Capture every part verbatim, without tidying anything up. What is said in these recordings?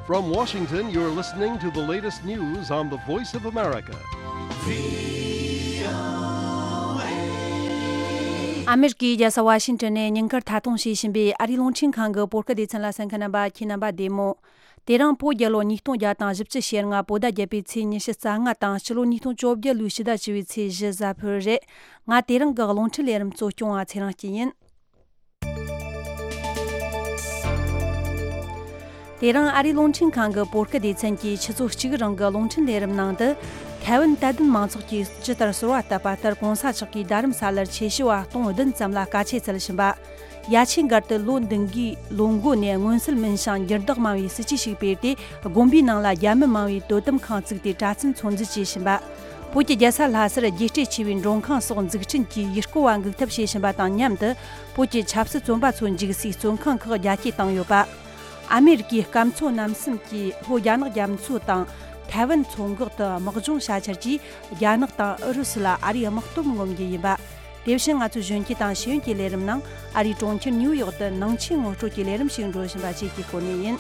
From Washington, you're listening to the latest news on the Voice of America. ཨ་མེ་རི་ཀའི་རྒྱལ་ས་ཝ་ཤིང་ཊོན་ནས་ཉིན་དཀར་ཐད་གཏོང་བྱེད་བཞིན་པའི་ཨ་རིའི་རླུང་འཕྲིན་ཁང་གི་བོད་སྐད་སྡེ་ཚན་ལ་གསན་མཁན་རྣམ་པ་ཁྱེད་རྣམ་པ་བདེ་མོ། དེ་རིང་བོད་རྒྱལ་ལོ་ཉིས་སྟོང་བརྒྱ་དང་བཞི་བཅུ་ཞེ་ལྔ་བོད་ཟླ་བརྒྱད་པའི་ཚེས་ཉི་ཤུ་རྩ་ལྔ་དང་ཕྱི་ལོ་ཉིས་སྟོང་བཅོ་བརྒྱད་ལོའི་ཕྱི་ཟླ་བཅུ་པའི་ཚེས་བཞི་གཟའ་ཕུར་རེད། ང་དེ་རིང་གི་རླུང་འཕྲིན་ལས་རིམ་གཙོ་སྐྱོང་བ་ཚེ་རིང་སྐྱིད་ཡིན། དེ་རིང་ཨ་རིའི་རླུང་འཕྲིན་ཁང་གི་བོད་སྐད་སྡེ་ཚན་གྱིས་ཆུ་ཚོད་གཅིག་རིང་གི་རླུང་འཕྲིན་ལས་རིམ་ནང་དུ། ཐའེ་ཝན་དད་ལྡན་མང་ཚོགས་ཀྱིས་ཇི་ལྟར་གསོལ་བ་བཏབ་པ་ལྟར་གོང་ས་མཆོག་གིས་རྡ་རམ་ས་ལར་ཆོས་ཞུ་བ་སྟོང་བདུན་ཙམ་ལ་དཀའ་ཆས་སྩལ་བཞིན་པ། ཡ་ཆེན་སྒར་དུ་ལོ་འདི་འགའི་ལོ་འགོ་ནས་མངོན་གསལ་མིན་ཞིང་འགྱུར་ལྡོག་མང་བའི་སྲིད་ཇུས་ཤིག་སྤེལ་ཏེ། དགོན་པའི་ནང་ལ་རྒྱ་མི་མང་བའི་དོ་དམ་ཁང་བཙུགས་ཏེ་གྲྭ་བཙུན་ཚོད་འཛིན་བྱེད་བཞིན་པ། བོད་ཀྱི་རྒྱལ་ས་ལྷ་སར་རྒྱས་སྤྲོས་ཆེ་བའི་མགྲོན་ཁང་སོགས་འཛུགས་སྐྲུན་གྱིས་ཡུལ་སྐོར་བ་འགུག་ཐབས་བྱེད་བཞིན་པ་དང་མཉམ་དུ། བོད་ཀྱི་ཆབ་སྲིད་བཙོན་པ་ཚོ་འཇུག་སའི་བཙོན་ཁང་ཁག་རྒྱ་སྐྱེད་བཏང་ཡོད་པ། ཨ་མེ་རི་ཀའི་སྐམ་མཚོ་གནམ་གཤིས་ཀྱིས་ལྷོ་རྒྱ་ནག་རྒྱ་མཚོ་དང་ཐའེ་ཝན་མཚོ་འགག་ཏུ་དམག་སྦྱོང་བྱ་འཆར་གྱིས། རྒྱ་ནག་དང་ཨུ་རུ་སུ་ལ་ཨ་རིའི་དམག་དོན་ངོམ་རྒྱུ་ཡིན་པ། དེ་བཞིན་ང་ཚོའི་གཞོན་སྐྱེས་དང་ཤེས་ཡོན་གྱི་ལས་རིམ་ནང་ཨ་རིའི་གྲོང་ཁྱེར་ནིའུ་ཡོག་ཏུ་ནང་ཆོས་ངོ་སྤྲོད་ཀྱི་ལས་རིམ་ཞིག་འགྲོ་བཞིན་པ་བཅས་ཀྱི་སྐོར་ནས་ཡིན།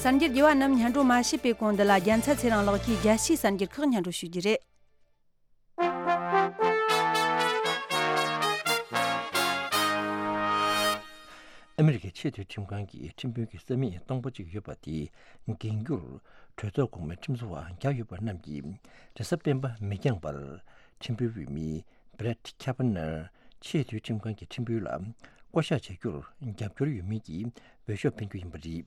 གསར་འགྱུར་རྒྱས་པ་རྣམས་སྙན་སྒྲོན་མ་བྱས་པའི་གོང་འདི་ལ་རྒྱལ་མཚན་ཚེ་རིང་ལགས་ཀྱིས་རྒྱལ་སྤྱིའི་གསར་འགྱུར་ཁག་སྙན་སྒྲོན་ཞུ་རྒྱུ་རེད། ཨ་མེ་རི་ཁའི་ཆེས་མཐོའི་ཁྲིམས་ཁང་གི་ཁྲིམས་དཔོན་གྱི་ས་མིག་སྟོང་པ་གཅིག་ཡོད་པ་དེ་འགེངས་རྒྱུར་གྲོས་ཚོགས་གོང་མའི་ཁྲིམས་བཟོ་བ་བརྒྱ་ཡོད་པ་རྣམས་ཀྱིས་རེས་གཟའ་སྤེན་པ་མི་འགྱངས་པར་ཁྲིམས་དཔོན་འོས་མི་Brett Kavanaugh ཆེས་མཐོའི་ཁྲིམས་ཁང་གི་ཁྲིམས་དཔོན་ལ་བསྐོ་གཞག་བྱ་རྒྱུར་རྒྱབ་སྐྱོར་ཡོད་མིན་གྱི་འོས་ཤོག་འཕེན་རྒྱུ་ཡིན་པ་རེད།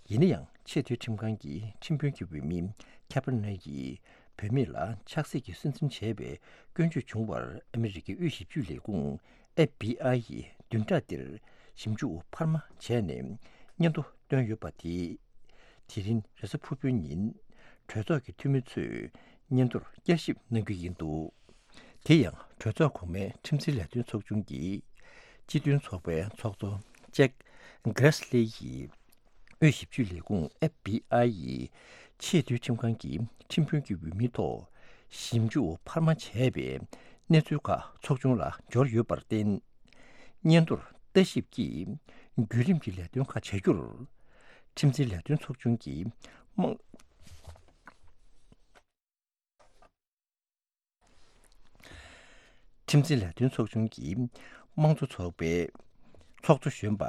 ཡིན་ན་ཡང་ཆེས་མཐོའི་ཁྲིམས་ཁང་གི་ཁྲིམས་དཔོན་གྱི་འོས་མི་Kavanaugh ཡིས་བུད་མེད་ལ་ཆགས་སྲེད་ཀྱིས་སུན་འབྱིན་བྱས་པའི་སྐྱོན་བརྗོད་བྱུང་བར་ཨ་མེ་རི་ཀའི་དབུས་ཞིབ་དཔྱོད་ལས་ཁུངས་F B I ཡིས་བདུན་ཕྲག་འདིར་ཞིབ་འཇུག་འཕར་མ་བྱས་ནས་སྙན་ཐོ་བཏོན་ཡོད་པ་དེ། དེ་རིང་རེས་གཟའ་ཕུར་བུའི་ཉིན་གྲོས་ཚོགས་ཀྱི་འཐུས་མི་ཚོས་སྙན་ཐོར་བསྐྱར་ཞིབ་གནང་རྒྱུ་ཡིན་འདུག་དེ་ཡང་གྲོས་ཚོགས་གོང་མའི་ཁྲིམས་འཛིན་ལས་དོན་ཚོགས་ཆུང་གི་སྤྱི་མཐུན་ཚོགས་པའི་ཚོགས་གཙོ་Jack Grassley ཡིས་དབུས་ཞིབ་དཔྱོད་ལས་ཁུངས་F B I ཡིས་ཆེས་མཐོའི་ཁྲིམས་ཁང་གི་ཁྲིམས་དཔོན་གྱི་འོས་མིའི་ཐོག་ཞིབ་འཇུག་འཕར་མ་བྱས་པའི་གནས་ཚུལ་ཁག་ཚོགས་ཆུང་ལ་འབྱོར་ཡོད་པར་བརྟེན། སྙན་ཐོར་ལྟ་ཞིབ་ཀྱིས་བརྒྱུད་རིམ་གྱི་ལས་དོན་ཁག་བྱ་རྒྱུར། ཁྲིམས་འཛིན་ལས་དོན་ཚོགས་ཆུང་གི་དམངས། ཁྲིམས་འཛིན་ལས་དོན་ཚོགས་ཆུང་གི་དམངས་གཙོ་ཚོགས་པའི་ཚོགས་གཙོ་གཞོན་པ་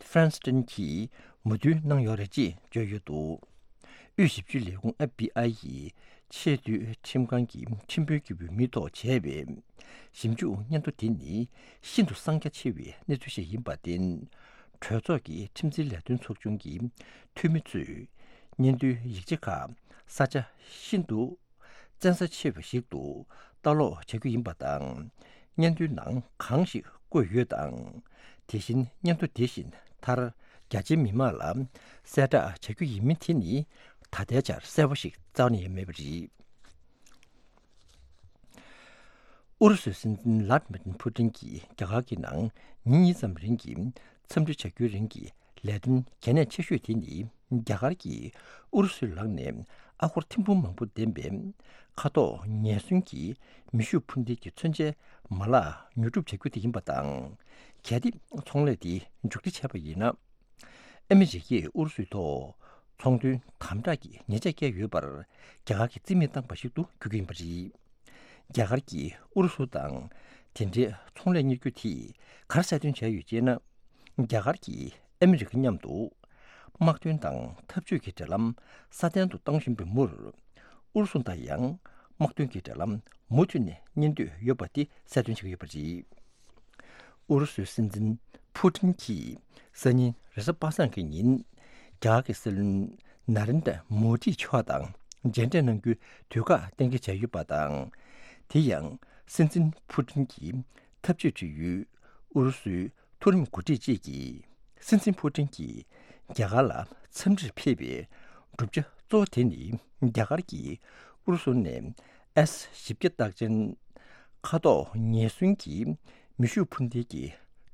ལྕམ་Feinstein གྱིས་མོས་མཐུན་གནང་ཡོད་རེད་ཅེས་བརྗོད་ཡོད་འདུག་དབུས་ཞིབ་དཔྱོད་ལས་ཁུངས་F B I ཡིས་ཆེས་མཐོའི་ཁྲིམས་ཁང་གི་ཁྲིམས་དཔོན་གྱི་འོས་མིའི་ཐོག་བྱས་པའི་ཞིབ་འཇུག་སྙན་ཐོ་དེ་ནི་ཤིན་ཏུ་གསང་རྒྱ་ཆེ་བའི་གནས་ཚུལ་ཞིག་ཡིན་པར་བརྟེན། གྲོས་ཚོགས་ཀྱི་ཁྲིམས་འཛིན་ལས་དོན་ཚོགས་ཆུང་གི་འཐུས་མི་ཚོས་སྙན་ཐོའི་ཡིག་ཆ་ཁག་ས་ཆ་ཤིན་ཏུ་བཙན་ས་ཆེ་བ་ཞིག་ཏུ་ལྟ་ཀློག་བྱ་རྒྱུ་ཡིན་པ་དང་། སྙན་ཐོའི་ནང་གང་ཞིག་བཀོད་ཡོད་དང་། དེ་བཞིན་སྙན་ཐོ་དེ་བཞིན་མཐར་རྒྱ་ཆེའི་མི་མང་ལ་གསལ་བསྒྲགས་བྱ་རྒྱུ་ཡིན་མིན་དེ་ནི་ད་ལྟའི་ཆར་གསལ་པོ་ཞིག་རྩ་བ་ནས་ཡོད་མེད་པ་རེད། ཨུ་རུ་སུའི་སྲིད་འཛིན་Vladimir Putin གྱིས་རྒྱ་གར་གྱི་ནང་ཉིན་གཉིས་ཙམ་རིང་གི་འཚམས་འདྲི་བྱ་རྒྱུའི་རིང་གི་ལས་དོན་གལ་གནད་ཆེ་ཤོས་དེ་ནི་རྒྱ་གར་གྱིས་ཨུ་རུ་སུའི་ལག་ནས་ཨ་སྒོར་ཐེར་འབུམ་མང་པོ་ལྡན་པའི་ཁ་དོག་ངེས་གསལ་གྱི་མེ་ཤུགས་འཕུར་མདེལ་གྱི་མཚོན་ཆའི་མ་ལག་ཉོ་སྒྲུབ་བྱ་རྒྱུ་དེ་ཡིན་པ་དང་། གལ་ཏེ་ཚོང་ལས་དེ་མཇུག་སྒྲིལ་བྱས་པ་ཡིན་ན། ཨ་མི་རི་ཀས་ཨུ་རུ་སུའི་ཐོག་ཚོང་དོན་དམ་དྲག་གི་ཉེས་ཆད་བཀལ་ཡོད་པར་རྒྱ་གར་གྱིས་རྩིས་མེད་བཏང་པ་ཞིག་ཏུ་འགྱུར་གྱི་ཡིན་པ་རེད། རྒྱ་གར་གྱིས་ཨུ་རུ་སུ་དང་དེ་འདྲའི་ཚོང་ལས་གཉེར་རྒྱུ་དེས་ག་རེ་གསལ་སྟོན་བྱས་ཡོད་ཅེ་ན། རྒྱ་གར་གྱིས་ཨ་མི་རི་ཀ་མཉམ་དུ་དམག་དོན་དང་འཐབ་ཇུས་ཀྱི་འབྲེལ་ལམ་སྲ་བརྟན་དུ་གཏོང་བཞིན་པའི་མུར། ཨུ་རུ་སུ་དང་ཡང་དམག་དོན་གྱི་འབྲེལ་ལམ་མུ་མཐུད་ནས་གཉེར་འདོད་ཡོད་པ་དེ་གསལ་སྟོན་བྱེད་ཀྱི་ཡོད་པ་རེད། ཨུ་རུ་སུའི་སྲིད་འཛིན་ཕུ་ཊིན་གྱིས་སང་ཉིན་རེས་གཟའ་པ་སངས་ཀྱི་ཉིན་རྒྱ་གར་གྱི་སྲིད་བློན་ན་རེན་དྲ་མོ་དི་མཆོག་དང་མཇལ་འཕྲད་གནང་རྒྱུའི་དུས་བཀག་གཏན་འཁེལ་བྱས་ཡོད་པ་དང་། དེ་ཡང་སྲིད་འཛིན་ཕུ་ཊིན་གྱིས་འཐབ་ཇུས་བྱེད་ཡུལ་ཨུ་རུ་སུའི་མཐོ་རིམ་འགོ་ཁྲིད་ཅིག་གིས་སྲིད་འཛིན་ཕུ་ཊིན་གྱིས་རྒྱ་གར་ལ་འཚམས་འདྲིར་ཕེབས་པའི་བསྒྲུབ་བྱ་གཙོ་བོ་དེ་ནི་རྒྱ་གར་གྱིས་ཨུ་རུ་སུ་ནས་ཨེས་བཞི་བརྒྱ་རྟགས་ཅན་ཁ་དོག་ངེས་གསལ་གྱི་མེ་ཤུགས་འཕུར་མདེལ་གྱི་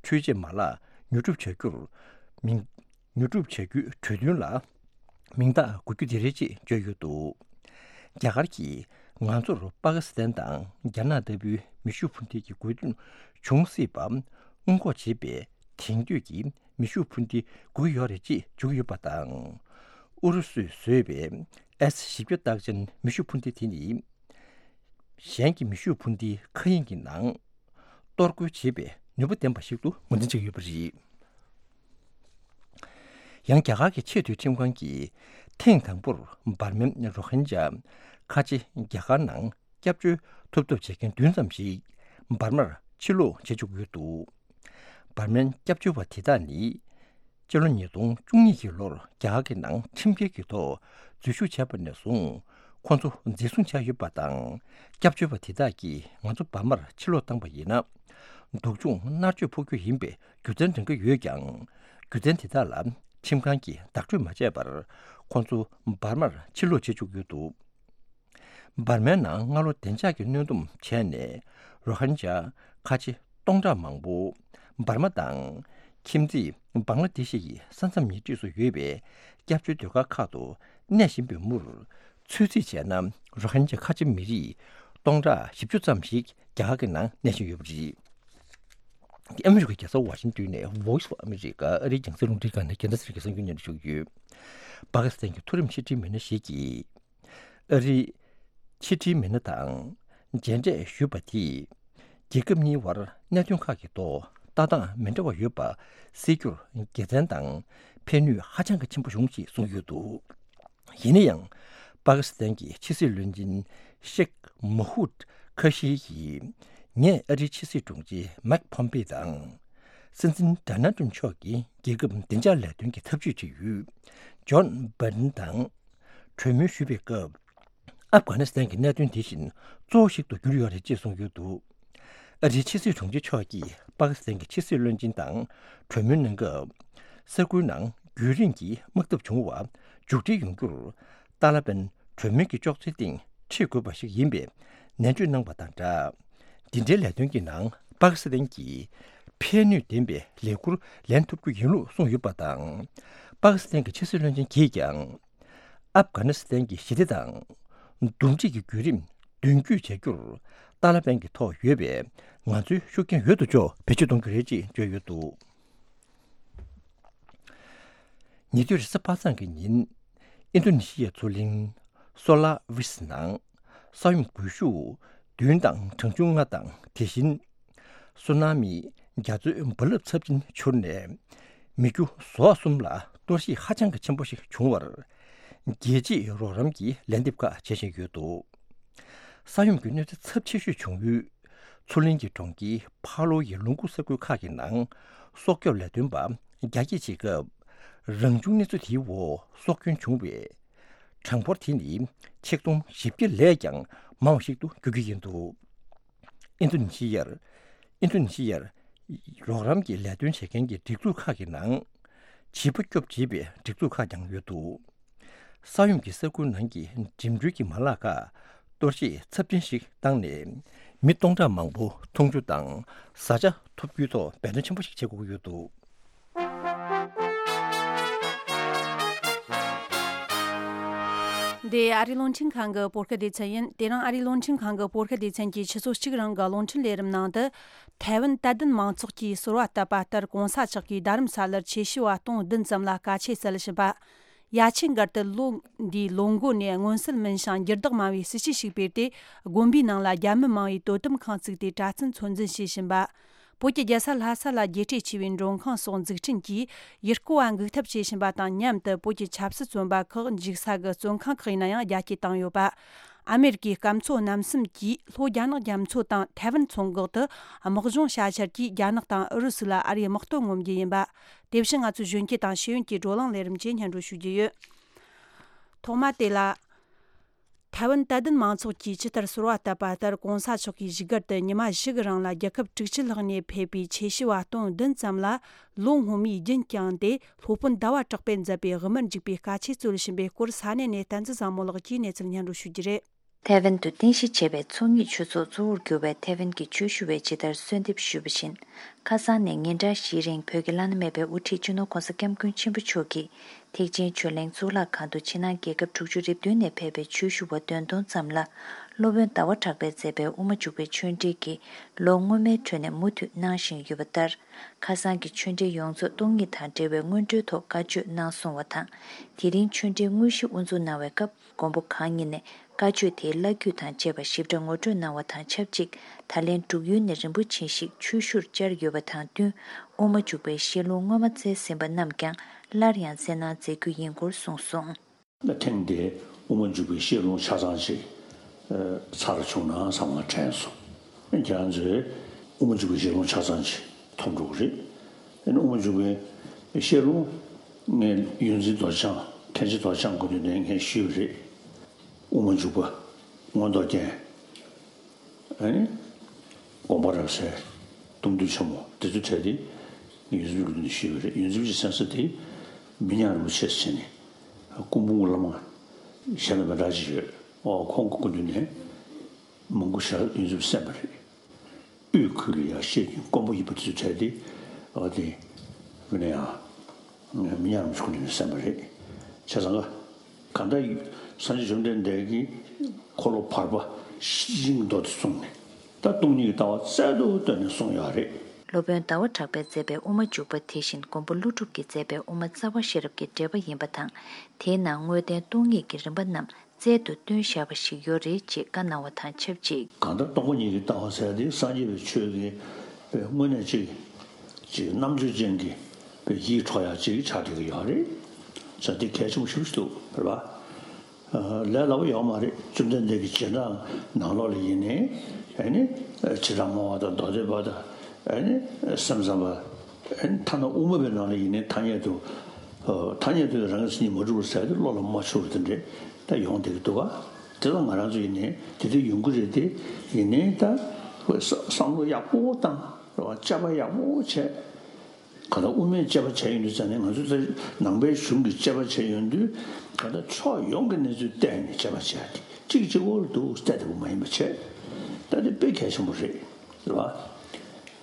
འཕྲུལ་ཆས་མ་ལག་ཉོ་སྒྲུབ་བྱ་རྒྱུར་མིང་ཉོ་སྒྲུབ་བྱ་རྒྱུའི་གྲོས་མཐུན་ལ་མིང་རྟགས་འགོད་རྒྱུ་དེ་རེད་ཅེས་བརྗོད་ཡོད་འདུག་རྒྱ་གར་གྱིས་ ང་ཚོར་པ་ཀི་སི་ཐན་དང་རྒྱ་ནག་ལྟ་བུའི་མེ་ཤུགས་འཕུར་མདེལ་གྱི་དགོས་འདུན་བྱུང་སྲིད་པ་སྔོན་འགོག་བྱེད་པའི་དེང་དུས་ཀྱི་མེ་ཤུགས་འཕུར་མདེལ་དགོས་ཀྱི་ཡོད་རེད་ཅེས་བརྗོད་ཀྱི་ཡོད་པ་དང་། ཨུ་རུ་སུས་བཟོས་པའི་ཨེས་བཞི་བརྒྱ་རྟགས་ཅན་མེ་ཤུགས་འཕུར་མདེལ་དེ་ནི། གཞན་གྱི་མེ་ཤུགས་འཕུར་མདེལ་མཁའ་དབྱིངས་ཀྱི་ནང་གཏོར་རྒོལ་བྱེད་པའི་ནུས་པ་ལྡན་པ་ཞིག་ཏུ་ངོས་འཛིན་བྱེད་ཀྱི་ཡོད་པ་རེད། ཡང་རྒྱ་གར་གྱི་ཆེས་མཐོའི་ཁྲིམས་ཁང་གིས་ཐེངས་དང་པོར་འབར་མའི་རོ་ཧིན་ཇཱ་ཁ་ཆེ་རྒྱ་གར་ནང་སྐྱབས་བཅོལ་ཐོབ་ཐབས་བྱེད་མཁན་བདུན་ཙམ་ཞིག་འབར་མར་ཕྱིར་ལོག་བྱེད་བཅུག་ཡོད་འདུག་འབར་མའི་སྐྱབས་བཅོལ་བ་དེ་དག་ནི། སྤྱི་ལོ་ཉིས་སྟོང་བཅུ་གཉིས་ཀྱི་ལོར་རྒྱ་གར་གྱི་ནང་ཁྲིམས་འགལ་གྱི་ཐོག་འཛུལ་ཞུགས་བྱས་པ་ནས་བཟུང་ཁོང་ཚོ་འཛིན་བཟུང་བྱས་ཡོད་པ་དང་། སྐྱབས་བཅོལ་བ་དེ་དག་གིས་ང་ཚོ་འབར་མར་ཕྱིར་ལོག་བཏང་པ་ཡིན་ན། སྡུག་སྦྱོང་མནར་གཅོད་ཕོག་རྒྱུ་ཡིན་པའི་རྒྱུ་མཚན་འདྲེན་གྱི་ཡོད་ཀྱང་། རྒྱུ་མཚན་དེ་དག་ལ་ཁྲིམས་ཁང་གིས་བདག་སྤྲོད་མ་བྱས་པར་ཁོང་ཚོ་འབར་མར་ཕྱིར་ལོག་བྱེད་བཅུག་ཡོད་འདུག་འབར་མའི་ནང་སྔ་ལོ་བདུན་ཕྲག་གི་གནོན་སྡོམ་བྱས་ནས་རོ་ཧིན་ཇཱ་ཁ་ཆེ་སྟོང་ཕྲག་མང་པོ་འབར་མ་དང་ཁྱིམ་མཚེས་བང་ལ་དེ་ཤི་ཡི་ས་མཚམས་ཉེ་འཁྲིས་སུ་ཡོད་པའི་སྐྱབས་བཅོལ་སྡོད་སྒར་ཁག་ཏུ་གནས་བཞིན་པའི་མུར། ཚོད་རྩིས་བྱས་ན་རོ་ཧིན་ཇཱ་ཁ་ཆེ་མི་རིགས་སྟོང་ཕྲག་བཞི་བཅུ་ཙམ་ཞིག་རྒྱ་གར་གྱི་ནང་གནས་བཞིན་ཡོད་པ་རེད། ཨ་མི་རི་ཀའི་རྒྱལ་ས་ཝ་ཤིང་ཏོན་ནས་Voice of America ཨ་རིའི་རྒྱང་སྲིང་རླུང་འཕྲིན་ཁང་ནས་རྒྱལ་ས་སི་རི་གི་གསར་འགྱུར་སྙན་སྒྲོན་ཞུ་གི་ཡོད། པ་ཀི་སི་ཐན་གྱི་མཐོ་རིམ་ཕྱི་འབྲེལ་མི་སྣ་ཞིག་གིས། ཨ་རིའི་ཕྱི་འབྲེལ་མི་སྣ་དང་མཇལ་འཕྲད་ཞུས་པ་དེས། རྒྱལ་ཁབ་གཉིས་བར་གནད་དོན་ཁག་གི་ཐོག་ལྟ་སྟངས་མི་འདྲ་བ་ཡོད་པ་སེལ་རྒྱུར་དགེ་མཚན་དང་ཕན་ནུས་ཧ་ཅང་གི་ཆེན་པོ་བྱུང་ཞེས་གསུངས་ཡོད་འདུག་ཡིན་ན་ཡང་། པ་ཀི་སི་ཐན་གྱི་ཕྱི་སྲིད་བློན་ཆེན་ཤེག་མོ་ཧུད་ཁ་ཤི་ཡིས། ངས་ཨ་རིའི་ཕྱི་སྲིད་དྲུང་ཆེ་མེག་ཕོམ་པེ་དང་། སྲིད་འཛིན་ཌོ་ནལ་ཏྲམ་མཆོག་གིས་རྒྱལ་ཁབ་བདེ་འཇགས་ལས་དོན་གྱི་ཐབས་ཇུས་བྱེད་ཡུལ་ཇོན་བྷའི་ཏན་དང་གྲོས་མོལ་ཞུས་པའི་སྐབས། ཨབ་གྷ་ནི་སི་ཐན་གྱི་གནད་དོན་དེ་བཞིན་གཙོ་བོ་ཞིག་ཏུ་གྱུར་ཡོད་རེད་ཅེས་གསུངས་ཡོད་འདུག་ཨ་རིའི་ཕྱི་སྲིད་དྲུང་ཆེ་མཆོག་གིས་པ་ཀི་སི་ཐན་གྱི་ཕྱི་སྲིད་བློན་ཆེན་དང་གྲོས་མོལ་གནང་སྐབས། ས་ཁུལ་ནང་རྒྱུན་རིང་གི་དམག་འཐབ་བྱུང་བ་མཇུག་སྒྲིལ་ཡོང་རྒྱུར། ཏཱ་ལ་པན་གྲོས་མོལ་གྱི་ཅོག་ཙེའི་སྟེང་ཁྲིད་དགོས་པ་ཞིག་ཡིན་པའི་ནན་བརྗོད་གནང་བ་དང་སྦྲགས། འདི་འདྲའི་ལས་དོན་གྱི་ནང་པ་ཀི་སི་ཐན་གྱིས་ཕན་ནུས་ལྡན་པའི་ལས་འཁུར་ལེན་ཐུབ་རྒྱུ་ཡིན་ལུགས་གསུངས་ཡོད་པ་དང་། པ་ཀི་སི་ཐན་གྱི་ཕྱི་སྲིད་བློན་ཆེན་གྱིས་ཀྱང་། ཨབ་གྷ་ནི་སི་ཐན་གྱི་ཞི་བདེ་དང་། འདུམ་འགྲིག་གི་བརྒྱུད་རིམ་མདུན་སྐྱོད་བྱ་རྒྱུར། ཏཱ་ལ་པན་གྱི་ཐོག་ཡོད་པའི་ང་ཚོའི་ཤུགས་རྐྱེན་ཡོད་དོ་ཅོག་བེད་སྤྱོད་གཏོང་རྒྱུ་རེད་ཅེས་བརྗོད་ཡོད་འདུག་ཉེ་དུས་རེས་གཟའ་པ་སངས་ཀྱི་ཉིན། ཨིན་རྡུ་ནི་ཤི་ཡའི་མཚོ་གླིང་སོ་ལ་ཝི་སི་ནང་ས་ཡོམ་རྒུད་ཤུགས་བདུན་དང་གྲངས་ཆུང་ལྔ་དང་། དེ་བཞིན་སུ་ན་མི་རྒྱ་མཚོའི་རྦ་རླབས་ཚབས་ཆེན་འཕྱུར་ནས་མི་རྒྱུ་ཟོག་གསུམ་ལ་གཏོར་བཤིག་ཧ་ཅང་གི་ཆེན་པོ་ཞིག་བྱུང་བར། རྒྱལ་སྤྱིའི་རོགས་རམ་གྱི་ལན་འདེབས་ཁག་བྱེད་བཞིན་ཡོད་འདུག་ས་ཡོམ་གྱི་གནོད་འཚེ་ཚབས་ཆེ་ཤོས་བྱུང་ཡུལ། མཚོ་གླིང་གི་གྲོང་ཁྱེར་ཕ་ལོ་ཡི་ལུང་ཁུག་ས་ཁུལ་ཁག་གི་ནང་སྲོག་སྐྱོབ་ལས་དོན་པ་རྒྱ་སྐྱེད་བྱེད་སྐབས། རང་བྱུང་གནོད་འཚེ་དེའི་འོག་སྲོག་སྐྱོན་བྱུང་བའི་གྲངས་འབོར་དེ་ནི་ཆིག་སྟོང་བཞི་བརྒྱ་ལས་ཀྱང་མང་བ་ཞིག་ཏུ་འགྱུར་གྱི་ཡིན་འདུག་ཨིན་རྡུ་ནི་ཤི་ཡར། ཨིན་རྡུ་ནི་ཤི་ཡར། རོགས་རམ་གྱི་ལས་དོན་བྱེད་མཁན་གྱི་སྒྲིག་འཛུགས་ཁག་གི་ནང་། བྱིས་པ་སྐྱོབ་བྱེད་པའི་སྒྲིག་འཛུགས་ཁག་ཀྱང་ཡོད་འདུག་ས་ཡོམ་གྱི་ས་ཁུལ་ནང་གི་འགྲིམ་འགྲུལ་གྱི་མ་ལག་ཁག་གཏོར་བཤིག་ཚབས་ཆེན་ཞིག་བཏང་ནས། མི་སྟོང་ཕྲག་མང་པོ་འཐུང་ཆུ་དང་བཟའ་བཅའ་ཐོབ་རྒྱུའི་ཐོག་འབད་བརྩོན་ཆེན་པོ་ཞིག་བྱེད་དགོས་ཀྱི་ཡོད་འདུག་འདི་ཨ་རིའི་རླུང་འཕྲིན་ཁང་གི་བོད་སྐད་སྡེ་ཚན་ཡིན། དེ་རིང་ཨ་རིའི་རླུང་འཕྲིན་ཁང་གི་བོད་སྐད་སྡེ་ཚན་གྱི་ཆུ་ཚོད་གཅིག་རིང་གི་རླུང་འཕྲིན་ལས་རིམ་ནང་དུ། ཐའེ་ཝན་དད་ལྡན་མང་ཚོགས་ཀྱིས་གསོལ་བ་བཏབ་པ་ལྟར། གོང་ས་མཆོག་གིས་རྡ་རམ་ས་ལར་ཆེ་ཤོས་པ་སྟོང་བདུན་ཙམ་ལ་དཀའ་ཆས་སྩལ་བཞིན་པ། ཡ་ཆེན་སྒར་དུ་ལོ་འདིའི་ལོ་འགོ་ནས་མངོན་གསལ་མིན་ཞིང་འགྱུར་ལྡོག་མང་བའི་སྲིད་ཇུས་ཤིག་སྤེལ་ཏེ། དགོན་པའི་ནང་ལ་རྒྱ་མི་མང་བའི་དོ་དམ་ཁང་བཙུགས་ཏེ། གྲྭ་བཙུན་ཚོད་འཛིན་བྱེད་བཞིན་པ། བོད་ཀྱི་རྒྱལ་ས་ལྷ་ས་ལ་རྒྱས་སྤྲོས་ཆེ་བའི་མགྲོན་ཁང་སོགས་འཛུགས་སྐྲུན་གྱིས་ཡུལ་སྐོར་བ་འགུག་ཐབས་བྱེད་བཞིན་པ་དང་མཉམ་དུ། བོད་ཀྱི་ཆབ་སྲིད་བཙོན་པ་ཁག་འཇུག་ས་གི་བཙོན་ཁང་ཁག་ཡིན་ན་ཡང་རྒྱ་སྐྱེད་བཏང་ཡོད་པ། ཨ་མེ་རི་ཀའི་སྐམ་མཚོ་གནམ་གསུམ་གྱིས་ལྷོ་རྒྱ་ནག་རྒྱ་མཚོ་དང་ཐའེ་ཝན་མཚོ་འགག་ཏུ་དམག་སྦྱོང་བྱ་འཆར་གྱིས་རྒྱ་ནག་དང་ཨུ་རུ་སུ་ལ་ཨ་རིའི་དམག་དོན་ངོམ་རྒྱུ་ཡིན་པ། དེ་བཞིན་ང་ཚོའི་གཞོན་སྐྱེས་དང་ཤེས་ཡོན་གྱི་བགྲོ་གླེང་ལས་རིམ་གྱིས་སྙན་སྒྲོན་ཞུ་རྒྱུ་ཡོད། ཐོག་མ་དེ་ལ། ཐའེ་ཝན་དད་ལྡན་མང་ཚོགས་ཀྱིས་ཇི་ལྟར་གསོལ་བ་བཏབ་པ་ལྟར། གོང་ས་མཆོག་གིས་བཞུགས་སྒར་དུ་ཉི་མ་བཞི་གི་རིང་ལ་རྒྱལ་ཁབ་དྲུག་ཅུ་ལྷག་ནས་ཕེབས་པའི་ཆེ་ཤོས་པ་སྟོང་བདུན་ཙམ་ལ་ལོ་སྔོན་མའི་རྒྱུན་བསྐྱངས་ཏེ། སློབ་དཔོན་ཟླ་བ་གྲགས་པས་མཛད་པའི་དབུ་མར་འཇུག་པའི་དཀའ་ཆས་སྩོལ་བཞིན་པའི་སྐོར་ས་གནས་ནས་བསྟན་འཛིན་བཟང་མོ་ལགས་ཀྱིས་གནས་ཚུལ་སྙན་སྒྲོན་ཞུ་རྒྱུ་རེད། ཐའེ་ཝན་དུ་རྟེན་གཞི་བྱས་པའི་ཚོགས་གཉིས་ཆོས་ཚོགས་གཙོ་བོར་གྱུར་པའི་ཐའེ་ཝན་གྱི་ཆོས་ཞུ་བས་ཇི་ལྟར་གསོལ་འདེབས་ཞུས་པ་བཞིན། ཁ་སང་ནས་ཉིན་གྲངས་བཞིའི་རིང་བོད་ཀྱི་བླ་ན་མེད་པའི་དབུ་ཁྲིད་སྤྱི་ནོར་༸གོང་ས་༸སྐྱབས་མགོན་ཆེན་པོ་མཆོག་གིས་ཐེག་ཆེན་ཆོས་གླིང་གཙུག་ལག་ཁང་དུ་ཕྱི་ནང་རྒྱལ་ཁབ་དྲུག་ཅུ་རེ་བདུན་ནས་ཕེབས་པའི་ཆོས་ཞུ་བ་བདུན་སྟོང་ཙམ་ལ། སློབ་དཔོན་ཟླ་བ་གྲགས་པས་མཛད་པའི་དབུ་མ་འཇུག་པའི་ཆོས་འབྲེལ་གྱིས་ལོ་སྔོན་མའི་ཁྲོད་ནས་མུ་མཐུད་གནང་བཞིན་ཡོད་པ་ལྟར། ཁ་སང་གི་ཆོས་འབྲེལ་ཡོངས་རྫོགས་སྟོང་ཉིད་དང་འབྲེལ་བའི་སྔོན་འགྲོའི་ཐོག་བཀའ་ཆོས་གནང་སོང་བ་དང་། དེ་རིང་ཆོས་འབྲེལ་དངོས་གཞི་དབུ་འཛུགས་གནང་བའི་སྐབས། མགོན་པོ་གང་ཉིད་ནས་བཀའ་ཆོས་དེའི་བླ་བརྒྱུད་དང་བཅས་པ་ཞིབ་ཕྲ་ངོ་སྤྲོད་གནང་བ་དང་ཆབས་ཅིག། ད་ལན་འབྲུག་ཡུལ་ནས་རིན་པོ་ཆེ་ཞིག་ཆོས་ཞུར་བཅར་ཡོད་པ་དང་བསྟུན། དབུ་མ་འཇུག་པའི་བཤད་ལུང་སྔོན་མ་བསྩལ་ཟིན་པ་རྣམས་ཀྱང་སླར་ཡང་བསྩལ་གནང་མཛད་རྒྱུ་ཡིན་སྐོར་གསུངས་སོང་། ཐེངས་འདིའི་དབུ་མ་འཇུག་པའི་བཤད་ལུང་ཆ་ཚང་ཞིག་ཚར་བྱུང་ན་བསམ་ང་དྲན་སོང་། ཁྱེད་རང་ཚོས་དབུ་མ་འཇུག་པའི་བཤད་ལུང་ཆ་ཚང་ཞིག་མཐོང་འགྲོ་གི་རེད། དབུ་མ་འཇུག་པའི་བཤད་ལུང་ངས་ཡོངས་འཛིན་རྡོ་རྗེ་འཆང་མཁན་ཆེན་རྡོ་རྗེ་འཆང་སྐུ་མདུན་ནས་ངས་ཞུས་པ་རེད། དབུ་མ་འཇུག་པ་མངོན་རྟོགས་རྒྱན། ཨ་ནི། དགོངས་པ་རབ་གསལ། གཏུམ་བདུན་ཆེན་མོ་དེ་ཚོའི་གྲས་དེ་ངས་ཡོངས་འཛིན་སྐུ་མདུན་ནས་ཞུས་པ་རེད། ཡོངས་འཛིན་གྱི་མཚན་གསོལ་དེ་མི་ཉག་རིན་པོ་ཆེ་ཟེར་ནས་སྐུ་འབུམ་སྐུ་བླ་མ་གཞན་དང་མི་འདྲ་ཅིག་ཡོད། ཨོ་ཁོང་གི་སྐུ་མདུན་ནས་མང་པོ་ཞིག་ཡོངས་འཛིན་གསན་པ་རེད། དབུས་ཁུལ་ལ་ཡར་བཤད་རྒྱུན་དཀོན་པོ་ཡིན་པ་དེ་ཚོའི་གྲས་དེ་ཨོ་དེ་མི་ནས་ཡང་མི་ཉག་རིན་པོ་ཆེ་སྐུ་མདུན་ནས་གསན་པ་རེད། བྱས་ཙང་ག་གང་ལྟར་སངས་རྒྱས་བཅོམ་ལྡན་འདས་ཀྱིས་འཁོར་ལོ་བར་པ་ཤིང་རྡོ་དེ་གསུངས་ནས་ད་སྟོང་ཉིད་ཀྱི་ལྟ་བ་རྩལ་དུ་བཏོན་ནས་གསུངས་ཡོད་རེད། སློབ་དཔོན་ཟླ་བ་གྲགས་པས་མཛད་པའི་དབུ་མ་འཇུག་པ་དེ་བཞིན་མགོན་པོ་ཀླུ་སྒྲུབ་ཀྱིས་མཛད་པའི་དབུ་མ་རྩ་བ་ཤེས་རབ་ཀྱི་འགྲེལ་པ་ཡིན་པ་དང་། དེའི་ནང་དངོས་བསྟན་སྟོང་ཉིད་ཀྱི་རིམ་པ་རྣམས་རྩལ་དུ་བཏོན་བཞག་པ་ཞིག་ཡོད་རེད་ཅེས་བཀའ་གནང་བ་དང་ཆབས་ཅིག། གང་ལྟར་སྟོང་པ་ཉིད་ཀྱི་ལྟ་བ་ཟེར་ཡ་དེ་སངས་རྒྱས་པའི་ཆོས་ཀྱི་དངོས་གནས་ཅིག་ཅིག་རྣམ་དཔྱོད་ཅན་གྱི་ཡིད་འཕྲོག་ཡ་ཅིག་ཆགས་བསྡད་ཀྱི་ཡོད་རེད། ཟེར་དེ་གལ་ཆེན་པོ་ཞེ་པོ་ཞིག་འདུག་རེད་པ། ལས་སླ་པོ་ཡོད་མ་རེད། བཅོམ་ལྡན་འདས་ཀྱི་རྗེས་འབྲང་ནང་ལོགས་ལ་ཡིན་ནའི་ཨ་ནི་ཇི་ལྟར་སྨྲ་བ་དང་མདོ་སྡེ་པ་དང་ཨ་ནི་སེམས་ཙམ་པ། ཨ་ནི་ཐ་ན་དབུ་མ་པའི་ནང་ལ་ཡིན་ནའི་ཐ་སྙད་དུ་ཐ་སྙད་དུ་རང་གི་མཚན་ཉིད་མ་གྲུབ་པར་ཟེར་ཏེ་བློ་ལ་མ་ཆུད་པ་དེ་འདྲས་ད་ཡོང་བསྡད་ཀྱི་འདུག་ག་དེ་ལ་ང་རང་ཚོ་ཡིན་ནའི་དེ་འདྲ་ཡོང་གི་རེད་དེ། ཡིན་ནའི་ད་བསམ་བློ་ཡག་པོ་བཏང་རེད་པ། དཔྱད་པ་ཡག་པོ་བྱས། གང་ལྟར་དབུ་མའི་དཔྱད་པ་བྱས་ཡོང་དུས་ཙང་ནས་ང་ཚོ་ད་ནང་པའི་གཞུང་གི་དཔྱད་པ་བྱས་ཡོང་དུས་གང་ལྟར་ཕྱོགས་ཡོངས་ཀྱི་གནས་ཚུལ་བལྟས་ནས་དཔྱད་པ་བྱས་ཏེ་གཅིག་གཅིག་པོ་ལ་འདུག་བལྟས་བསྡད་པ་མ་ཡིན་པ་བྱས། ད་དེ་དཔེ་གལ་ཆེན་པོ་རེད། རེད་བ།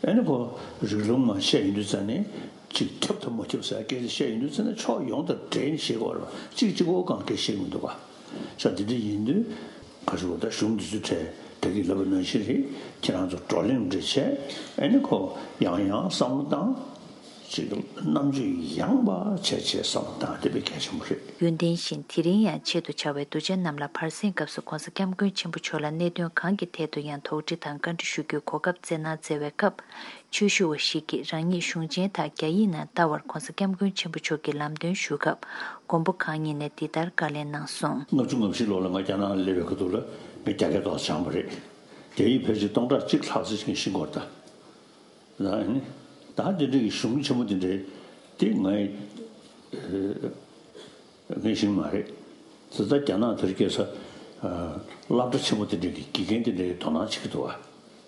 ཨ་ནི་ཁོ་རིགས་ལུང་མ་བཤད་ཡོང་དུས་ཙང་ནས་གཅིག་ཁྱབ་དང་མ་ཁྱབ་ཟེར་སྐད་ཆ་བཤད་ཡོང་དུས་ཙང་ནས་ཕྱོགས་ཡོངས་དང་འབྲེལ་ནས་བཤད་དགོས་རེད་བ། གཅིག་གཅིག་པོ་གང་སྐད་བཤད་མི་འདུག་ག་ས་དེ་འདྲ་ཡིན་དུས་ག་ཞུ་བ་ད་གཞུང་འདི་ཚོའི་གྲས་ད་གིན་ལབ་པ་ནང་བཞིན་རེད། ཁྱེད་རང་ཚོ་བགྲོ་གླེང་འདྲ་བྱས་ཨ་ནི་ཁོ་ཡང་ཡང་བསམ་བློ་བཏང་། ཅིག་རྣམ་དཔྱོད་ཡངས་པ་བྱས་བྱས་བསམ་བློ་བཏང་དེ་དཔེ་གལ་ཆེན་པོ་རེད། ཡོན་ཏན་བཞིན་དེ་རིང་ཡང་ཆེད་དུ་བྱ་བའི་གདུལ་བྱ་རྣམས་ལ་བར་གསེང་སྐབས་སུ་༸གོང་ས་༸སྐྱབས་མགོན་ཆེན་པོ་མཆོག་ལ་གནད་དོན་གང་གི་ཐད་དུ་ཡང་དོགས་འདྲི་དང་བཀའ་འདྲི་ཞུ་རྒྱུའི་གོ་སྐབས་བསྩལ་གནང་མཛད་པའི་སྐབས། ཆོས་ཞུ་བ་ཞིག་གིས་རང་ཉིད་གཞུང་ཆེན་དག་རྒྱ་ཡིག་ནང་བལྟ་བར་༸གོང་ས་༸སྐྱབས་མགོན་ཆེན་པོ་མཆོག་གིས་ལམ་སྟོན་ཞུ་སྐབས། མགོན་པོ་གང་ཉིད་ནས་འདི་ལྟར་བཀའ་ལན་གནང་སོང་། ལྔ་བཅུ་ང་བཞི་ལོ་ལ་ང་རྒྱ་ནག་ལ་སླེབས་པའི་སྐབས་དུས་ལ་ངས་རྒྱ་སྐད་ཏོག་ཙམ་སྦྱངས་པ་རེད། རྒྱ་ཡིག་ཕལ་ཆེར་སྟོང་ཕྲག་གཅིག་ལྷག་ཙམ་ཞིག་ངས་ཤེས་ཀྱི་ཡོད་རེད་ད། ད་ནི་ད་འདི་འདྲ་གི་གཞུང་ཆེན་མོ་འདི་འདྲའི་དེ་ངས་ངས་ཤེས་ཀྱི་མ་རེད། ད་ལྟ་རྒྱ་ནག་དེར་སྐྱེས་ས་སློབ་གྲྭ་ཆེན་མོ་འདི་འདྲའི་གི་དགེ་རྒན་འདི་འདྲའི་དོ་སྣང་བྱེད་ཀྱི་འདུག་བ།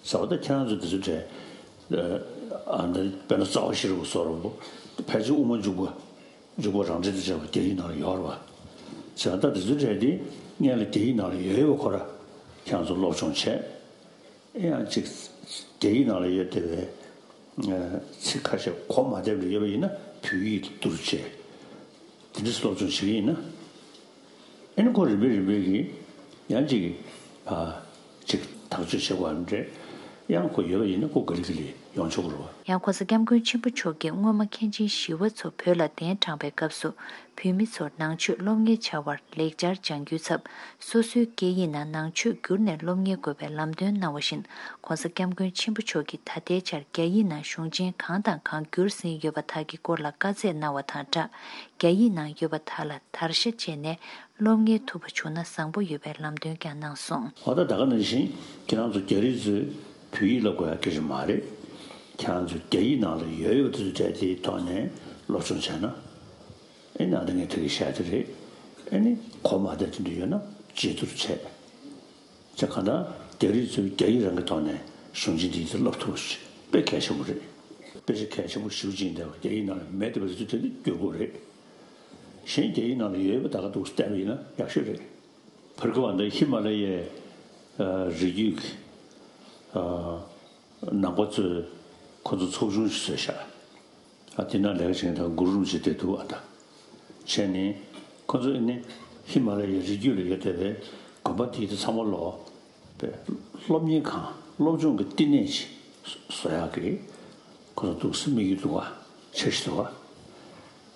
ཟེར་བ་ད་ཁྱེད་རང་ཚོ་འདི་ཚོ་གྲས་ཨ་ནི་དཔེར་ན་རྩ་བ་ཤེས་རབ་བཟོ་འདྲ་པོ་ཕལ་ཆེར་དབུ་མ་འཇུག་པ། འཇུག་པ་རང་འགྲེལ་དང་བཅས་པ་རྒྱ་ཡིག་ནང་ལ་ཡོད་རེད་བ། བྱས་ཙང་ད་དེ་ཚོའི་གྲས་དེ་སྔོན་ལ་རྒྱ་ཡིག་ནང་ལ་ཡོད་ཡོད་པ་ཁོ་ར་ཁྱེད་རང་ཚོ་སློབ་སྦྱོང་བྱས། ཨེ་ཡང་ཅིག་རྒྱ་ཡིག་ནང་ལ་ཡོད་བསྡད་པའི་ཚིག་ཁ་ཤས་གོ་མ་བསྡད་པ་ཡོད་པ་ཡིན་ན་བོད་ཡིག་ཏུ་བསྒྱུར་བྱས། དེ་འདྲ་སློབ་སྦྱོང་བྱེད་ཀྱི་ཡིན་ན། ཨེ་ནི་ཁོ་རིམ་པས་རིམ་པས་ཀྱིས་ཡང་ཅིག་ཨ་ཅིག་ཐག་གཅོད་བྱེད་དགོས་པ་འདྲ། ཡང་ཁོ་ཡོད་པ་ཡིན་ན་ཁོ་ག་ལེ་ག་ལེ་ཡོང་ཆོག་གི་རེད་བ། ཡང་༸གོང་ས་༸སྐྱབས་མགོན་ཆེན་པོ་མཆོག་གིས་སྔོན་མ་མཁན་ཆེན་ཞི་བ་འཚོ་བོད་ལ་གདན་དྲངས་པའི་སྐབས་སུ་བོད་མི་ཚོར་ནང་ཆོས་སློབ་གཉེར་བྱ་བར་ལེགས་སྦྱར་སྦྱང་རྒྱུའི་ཚབ་སོ་སོའི་སྐད་ཡིག་ནང་ནང་ཆོས་བསྒྱུར་ནས་སློབ་གཉེར་དགོས་པའི་ལམ་སྟོན་གནང་བ་བཞིན་༸གོང་ས་༸སྐྱབས་མགོན་ཆེན་པོ་མཆོག་གིས་ད་ལྟའི་ཆར་རྒྱ་ཡིག་ནང་གཞུང་ཆེན་གང་དང་གང་བསྒྱུར་ཟིན་ཡོད་པ་དག་གི་སྐོར་ལ་བཀའ་སྩལ་གནང་བ་དང་སྦྲགས། རྒྱ་ཡིག་ནང་ཡོད་པ་དག་ལ་དར་ཤ་བཅད་ནས་སློབ་གཉེར་ཐུབ་པ་བྱུང་ན་བཟང་པོ་ཡོད་པའི་ལམ་སྟོན་ཀྱང་གནང་སོང་། འོ་ད་ད་ག་ནང་བཞིན་ཁྱེད་རང་ཚོ་རྒྱ་རིགས་ཚོས་བོད་ཡིག་བསླབ་དགོས་ཡ་སྐད་ཆ་མ་རེད། ཁྱེད་རང་ཚོ་རྒྱ་ཡིག་ནང་ལ་ཡོད་ཡོད་པ་དེ་ཚོ་གྲས་དེའི་ཐོག་ནས་སློབ་སྦྱོང་བྱས་ན། ཨེ་ནི་ཨ་ད་ངས་ད་གིན་བཤད་དེ་རེད། ཨེ་ནི་གོ་མ་བདེ་དེ་འདྲ་ཡོད་ན་བརྗེ་བསྡུར་བྱས། ཅེས་གང་ལྟར་རྒྱ་རིགས་ཚོས་རྒྱ་ཡིག་རང་གི་ཐོག་ནས་གཞུང་ཆེན་འདི་ཚོ་བསླབ་ཐུབ་པ་དཔེ་གལ་ཆེན་པོ་རེད། དཔེ་ཆ་གལ་ཆེན་པོ་ཞེ་པོ་ཅིག་འདས་པ་རྒྱ་ཡིག་ནང་ལ་མེད་བསྡད་པ་དེ་ཚོ་དེ་ནི་བསྒྱུར་དགོས་རེད། གཞན་རྒྱ་ཡིག་ནང་ལ་ཡོད་པ་ད་ག་འདུག་བལྟས་པ་ཡིན་ན་ཡག་ཤོས་རེད། བར་སྐབས་འདི་ཧི་མ་ལ་ཡའི་ཨ་རི་རྒྱུད་ཀྱི་ཨ་ནང་པ་ཚོས་ཁོ་ཚོ་ཚོགས་ཆུང་ཞིག་བཟོས་ཤག་ཨ་དེ་ནང་ལས་ཀ་བྱེད་མཁན་དང་གུ་རུ་རིན་པོ་ཆེ་བསྡད་འདུག་ཨ་ད། བྱས་ནས་ཁོ་ཚོ་ནི་ཧི་མ་ལ་ཡའི་རི་རྒྱུད་ལ་ཡོད་བསྡད་པའི་དགོན་པ་དེ་དེ་ཚང་མ་ལོག་པའི་སློབ་གཉེར་ཁང་སློབ་སྦྱོང་གི་བསྟི་གནས་ཅིག་བཟོ་ཡག་གི་ཁོ་ཚོ་འདུག་སེ་དམིགས་ཡུལ་འདུག་ག་འཆར་གཞི་འདུག་ག་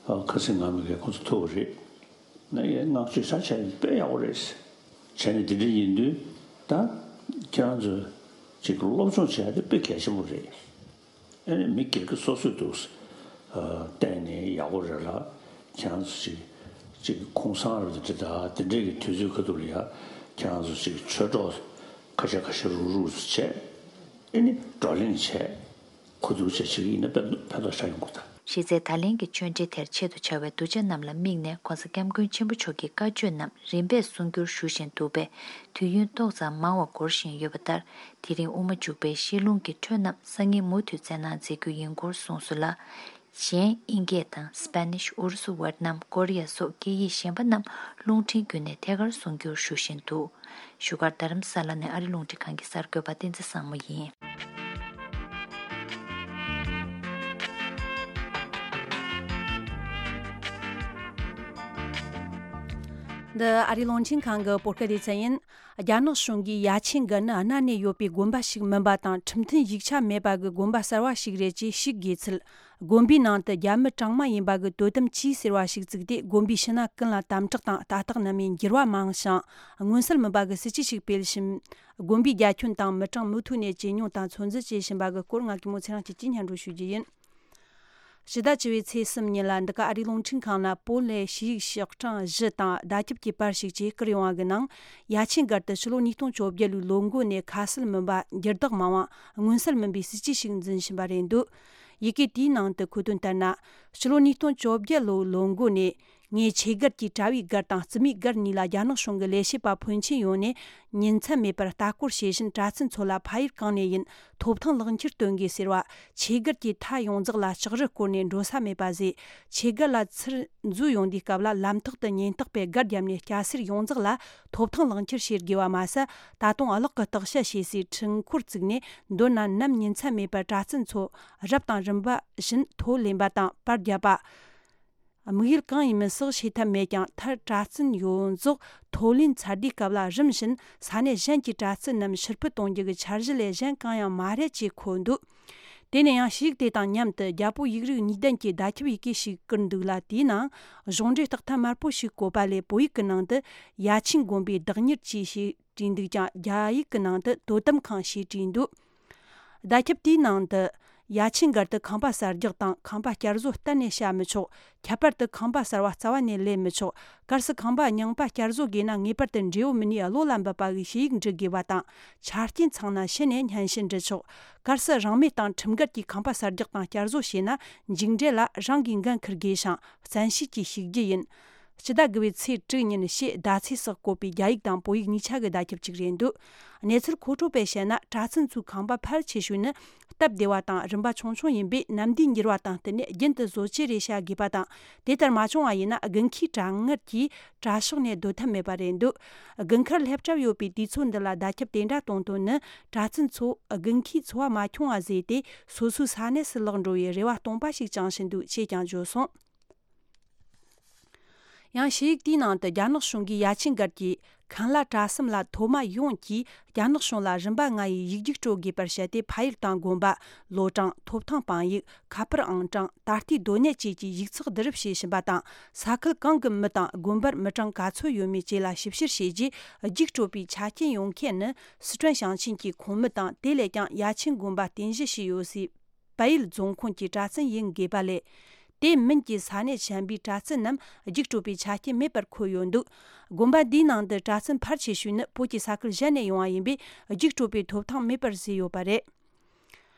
ཨ་ཁ་སང་ང་མི་གིས་ཁོ་ཚོ་ཐུག་པ་རེད། ནས་བསྔགས་བརྗོད་ཆ་བྱས་དཔེ་ཡག་པོ་རེད། བྱས་ནས་འདི་འདྲ་ཡིན་དུས་ད་ཁྱེད་རང་ཚོས་ཅིག་སློབ་སྦྱོང་བྱས་ཏེ་དཔེ་གལ་ཆེན་པོ་རེད། ཨ་ནི་མི་སྒེར་གྱི་སོ་སོས་འདུག་ཨ་བལྟས་ནས་ཡག་པོ་རེད་ལ། ཁྱེད་རང་ཚོ་ཅིག་ཅིག་གུང་སེང་རེད་འདི་འདྲ་ད་འདི་འདྲའི་གི་དུས་ཚོད་ཁ་ཐུག་ལ་ཡ་ཁྱེད་རང་ཚོ་ཅིག་ཆོས་གྲོགས་ཁ་ཤས་ཁ་ཤས་རུག་རུག་བྱས་ཨ་ནི་བགྲོ་གླེང་བྱས། གོ་བསྡུར་བྱས་བྱེད་ཀྱི་ཡིན་ན་ཕན་ཕན་ཐོགས་ཆགས་ཡོང་གི་ད། གཞི་རྩའི་ད་ལན་གྱི་ཆོས་འབྲེལ་དེར་ཆེད་དུ་བཅར་བའི་གདུལ་བྱ་རྣམས་ལ་དམིགས་ནས་༧གོང་ས་༧སྐྱབས་མགོན་ཆེན་པོ་མཆོག་གི་བཀའ་ཆོས་རྣམས་རིམ་པས་གསུང་བསྒྱུར་ཞུ་བཞིན་འདུག་པས། དུས་ཡུན་ཏོག་ཙམ་མང་བ་འགོར་བཞིན་ཡོད་པ་ལྟར། དེ་རིང་དབུ་མ་འཇུག་པའི་བཤད་ལུང་གི་འཕྲོས་རྣམས་སང་ཉིན་མུ་མཐུད་སྩལ་གནང་མཛད་རྒྱུ་ཡིན་སྐོར་གསུངས་སོང་ལ། གཞན་ཨིན་སྐད་དང་སི་པེ་ནིཤ། ཨུ་རུ་སུ། ཝེ་ཏི་ནམ། ཀོ་རི་ཡ་སོགས་སྐད་ཡིག་གཞན་པ་རྣམས་རླུང་འཕྲིན་བརྒྱུད་ནས་ཐད་ཀར་གསུང་བསྒྱུར་ཞུ་བཞིན་འདུག་བཞུགས་སྒར་རྡ་རམ་ས་ལ་ནས་ཨ་རི་རླུང་འཕྲིན་ཁང་གི་གསར་འགོད་པ་བསྟན་འཛིན་བཟང་མོ་ཡིན། འདི་ཨ་རི་རླུང་འཕྲིན་ཁང་གི་བོད་སྐད་སྡེ་ཚན་ཡིན། རྒྱ་ནག་གཞུང་གིས་ཡ་ཆེན་སྒར་ནི་གནའ་ནས་ཡོད་པའི་དགོན་པ་ཞིག་མིན་པ་དང་། ཁྲིམས་མཐུན་ཡིག་ཆ་མེད་པ་གི་དགོན་པ་གསར་བ་ཞིག་རེད་ཅེས་ཞིག་དགོས་ཚུལ། དགོན་པའི་ནང་དུ་རྒྱ་མི་གྲངས་མང་ཡིན་པ་གི་དོ་དམ་ཆས་ཟེར་བ་ཞིག་བཙུགས་ཏེ། དགོན་པའི་ཕྱི་ནང་ཀུན་ལ་དམ་དྲག་དང་ལྟ་རྟོག་ནན་མོས་འགྱུར་བ་མང་ཞིང་། མངོན་གསལ་མིན་པ་གི་སྲིད་ཇུས་ཤིག་སྤེལ་ཞིང་། དགོན་པའི་རྒྱ་ཁྱོན་དང་མི་གྲངས་མུ་མཐུད་ནས་ཇེ་ཉུང་དང་ཚོད་འཛིན་བྱེད་བཞིན་པ་གི་སྐོར། ང་གི་མོ་ཚེ་རིང་སྐྱིད་ཀྱིས་སྙན་སྒྲོན་ཞུ་རྒྱུ་ཡིན། ཕྱི་ཟླ་བཅུ་པའི་ཚེས་གསུམ་ཉིན་ལ་འདི་ག་ཨ་རིའི་རླུང་འཕྲིན་ཁང་ལ་བོད་ལས་ཞུ་ཡིག་ཤོག་གྲངས་བཞི་དང་བརྡ་ཁྱབ་ཀྱི་པར་ཞིག་ཅིག་བསྐུར་ཡོང་བ་གི་ནང་། ཡ་ཆེན་སྒར་དུ་ཕྱི་ལོ་ཉིས་སྟོང་བཅོ་བརྒྱད་ལོའི་ལོ་འགོ་ནས་ཁ་གསལ་མིན་པ། འགྱུར་ལྡོག་མང་བ། མངོན་གསལ་མིན་པའི་སྲིད་ཇུས་ཤིག་འཛིན་བཞིན་པ་རེད་འདུག་ཡི་གེ་དེའི་ནང་དུ་འཁོད་དོན་ལྟར་ན། ཕྱི་ལོ་ཉིས་སྟོང་བཅོ་བརྒྱད་ལོའི་ལོ་འགོ་ནས། ངས་ཆོས་སྒར་གྱི་གྲྭ་བའི་སྒར་དང་རྩིས་མེད་སྒར་གཉིས་ལ་རྒྱ་ནག་གཞུང་གི་ལས་བྱེད་པ་ཕོན་ཆེན་ཡོང་ནས་ཉིན་མཚན་མེད་པར་ལྟ་སྐོར་བྱེད་བཞིན། གྲྭ་བཙུན་ཚོ་ལ་ཕ་ཡུལ་གང་ནས་ཡིན། ཐོབ་ཐང་ལག་འཁྱེར་སྟོན་དགོས་ཟེར་བ། ཆོས་སྒར་གྱི་མཐའ་ཡོངས་རྫོགས་ལ་ལྕགས་རི་བསྐོར་ནས་འགྲོ་ས་མེད་པ་བཟོས། ཆོས་སྒར་ལ་ཚུར་འཛུལ་ཡོང་དུས་སྐབས་ལ་ལམ་ཐོག་ཏུ་ཉེན་རྟོག་པས་སྒར་བརྒྱབ་ནས་སྐྱ་སེར་ཡོངས་རྫོགས་ལ་ཐོབ་ཐང་ལག་འཁྱེར་བྱེད་དགོས་པ་མ་ཟད། ད་དུང་གློག་གི་སྟོབས་ཤུགས་ཞེས་སའི་འཕྲུལ་འཁོར་བཙུགས་ནས། མདོར་ན་ནམ་ཉིན་མཚན་མེད་པར་གྲྭ་བཙུན་ཚོ་རབ་དང་རིམ་པ་བཞིན་ཐོ་ལེན་པ་དང་པར་བརྒྱབ་པ། དམིགས་ཡུལ་གང་ཡིན་མིན་སོགས་ཤེས་ཐབས་མེད་ཀྱང་། མཐར་གྲྭ་བཙུན་ཡོངས་རྫོགས་ཐོ་ལེན་ཚར་དུས་སྐབས་ལ། རིམ་བཞིན་ས་གནས་གཞན་གྱི་གྲྭ་བཙུན་རྣམས་ཕྱིར་འཕུད་གཏོང་རྒྱུ་གི་འཆར་གཞི་ལས་གཞན་གང་ཡང་མ་རེད་ཅེས་འཁོད་འདུག་དེ་ནས་ཡང་ཞུ་ཡིག་དེ་དང་མཉམ་དུ་རྒྱ་བོད་ཡིག་རིགས་གཉིས་ལྡན་གྱི་བརྡ་ཁྱབ་ཡི་གེ་ཞིག་བསྐུར་འདུག་ལ། དེའི་ནང་གཞུང་འབྲེལ་རྟགས་ཐམ་དམར་པོ་ཞིག་བཀོད་པ་ལས། བོད་ཡིག་གི་ནང་དུ་ཡ་ཆེན་དགོན་པའི་བདག་གཉེར་ཅེས་ཞིག་བྲིས་འདུག་ཀྱང་། རྒྱ་ཡིག་གི་ནང་དུ་དོ་དམ་ཁང་ཞེས་བྲིས་འདུག་བརྡ་ཁྱབ་དེའི་ནང་དུ། ཡ་ཆེན་སྒར་དུ་ཁང་པ་གསར་རྒྱག་དང་། ཁང་པ་བསྐྱར་བཟོ་གཏན་ནས་བྱ་མི་ཆོག་ཁྱད་པར་དུ་ཁང་པ་གསར་བ་རྩ་བ་ནས་ལེན་མི་ཆོག་གལ་སྲིད་ཁང་པ་རྙིང་པ་བསྐྱར་བཟོ་དགོས་ན། ངེས་པར་དུ་འབྲེལ་ཡོད་མི་སྣའི་བློ་ལ་འབབ་པ་གི་ཞུ་ཡིག་འབྲི་དགོས་པ་དང་། ཆ་རྐྱེན་ཚང་ན་ཕྱི་ནས་སྙན་ཞུ་འབྲི་ཆོག་གལ་སྲིད་རང་མོས་དང་ཁྲིམས་འགལ་གྱིས་ཁང་པ་གསར་རྒྱག་དང་བསྐྱར་བཟོ་བྱས་ན། མཇུག་འབྲས་ལ་རང་གིས་འགན་འཁུར་དགོས་ཤིང་། བཙན་ཤེད་ཀྱིས་ཞུགས་རྒྱུ་ཡིན། སྤྱི་ཟླ་དགུ་པའི་ཚེས་དྲུག་ཉིན་ཞེས་ཟླ་ཚེས་སུ་བཀོད་པའི་རྒྱ་ཡིག་དང་བོད་ཡིག་གཉིས་ཆ་གི་བརྡ་ཁྱབ་ཅིག་རེད་འདུག་གནས་ཚུལ་མཁོ་སྤྲོད་པས་བཤད་ན། གྲྭ་བཙུན་ཚོའི་ཁང་པ་ཕལ་ཆེ་ཤོས་ནི་སྟབས་བདེ་བ་དང་། རིམ་པ་ཆུང་ཆུང་ཡིན་པས། ནམ་དུས་འགྱུར་བ་དང་བསྟུན་ནས་རྒྱུན་དུ་བཟོ་བཅོས་རེ་བྱ་དགོས་པ་དང་། དེ་ལྟར་མ་བྱུང་བ་ཡིན་ན། དགུན་ཁའི་གྲང་ངར་གྱིས་གྲྭ་ཤག་ནས་སྡོད་ཐབས་མེད་པ་རེད་འདུག་དགུན་ཁར་སླེབས་གྲབས་ཡོད་པའི་དུས་ཚོད་འདི་ལ་བརྡ་ཁྱབ་དེ་འདྲ་གཏོང་དོན་ནི། གྲྭ་བཙུན་ཚོ་དགུན་ཁའི་འཚོ་བ་མ་འཁྱོངས་པ་བཟོས་ཏེ། སོ་སོའི་ས་གནས་སུ་ལོག་འགྲོ་བའི་རེ་བ་སྟོང་པ་ཞིག་བཅངས་བཞིན་འདུག་ཅེས་ཀྱང་བརྗོད་སོང་། ཡང་ཞུ་ཡིག་དེའི་ནང་དུ། རྒྱ་ནག་གཞུང་གིས་ཡ་ཆེན་སྒར་གྱི་མཁན་བླ་གྲྭ་གསུམ་ལ་མཐོ་དམའ་ཡོངས་ཀྱིས་རྒྱ་ནག་གཞུང་ལ་རིམ་པ་ལྔ་ཡི་ཡིག་རྒྱུགས་སྤྲོད་དགོས་པར་བཤད་དེ། ཕ་ཡུལ་དང་དགོན་པ། ལོ་གྲངས། ཐོབ་ཐང་དཔང་ཡིག་ཁ་པར་ཨང་གྲངས། ད་ལྟའི་སྡོད་གནས་བཅས་ཀྱི་ཡིག་ཚགས་བསྡུ་རུབ་བྱེད་བཞིན་པ་དང་། ས་ཁུལ་གང་གི་མི་དང་དགོན་པར་མི་གྲངས་ག་ཚོད་ཡོད་མེད་བཅས་ལ་ཞིབ་བཤེར་བྱས་རྗེས། རྒྱུགས་སྤྲོད་པའི་ཆ་རྐྱེན་ཡོད་མཁན་ནི་སི་ཁྲོན་ཞིང་ཆེན་གྱི་ཁོངས་མི་དང་། དེ་ལས་ཀྱང་ཡ་ཆེན་དགོན་པ་རྟེན་གཞི་བྱས་ཡོད་སའི་བལ་ཡུལ་རྫོང་ཁོངས་ཀྱི་གྲྭ་བཙུན་ཡིན་དགོས་པ་ལས། དེ་མིན་གྱི་ས་གནས་གཞན་པའི་གྲྭ་བཙུན་རྣམས་རྒྱུགས་སྤྲོད་པའི་ཆ་རྐྱེན་མེད་པར་འཁོད་ཡོད་འདུག་དགོན་པ་འདིའི་ནང་དུ་གྲྭ་བཙུན་ཕལ་ཆེ་ཤོས་ནི་བོད་ཀྱི་ས་ཁུལ་གཞན་ནས་ཡོང་བ་ཡིན་པས། རྒྱུགས་སྤྲོད་པའི་ཐོབ་ཐང་མེད་པར་བཟོས་ཡོད་པ་རེད།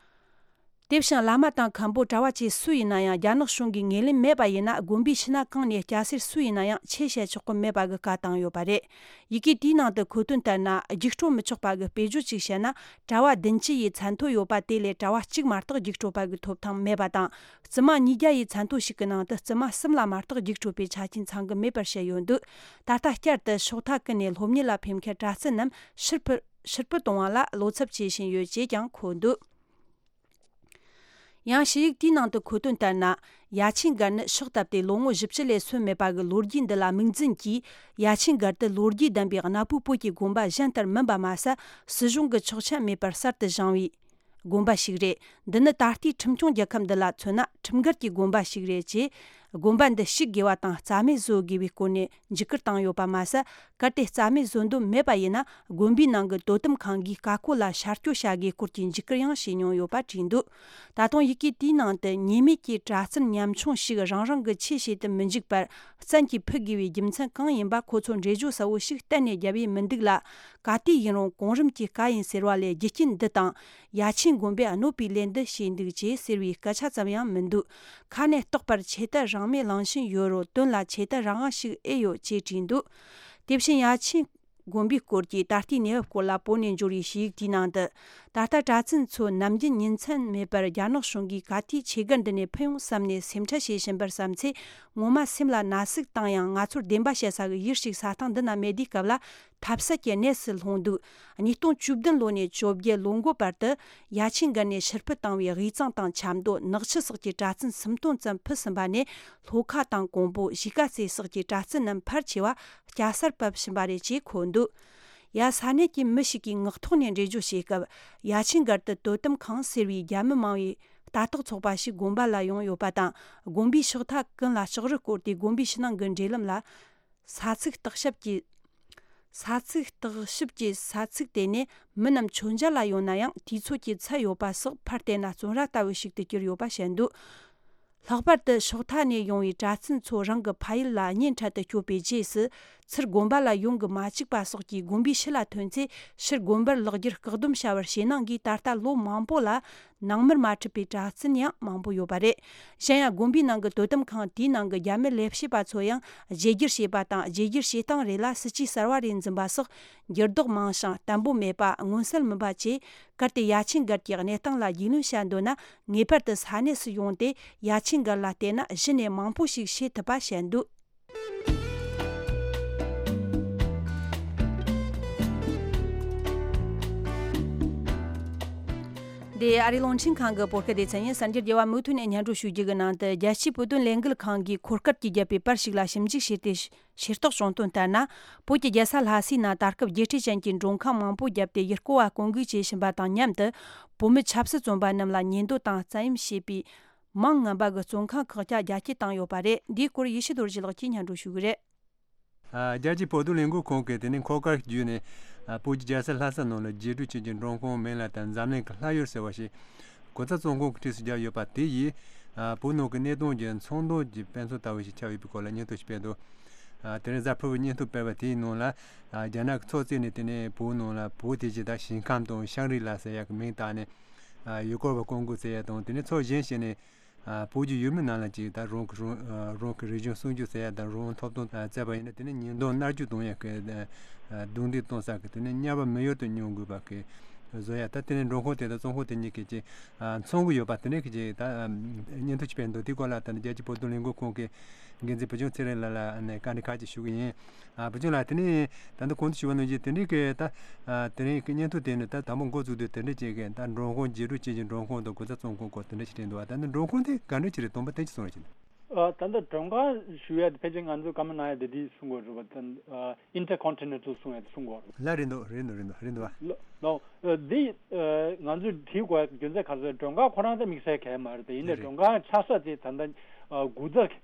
དེ་བཞིན་བླ་མ་དང་མཁན་པོ་གྲྭ་བ་བཅས་སུ་ཡིན་ན་ཡང་རྒྱ་ནག་གཞུང་གིས་ངོས་ལེན་མེད་པ་ཡིན་ན། དགོན་པའི་ཕྱི་ནང་གང་ནས་སྐྱ་སེར་སུ་ཡིན་ན་ཡང་ཆོས་བཤད་ཆོག་གི་མེད་པ་གི་བཀའ་བཏང་ཡོད་པ་རེད། ཡི་གེ་དེའི་ནང་དུ་འཁོད་དོན་ལྟར་ན། རྒྱུགས་སྤྲོད་མི་ཆོག་པ་གི་དཔེ་བརྗོད་ཅིག་བཤད་ན། གྲྭ་བ་བདུན་ཅུ་ཡི་མཚན་ཐོ་ཡོད་པ་དེ་ལས་གྲྭ་བ་གཅིག་མ་གཏོགས་རྒྱུགས་སྤྲོད་པ་གི་ཐོབ་ཐང་མེད་པ་དང་། བཙུན་མ་ཉིས་བརྒྱ་ཡི་མཚན་ཐོ་ཞིག་གི་ནང་དུ་བཙུན་མ་གསུམ་ལ་མ་གཏོགས་རྒྱུགས་སྤྲོད་པའི་ཆ་རྐྱེན་ཚང་གི་མེད་པར་བཤད་ཡོད་འདུག་ད་ལྟ་བསྐྱར་དུ་ཕྱོགས་མཐའ་ཀུན་ནས་སློབ་གཉེར་ལ་ཕེབས་མཁན་གྲྭ་བཙུན་རྣམས་ཕྱིར་འཕུར་ཕྱིར་འབུད་གཏོང་བ་ལ་བློ་འཚབ་བྱེད་བཞིན་ཡོད་ཅེས་ཀྱང་འཁོད་འདུག་ཡང་ཞུ་ཡིག་དེའི་ནང་དུ་འཁོད་དོན་ལྟར་ན། ཡ་ཆེན་སྒར་ནི་ཕྱག་བཏབ་སྟེ་ལོ་ངོ་བཞི་བཅུ་ལས་སོན་མེད་པ་གི་ལོ་རྒྱུས་འདི་ལ་མིག་འཛིན་གྱིས། ཡ་ཆེན་སྒར་དུ་ལོ་རྒྱུས་ལྡན་པའི་གནའ་བོའི་བོད་ཀྱི་དགོན་པ་གཞན་ལྟར་མིན་པ་མ་ཟད། སྲིད་གཞུང་གི་ཆོག་མཆན་མེད་པར་གསར་དུ་བཞེངས་པའི་དགོན་པ་ཞིག་རེད། འདི་ནི་ད་ལྟའི་ཁྲིམས་སྐྱོང་རྒྱལ་ཁབ་འདི་ལ་མཚོན་ན་ཁྲིམས་འགལ་གྱི་དགོན་པ་ཞིག་རེད་ཅེས། དགོན་པ་འདི་བཤིག་དགོས་པ་དང་རྩ་མེད་བཟོ་དགོས་པའི་སྐོར་ནས་འཇིགས་སྐུལ་བཏང་ཡོད་པ་མ་ཟད། གལ་ཏེ་རྩ་མེད་བཟོ་འདོད་མེད་པ་ཡིན་ན། དགོན་པའི་ནང་གི་དོ་དམ་ཁང་གིས་ཀ་ཀོ་ལ་ཤར་སྐྱོད་བྱ་དགོས་སྐོར་གྱི་འཇིགས་སྐུལ་ཡང་བྱས་མྱོང་ཡོད་པ་བྲིས་འདུག་ད་དུང་ཡི་གེ་དེའི་ནང་དུ། ཉེས་མེད་ཀྱི་གྲྭ་བཙུན་ཉམ་ཆུང་ཞིག་རང་རང་གི་ཆོས་བྱེད་དུ་མི་འཇུག་པར་བཙན་གྱིས་ཕུད་དགོས་པའི་རྒྱུ་མཚན་གང་ཡིན་པ་ཁོ་ཚོར་འགྲེལ་བརྗོད་གསལ་བོ་ཞིག་གཏན་ནས་བརྒྱབ་ཡས་མི་འདུག་ལ། ག་དུས་ཡིན་རུང་གོང་རིམ་གྱི་བཀའ་ཡིན་ཟེར་བ་ལས་རྒྱུ་རྐྱེན་འདི་དང་། ཡ་ཆེན་དགོན་པས་གནོད་པའི་ལས་འདི་བྱས་འདུག་ཅེས་ཟེར་བའི་སྐད་ཆ་ཙམ་ཡང་མི་འདུག་ཁ་ནས་རྟོགས་པར་ཆོས་དད་རང་མོས་གླེང་བཞིན་ཡོད་རུང་དོན་ལ་ཆོས་དད་རང་དབང་ཞིག་ཨེ་ཡོད་ཅེས་བྲིས་འདུག་དེ་བཞིན་ཡ་ཆེན་དགོན་པའི་སྐོར་གྱི་ད་ལྟའི་གནས་བབ་སྐོར་ལ་བོད་ནས་འབྱོར་བའི་ཞུ་ཡིག་དེའི་ནང་དུ། ད་ལྟ་གྲྭ་བཙུན་ཚོ་ནམ་རྒྱུན་ཉིན་མཚན་མེད་པར་རྒྱ་ནག་གཞུང་གིས་ག་དུས་ཆོས་སྒར་འདི་ནས་ཕུད་ཡོང་བསམ་ནས་སེམས་ཁྲལ་བྱེད་བཞིན་པར་བསམ་ཚེ། ངོ་མ་སེམས་ལ་ན་ཟུག་བཏང་ཡང་། ང་ཚོར་བདེན་པ་བཤད་ས་གི་ཡུལ་ཞིག་ས་ཐང་འདི་ན་མེད་དུས་སྐབས་ལ། ཐབས་ཟད་ཀྱི་གནས་སུ་ལྷུང་འདུག་ཉིས་སྟོང་བཅུ་བདུན་ལོ་ནས་བཅོ་བརྒྱད་ལོ་འགོ་བར་དུ། ཡ་ཆེན་སྒར་ནས་ཕྱིར་འཕུད་བཏང་བའི་དབུས་གཙང་དང་ཆབ་མདོ། ནག་ཆུ་སོགས་ཀྱི་གྲྭ་བཙུན་སུམ་སྟོང་ཙམ་ཕུད་ཟིན་པ་ནས། ལྷོ་ཁ་དང་ཀོང་པོ། གཞིས་ཀ་རྩེ་སོགས་ཀྱི་གྲྭ་བཙུན་རྣམས་ཕལ་ཆེ་བ་སྐྱ་སར་བབས་ཕྱིན་པ་རེད་ཅེས་འཁོད་འདུག་ཡ་ས་གནས་ཀྱི་མི་ཞིག་གིས་ངག་ཐོག་ནས་འགྲེལ་བརྗོད་བྱས་སྐབས། ཡ་ཆེན་སྒར་དུ་དོ་དམ་ཁང་ཟེར་བའི་རྒྱ་མི་མང་བའི་ལྟ་རྟོག་ཚོགས་པ་ཞིག་དགོན་པ་ལ་ཡོང་ཡོད་པ་དང་། དགོན་པའི་ཕྱག་མཐའ་ཀུན་ལ་ལྕགས་རི་བསྐོར་ཏེ། དགོན་པའི་ཕྱི་ནང་གི་འབྲེལ་ལམ་ལ། ས་ཚིགས་བརྟག་ཞིབ་ཀྱི། ས་ཚིགས་བརྟག་ཞིབ་ཀྱི་ས་ཚིགས་དེ་ནས་མི་རྣམས་མཆོད་མཇལ་ལ་ཡོང་ན་ཡང་། དུས་ཚོད་ཀྱི་ཚད་ཡོད་པ་སོགས། ཕར་བལྟས་ན་བཙོན་ར་ལྟ་བུ་ཞིག་ཏུ་གྱུར་ཡོད་པ་བཤད་འདུག་ལྷག་པར་དུ་ཕྱོགས་མཐའ་ནས་ཡོང་བའི་གྲྭ་བཙུན་ཚོ་རང་གི་ཕ་ཡུལ་ལ་གཉེན་འཕྲད་དུ་བསྐྱོད་པའི་རྗེས་སུ། ཚུར་དགོན་པ་ལ་ཡོང་གི་མ་བཅུག་པ་སོགས་ཀྱིས། དགོན་པའི་ཕྱི་ལ་ཐོན་ཚེ། ཕྱིར་དགོན་པར་ལོག་རྒྱུར་བཀག་སྡོམ་བྱ་བར་ཞེད་སྣང་གིས། ད་ལྟ་ལོ་མང་པོ་ལ། ནང་མིར་མ་འཁྲིད་པའི་གྲྭ་བཙུན་ཡང་མང་པོ་ཡོད་པ་རེད། གཞན་ཡང་། དགོན་པའི་ནང་གི་དོ་དམ་ཁང་དེའི་ནང་གི་རྒྱ་མི་ལས་བྱེད་པ་ཚོ་ཡང་བརྗེ་བསྒྱུར་བྱས་པ་དང་། བརྗེ་བསྒྱུར་བྱེད་སྟངས་རེ་ལ་སྲིད་ཇུས་གསར་བ་རེ་འཛིན་པ་སོགས་འགྱུར་ལྡོག་མང་ཞིང་བརྟན་པོ་མེད་པ། མངོན་གསལ་མིན་པ་བཅས། གལ་ཏེ་ཡ་ཆེན་སྒར་གྱི་གནས་སྟངས་ལ་རྒྱུས་ལོན་བྱ་འདོད་ན། ངེས་པར་དུ་ས་གནས་སུ་ཡོང་སྟེ། ཡ་ཆེན་སྒར་ལ་བལྟས་ན་གཞི་ནས་མང་པོ་ཞིག་ཤེས་ཐུབ་པ་བཤད་འདུག་འདི་ཨ་རིའི་རླུང་འཕྲིན་ཁང་གི་བོད་སྐད་སྡེ་ཚན་ཡིན། གསར་འགྱུར་རྒྱས་པ་མུ་མཐུད་ནས་སྙན་སྒྲོན་ཞུ་རྒྱུ་གི་ནང་དུ། རྒྱལ་སྤྱིའི་བོད་དོན་ལས་འགུལ་ཁང་གིས་འཁོར་སྐར་གྱིས་བརྒྱབ་པའི་པར་ཞིག་ལ་ཞིབ་འཇུག་བྱས་ཏེ། ཤེས་རྟོགས་བྱུང་དོན་ལྟར་ན། བོད་ཀྱི་རྒྱལ་ས་ལྷ་སའི་ནང་ད་སྐབས་རྒྱལ་སྤྱི་ཅན་གྱི་མགྲོན་ཁང་མང་པོ་བརྒྱབ་སྟེ། ཡུལ་སྐོར་བ་སྐོང་འགུག་བྱེད་བཞིན་པ་དང་མཉམ་དུ། བོད་མི་ཆབ་སྲིད་བཙོན་པ་རྣམས་ལ་ཉེས་འདོད་དང་བཙན་གཡེམ་བྱས་པའི་མིང་ངན་པ་གི་བཙོན་ཁང་ཁག་ཀྱང་རྒྱ་སྐྱེད་བཏང་ཡོད་པ་རེད། འདིའི་སྐོར་ཡེ་ཤེས་རྡོ་རྗེ་ལགས་ཀྱིས་སྙན་སྒྲོན་ཞུ་གི་རེད། ཨ། རྒྱལ་སྤྱིའི་བོད་དོན་ལས་འགུལ་ཁང་གིས་དེ་ནས་འཁོར་སྐར་བརྒྱུད་ནས། ཨ། བོད་ཀྱི་རྒྱལ་ས་ལྷ་ས་ནང་ལ་རྒྱས་སྤྲོས་ཅན་གྱི་མགྲོན་ཁང་མིང་ལ་ད་འཛམ་གླིང་གི་ལྷ་ཡུལ་ཟེར་བ་ཞིག་གོ་ཚ་བཙོན་ཁང་གི་གྲས་སུ་བརྒྱབ་ཡོད་པ་དེ་ཡིས། ཨ། བོད་ནང་གི་གནད་དོན་གྱི་ཚོང་དོན་གྱི་དཔེ་མཚོན་ལྟ་བུ་ཞིག་ཆགས་ཡོད་པའི་སྐོར་ལ་སྙན་ཐོ་ཞིག་སྤེལ་འདུག་ཨ། དེ་རིང་གཟའ་ཕུར་བུའི་སྙན་ཐོ་སྤེལ་བ་དེའི་ནང་ལ། ཨ། རྒྱ་ནག་གི་ཚོགས་གཙོས་ནས་དེ་ནས་བོད་ནང་ལ་བོད་དེ་བཞིན་ད་ཞིང་ཁམས་དང་ཤང་རི་ལ་ཟེར་ཡག་གི་མིང་བཏགས་ནས། ཨ། ཡུལ་སྐོར་བ་སྐོང་འགུག་ཟེར་ཡག་དང་། དེ་ནས་ཚོགས་གཞན་ཞིག་ནས། ཨ། བོད་ཀྱི་ཡུལ་མི་རྣམས་ལ་ཅིག་ད་རང་གི་རང་། ཨ། རང་གི་རིག་གཞུང་སྲུང་སྐྱོབ་ཟེར་ཡ་དང་། རང་དབང་ཐོབ་ཐང་བཙལ་བ་ཡིན་ན། དེ་ནི་ཉེས་རྡུང་མནར་གཅོད་གཏོང་ཡ་གི། ཨ། རྡུང་རྡེག་གཏོང་ས་གི། དེ་ནི་དམྱལ་བ་མི་ཡུལ་དུ་སྙོམས་དགོས་པ་གི་བཟོ་ཡ། ད་དེ་ནི་མགྲོན་ཁང་དེ་དང་བཙོན་ཁང་དེ་གཉིས་ཀྱི་ཅིག་ཨ། མཚུངས་ཀྱི་ཡོད་པ་དེ་འདྲ་གི་ཅིག་ད། ཨ། སྙན་ཐོ་ཅིག་སྤེལ་འདུག་དེ་སྐོར་ལ་ད་ནི་རྒྱལ་སྤྱིའི་བོད་དོན་ལས་འགུལ་ཁང་གི་འགན་འཛིན་བུ་ཆུང་ཚེ་རིང་ལགས་ལ་ཨ་ནི་བཀའ་འདྲི་ཁག་ཅིག་ཞུ་གི་ཡིན། ཨ། བུ་ཆུང་ལགས། དེ་ནས་ད་ལྟ་གོང་དུ་ཞུས་པ་ནང་བཞིན་དེ་འདྲའི་གི་ད། ཨ། དེ་རིང་གི་སྙན་ཐོ་དེ་ནི་ད་དང་པོ་འགོ་བཙུགས་དུས་དེ་འདྲ་ཅིག་གི་ད་མགྲོན་ཁང་རྒྱས་སྤྲོས་བྱེད་ཀྱི་མགྲོན་ཁང་དང་གོ་ཚ་བཙོན་ཁང་སྐོར་དེ་འདྲ་ཞིག་དྲིས་འདུག་ཨ། ད་ནི་མགྲོན་ཁང་དེ་ག་འདྲ་ཅིག་རེད། དོན་པ་དེ་ཅིག་གསུང་རོགས་བྱེད། ཨ། ད་ལྟ་མགྲོན་ཁང་ཞུ་ཡ་དེ་ཕལ་ཆེར་ང་ཚོས་བཀའ་མོལ་གནང་ཡ་དེ་འདི་གསུང་དགོས་རེད་པ། ད། ཨ། ཨིན་ཊར་ཀོན་ཊི་ནེན་ཊལ་གསུང་ཡ་དེ་གསུང་དགོས་རེད། ལགས། རེད་འདུག་རེད་འདུག་རེད་འདུག་རེད་འདུག་པ། ལོ། ལོ། ཨ། འདི། ཨ། ང་ཚོས་དྲིས་དགོས་ཡ་རྒྱུ་མཚན་ག་རེ་ཟེར། མགྲོན་ཁང་ཁོ་རང་ད་དམིགས་བསལ་གལ་མ་རེད། དེ་ཡིན་ནའི་རེད། མགྲོན་ཁང་ཆགས་ས་དེ་ད་ལྟ། ཨ། འགོ་ཚུགས།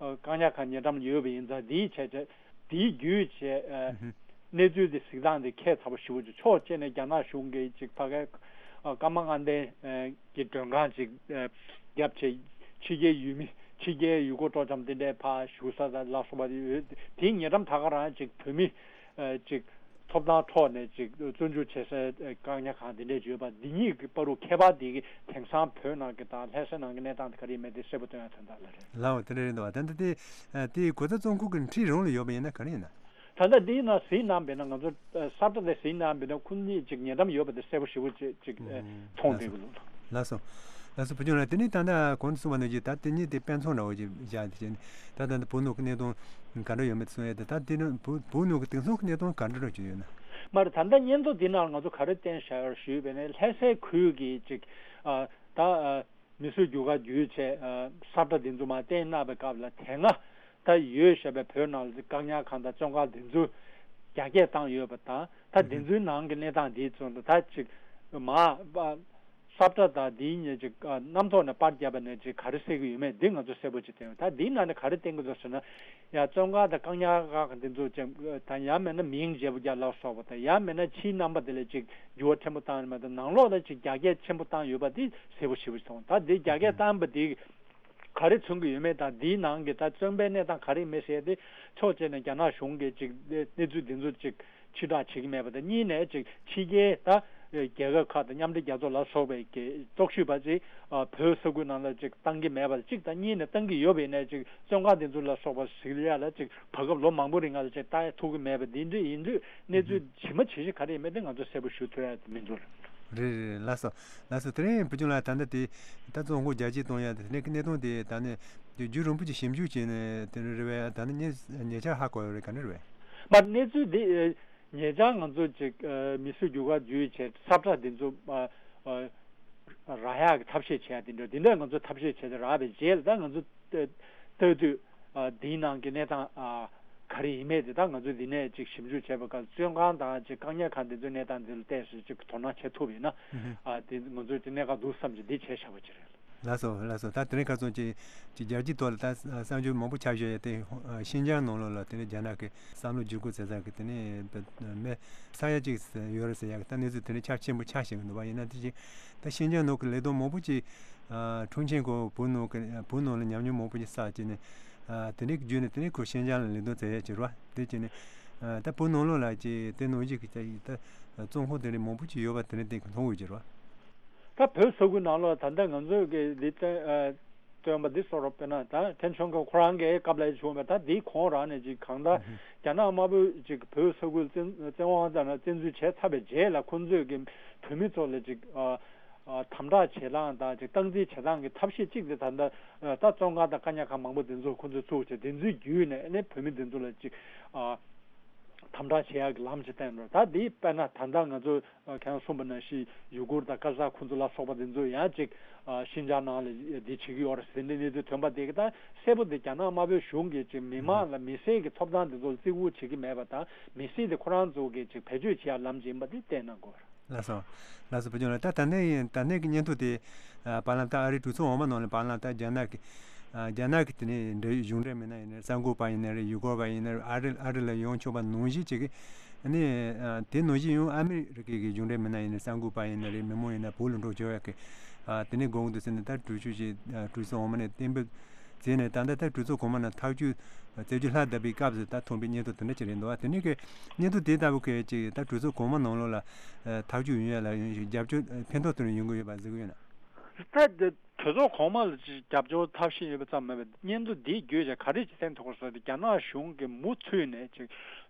ཨ། བཀག་ཉར་ཁང་ཉེ་འགྲམ་ལ་ཡོད་པ་ཡིན་ཙང་། དེའི་ཆ་ཆ་དེའི་བརྒྱུད་བྱས། ཨ། ཨུ་ཧུ། གནས་ཚུལ་དེ་གཟིགས་སྟངས་དེ་ཁྱད་མཚར་པོ་ཞེ་པོ་ཅིག་ཕྱོགས་གཅིག་ནས་རྒྱ་ནག་གཞུང་གིས་ཅིག་ཕ་གའི། ཨ། ཀརྨ་དངོས་ལྡན། ཨ། གྱི་མགྲོན་ཁང་ཅིག་ཨ། བརྒྱབ་བྱས། ཕྱི་རྒྱལ་ཡུལ་མི། ཕྱི་རྒྱལ་ཡུལ་སྐོར་སྤྲོ་འཆམ་དེ་འདྲའི་ཕར་བཞུགས་ས་དང་ལ་སོགས་པ་ཡོད། དེའི་ཉེ་འགྲམ་ད་ག་རང་ཅིག་བོད་མི། ཨ། ཅིག་ཐོབ་ཐང་ཐོག་ནས་ཅིག་བཙོན་འཇུག་བྱེད་སའི་བཀག་ཉར་ཁང་དེ་འདྲས་ཡོད་པ་འདི་གཉིས་ཀྱི་བར་དུ་ཁྱད་པར་དེ་གི་དེང་སང་བོད་ནང་གི་དང་ལྷ་སའི་ནང་གི་གནས་སྟངས་དེ་ག་རེ་ཡིན་མིན་དེ་གསལ་པོ་སྟོན་ཡ་དོན་དག་ལ་རེད། ལའོ་དེ་འདྲ་རེད་འདུག་བ། ད་ལྟ་དེ་དེའི་གོ་ས་བཙོན་ཁང་གི་འཁྲིས་རང་ལ་ཡོད་པ་ཡིན་ན་ག་རེ་ཡིན་ན། ད་ལྟ་འདིའི་ནང་གཟིགས་གནང་བས་ན་ང་ཚོ་ས་བཀྲ་དེ་གཟིགས་གནང་བས་ན་ཁོ་གཉིས་ཅིག་ཉེ་འགྲམ་ཡོད་པ་དེ་གསལ་པོ་ཞེ་པོ་ཅིག་ཅིག་མཐོང་བསྡད་ཀྱི་འདུག་ལགས་སོ། ལགས་སོ་བུ་ཆུང་ལགས། དེ་ནས་ད་ལྟ་གོང་དུ་གསུངས་པ་ནང་བཞིན་ད་དེ་གཉིས་དེ་དཔེ་མཚོན་འདྲ་བོ་ཅིག་བཞག་དེ་བྱས་ནས་ད་ལྟ་འདི་བོད་ནང་གི་གནས་སྟངས་ག་འདྲ་ཡོད་མེད་གསུང་ཡས་དེ། ད་དེ་ནི་བོད་བོད་ནང་གི་དེང་སང་གི་གནས་སྟངས་ག་འདྲ་འདྲ་ཅིག་ཡོད་ན། མ་རེད། ད་ལྟ་སྙན་ཐོ་འདི་ནང་ང་ཚོ་ག་རེ་བསྟན་བཞག་ཡོད་ཞུས་པས་ན་ལྷ་སའི་ཁུལ་གྱི་ཅིག་ཨ་ད་ཨ་མི་གསོད་རྒྱུ་ཁ་བརྒྱུད་བྱས་ཨ་ས་བཀྲ་འདི་ཚོ་མར་བསྟན་གནང་བའི་སྐབས་ལ་དེ་སྔ་ད་ཡོད་བཞག་པའི་བོད་ནང་ལ་བཀག་ཉར་ཁང་དང་བཙོན་ཁང་འདི་ཚོ་རྒྱ་སྐྱེད་བཏང་ཡོད་པ་དང་། ད་འདི་ཚོའི་ནང་གི་གནས་སྟངས་འདི་ཚོ་ད་ཅིག་མ་ས་བཀྲ་དང་འདིའི་ཉེ་ཅིག་རྣམ་ཐོག་ནས་པར་བརྒྱབ་པ་ནས་ཅིག་ག་རེ་གསལ་གྱི་ཡོད་མེད་འདི་ང་ཚོ་གསལ་པོ་ཅིག་བསྟན་ཡོད། ད་འདིའི་ནང་ནས་ག་རེ་བསྟན་གྱི་འདུག་ཟེར་ན། ཡང་བཙོན་ཁང་དང་བཀག་ཉར་ཁང་འདི་ཚོ་ཅིག་དང་ཡང་མིན་ན་མིང་བརྗེ་པོ་རྒྱག་ལ་སོགས་པ་དང་། ཡང་མིན་ན་ཕྱིའི་རྣམ་པ་དེ་ལ་ཅིག་འགྱུར་བ་ཕྲན་བུ་བཏང་ཡོད་མེད་དང་། ནང་ལོགས་ལ་ཅིག་རྒྱ་སྐྱེད་ཆེན་པོ་བཏང་ཡོད་པ་འདི་གསལ་པོ་ཞེ་པོ་ཅིག་མཐོང་། ད་འདི་རྒྱ་སྐྱེད་བཏང་པ་འདི་ག་རེ་མཚོན་གྱི་ཡོད་མེད་དང་། འདིའི་ནང་གི་ད་བཙོན་པའི་གནས་སྟངས་ག་རེ་ཡིན་མིན་ཟེར་ཏེ་ཕྱོགས་གཅིག་ནས་རྒྱ་ནག་གཞུང་གིས་ཅིག་གནས་ཚུལ་འདི་ཚོ་ཅིག་ཕྱིར་བསྒྲགས་བྱེད་ཀྱི་མེད་པ་དང་། གཉིས་ནས་ཅིག་ཕྱི་རྒྱལ་ད་རྒྱལ་ཁབ་ཁག་དང་མཉམ་འབྲེལ་རྒྱལ་ཚོགས་ལ་སོགས་པའི་གི་རྟོག་ཞིབ་པ་ཅིག་བོད་ས་ཁུལ་ནང་ལ་ཅིག་བཏང་གི་མེད་པ་གཅིག་དང་། གཉིས་ནས་བཏང་གི་ཡོད་པ་ཡིན་ན་ཅིག་བཙོན་ཁང་འདི་ཚོ་ལ་སོགས་པ་ཟེར་ཡ་ལ་ཅིག་བར་སྐབས་ལོ་མང་པོ་རིང་ལ་ཅིག་ལྟ་ཐུབ་ཀྱི་མེད་པ་འདི་འདྲ་ཡིན་དུས། གནས་ཚུལ་ཇི་མ་ཇི་བཞིན་ག་རེ་ཡིན་མིན་དེ་ང་ཚོ་གསལ་པོ་ཞུ་ཐུབ་ཡ་མི་འདུག་རེད་རེད། ལགས་སོ། ལགས་སོ། དེ་རིང་བུ་ཆུང་ལགས་ད་ལྟ་དེ་ད་བཙོན་ཁང་རྒྱ་སྐྱེད་གཏོང་ཡ་དེ་ནས་གནད་དོན་དེ་ད་ནས་རྒྱུན་རིང་པོ་ཅིག་ཞིབ་འཇུག་བྱས་ནས་དེ་རེད་པས། ད་ནི་ཉེ་ཉེ་ཆར་ཧ་གོ་ཡོད་རེད། ག་འདྲ་རེད་པས། མ་གནས་ཚུལ་འདི་ཉེ་ཆར་ང་ཚོ་ཅིག་མི་གསོད་རྒྱུ་ཁ་བརྒྱུད་བྱས་ས་བཀྲ་འདི་ཚོ་རག་ཡག་གི་ཐབས་ཤེས་བྱས་ཡ་དེ་འདྲ་དེ་འདྲ་ང་ཚོ་ཐབས་ཤེས་བྱས་ཏེ་རག་པའི་རྗེས་ལ་ད་ང་ཚོ་ལྟ་དུས་འདིའི་ནང་གི་གནས་སྟངས་ག་རེ་ཡིན་མིན་དེ་ད་ང་ཚོ་འདི་ནས་ཅིག་ཞིབ་འཇུག་བྱས་པའི་སྐབས་བཙོན་ཁང་དང་ཅིག་བཀག་ཉར་ཁང་འདི་ཚོའི་གནས་སྟངས་འདི་ལ་བལྟས་ཚེ་ཅིག་དོ་སྣང་བྱེད་ཐུབ་ཡིན་ན་དེ་ང་ཚོ་ཅིག་གནད་འགག་འདུག་བསམ་གྱི་འདི་བྱས་བཞག་པ་ཅིག་རེད། ལགས་སོ། ལགས་སོ། ད་དེ་རིང་ཁ་སང་ཅིག་ཅིག་རྒྱལ་སྤྱིའི་ཐོག་ལ་ད་གསར་འགྱུར་མང་པོ་ཆགས་བཞག་ཡོད་དེ། ཤིན་ཅང་ནང་ལོགས་ལ་དེ་ནས་རྒྱ་ནག་གི་བསམ་བློ་བསྒྱུར་བཀོད་བྱེད་ས་གི་དེ་ནས་མི་ས་ཡ་གཅིག་ཡོད་རེད་ཟེར་ཡག་གི་ད་གནས་ཚུལ་དེ་འདྲ་ཁྱབ་ཆེན་པོ་ཆགས་བཞིན་འདུག་པ། ཡིན་ན་དེ་བཞིན་ད་ཤིན་ཅང་ནང་གི་ལས་དོན་མང་པོ་ཅིག་ཁྲུང་ཆིང་ཁོ་བོད་ནང་གི་བོད་ནང་ལ་ཉམས་མྱོང་མང་པོ་ཅིག་བསགས་བྱས་ནས་དེ་འདྲའི་བརྒྱུད་ནས་དེ་ནས་ཁོ་ཤིན་ཅང་ལ་ལས་དོན་བྱེད་ཡག་ཅིག་རེད་པ། དེ་བྱས་ནས་ད་བོད་ནང་ལོགས་ལ་ཅིག་དེ་ནང་བཞིན་གྱི་ད་བཙོན་ཁང་དེ་འདྲ་མང་པོ་ཅིག་ཡོད་པ་དེ་འདྲ་དེ་མཐོང་ཡོད་ཀྱི་རེད་པ། ད་བོད་ས་ཁུལ་ནང་ལོགས་ད་ལྟ་ང་ཚོས་ཀྱི་འདི་བཏོན་ཨ་བཏོན་པ་འདི་སོགས་རོ། དཔེར་ན་ད་ཐེན་ཆོན་གྱིས་ཁོ་རང་གི་སྐབས་ལ་བྱུང་བ་ད་འདིའི་གོང་རང་ནས་ཅིག་གང་ལྟར་རྒྱ་ནག་དམར་པོས་ཅིག་བོད་ས་ཁུལ་བཙན་བཙན་དབང་བཏང་ནས་བཙན་འཛུལ་བྱས་ཚར་བའི་རྗེས་ལ་ཁོ་ཚོས་ཀྱི་བོད་མི་ཚོ་ལ་ཅིག་ཨ་ཨ་དམ་དྲག་བྱེད་སྟངས་དང་ཅིག་སྟངས་འཛིན་བྱེད་སྟངས་ཀྱི་ཐབས་ཤེས་གཅིག་དེ་ད་ལྟ་ཨ་ད་བཙོན་ཁང་དང་བཀག་ཉར་ཁང་མང་པོ་འདི་ཚོ་ཁོ་ཚོས་བཙུགས་བྱས་དེ་ཚོའི་བརྒྱུད་ནས་ཨ་ནི་བོད་མི་འདི་ཚོ་ལ་ཅིག་ཨ་དམ་དྲག་བྱེད་ཡག་གི་ལམ་ཅིག་བསྟན་འགྲོ། ད་འདི་དཔེར་ན་ད་ལྟ་ང་ཚོ་ཁྱེད་རང་གསུངས་པ་ནང་བཞིན་ཡུ་གུར་དང་ཀ་ཟ་ཁོ་ཚོ་ལ་སོགས་པ་འདི་ཚོ་ཡང་ཅིག་ཤིན་ཅང་ནང་ལ་འདི་བྱེད་ཀྱི་ཡོད་རེད་ཟེར་འདི་གནས་ཚུལ་ཐོན་པ་དེ་གི་ད་གསལ་པོ་འདི་རྒྱ་ནག་དམར་པོའི་གཞུང་གིས་ཅིག་མི་མང་ལ་མི་སེར་གྱི་ཐོབ་ཐང་འདི་ཚོ་ལ་བརྩི་བཀུར་བྱེད་ཀྱི་མེད་པ་དང་། མི་སེར་དེ་ཁོ་རང་ཚོ་གིས་ཅིག་བེད་སྤྱོད་བྱེད་ཡག་ལམ་ཅིག་ཡིན་པ་འདི་བསྟན་གནང་དགོས་རེད། ལགས་སོ། ལགས་སོ་བུ་ཆུང་ལགས། ད་ད་ལྟའི་ད་ལྟའི་གི་སྙན་ཐོ་དེ་ཨ་བར་ལམ་ད་ཨ་རིའི་གྲོས་ཚོགས་འོག་མ་ནང་ལ་བར་ལམ་ད་རྒྱ་ནག་གི་ཨ་རྒྱ་ནག་གི་དེ་ནས་འབྲེལ་ཡོད་གཞུང་འབྲེལ་མི་སྣ་ཡིན་ན་རེད། གསར་འགོད་པ་ཡིན་ན་རེད། ཡུལ་སྐོར་བ་ཡིན་ན་རེད། ཨ་རི་ཨ་རི་ལ་ཡོང་ཆོག་པ་ནང་བཞིན་བྱེད་ཀྱི། ཨ་ནི་ཨ་དེ་ནང་བཞིན་ཡང་ཨ་མི་རི་ཀའི་གི་གཞུང་འབྲེལ་མི་སྣ་ཡིན་ན་རེད། གསར་འགོད་པ་ཡིན་ན་རེད། མི་མང་ཡིན་ན་བོད་ལ་འགྲོ་ཆོག་ཡག་གི་ཨ་དེ་ནས་དགོངས་འདུག་ཟེར་ནས་ད་གྲོས་ཆོད་ཅིག་ཨ་གྲོས་ཚོགས་འོག་མ་ནས་གཏན་འབེབས་བྱས་ནས་ད་ལྟ་ད་གྲོས་ཚོགས་གོང་མ་ནང་ཐག་གཅོད་བྱེད་རྒྱུ་ལྷག་བསྡད་པའི་སྐབས་སུ་ད་ཐོན་པའི་སྙན་ཐོ་དེ་འདྲ་ཅིག་རེད་འདུག་ཨ། དེ་ནས་གི་སྙན་ཐོ་དེ་ལྟ་བུ་གི་ཅིག་ད་གྲོས་ཚོགས་གོང་མ་ནང་ལོགས་ལ་ཨ་ཐག་གཅོད་ཡོང་ཡ་ལ་ཡོང་ཞིག་རྒྱབ་སྐྱོར་ཕན་ཐོགས་དེ་འདྲ་ཡོང་གི་ཡོད་པ་གཟིགས་ཀྱི་ཡོད་ན། ད་དེ་གྲོས་ཚོགས་གོང་མ་ལ་ཅིག་རྒྱབ་སྐྱོར་ཐབས་ཤེས་ཡོད་པ་ཙམ་མིན་པར་སྙན་ཐོ་འདི་བརྒྱུད་བྱས་ག་རེ་ཅིག་གསན་ཐུབ་ཀྱི་རེད་ཟེར་ན། རྒྱ་ནག་གཞུང་གིས་མུ་མཐུད་ནས་ཅིག་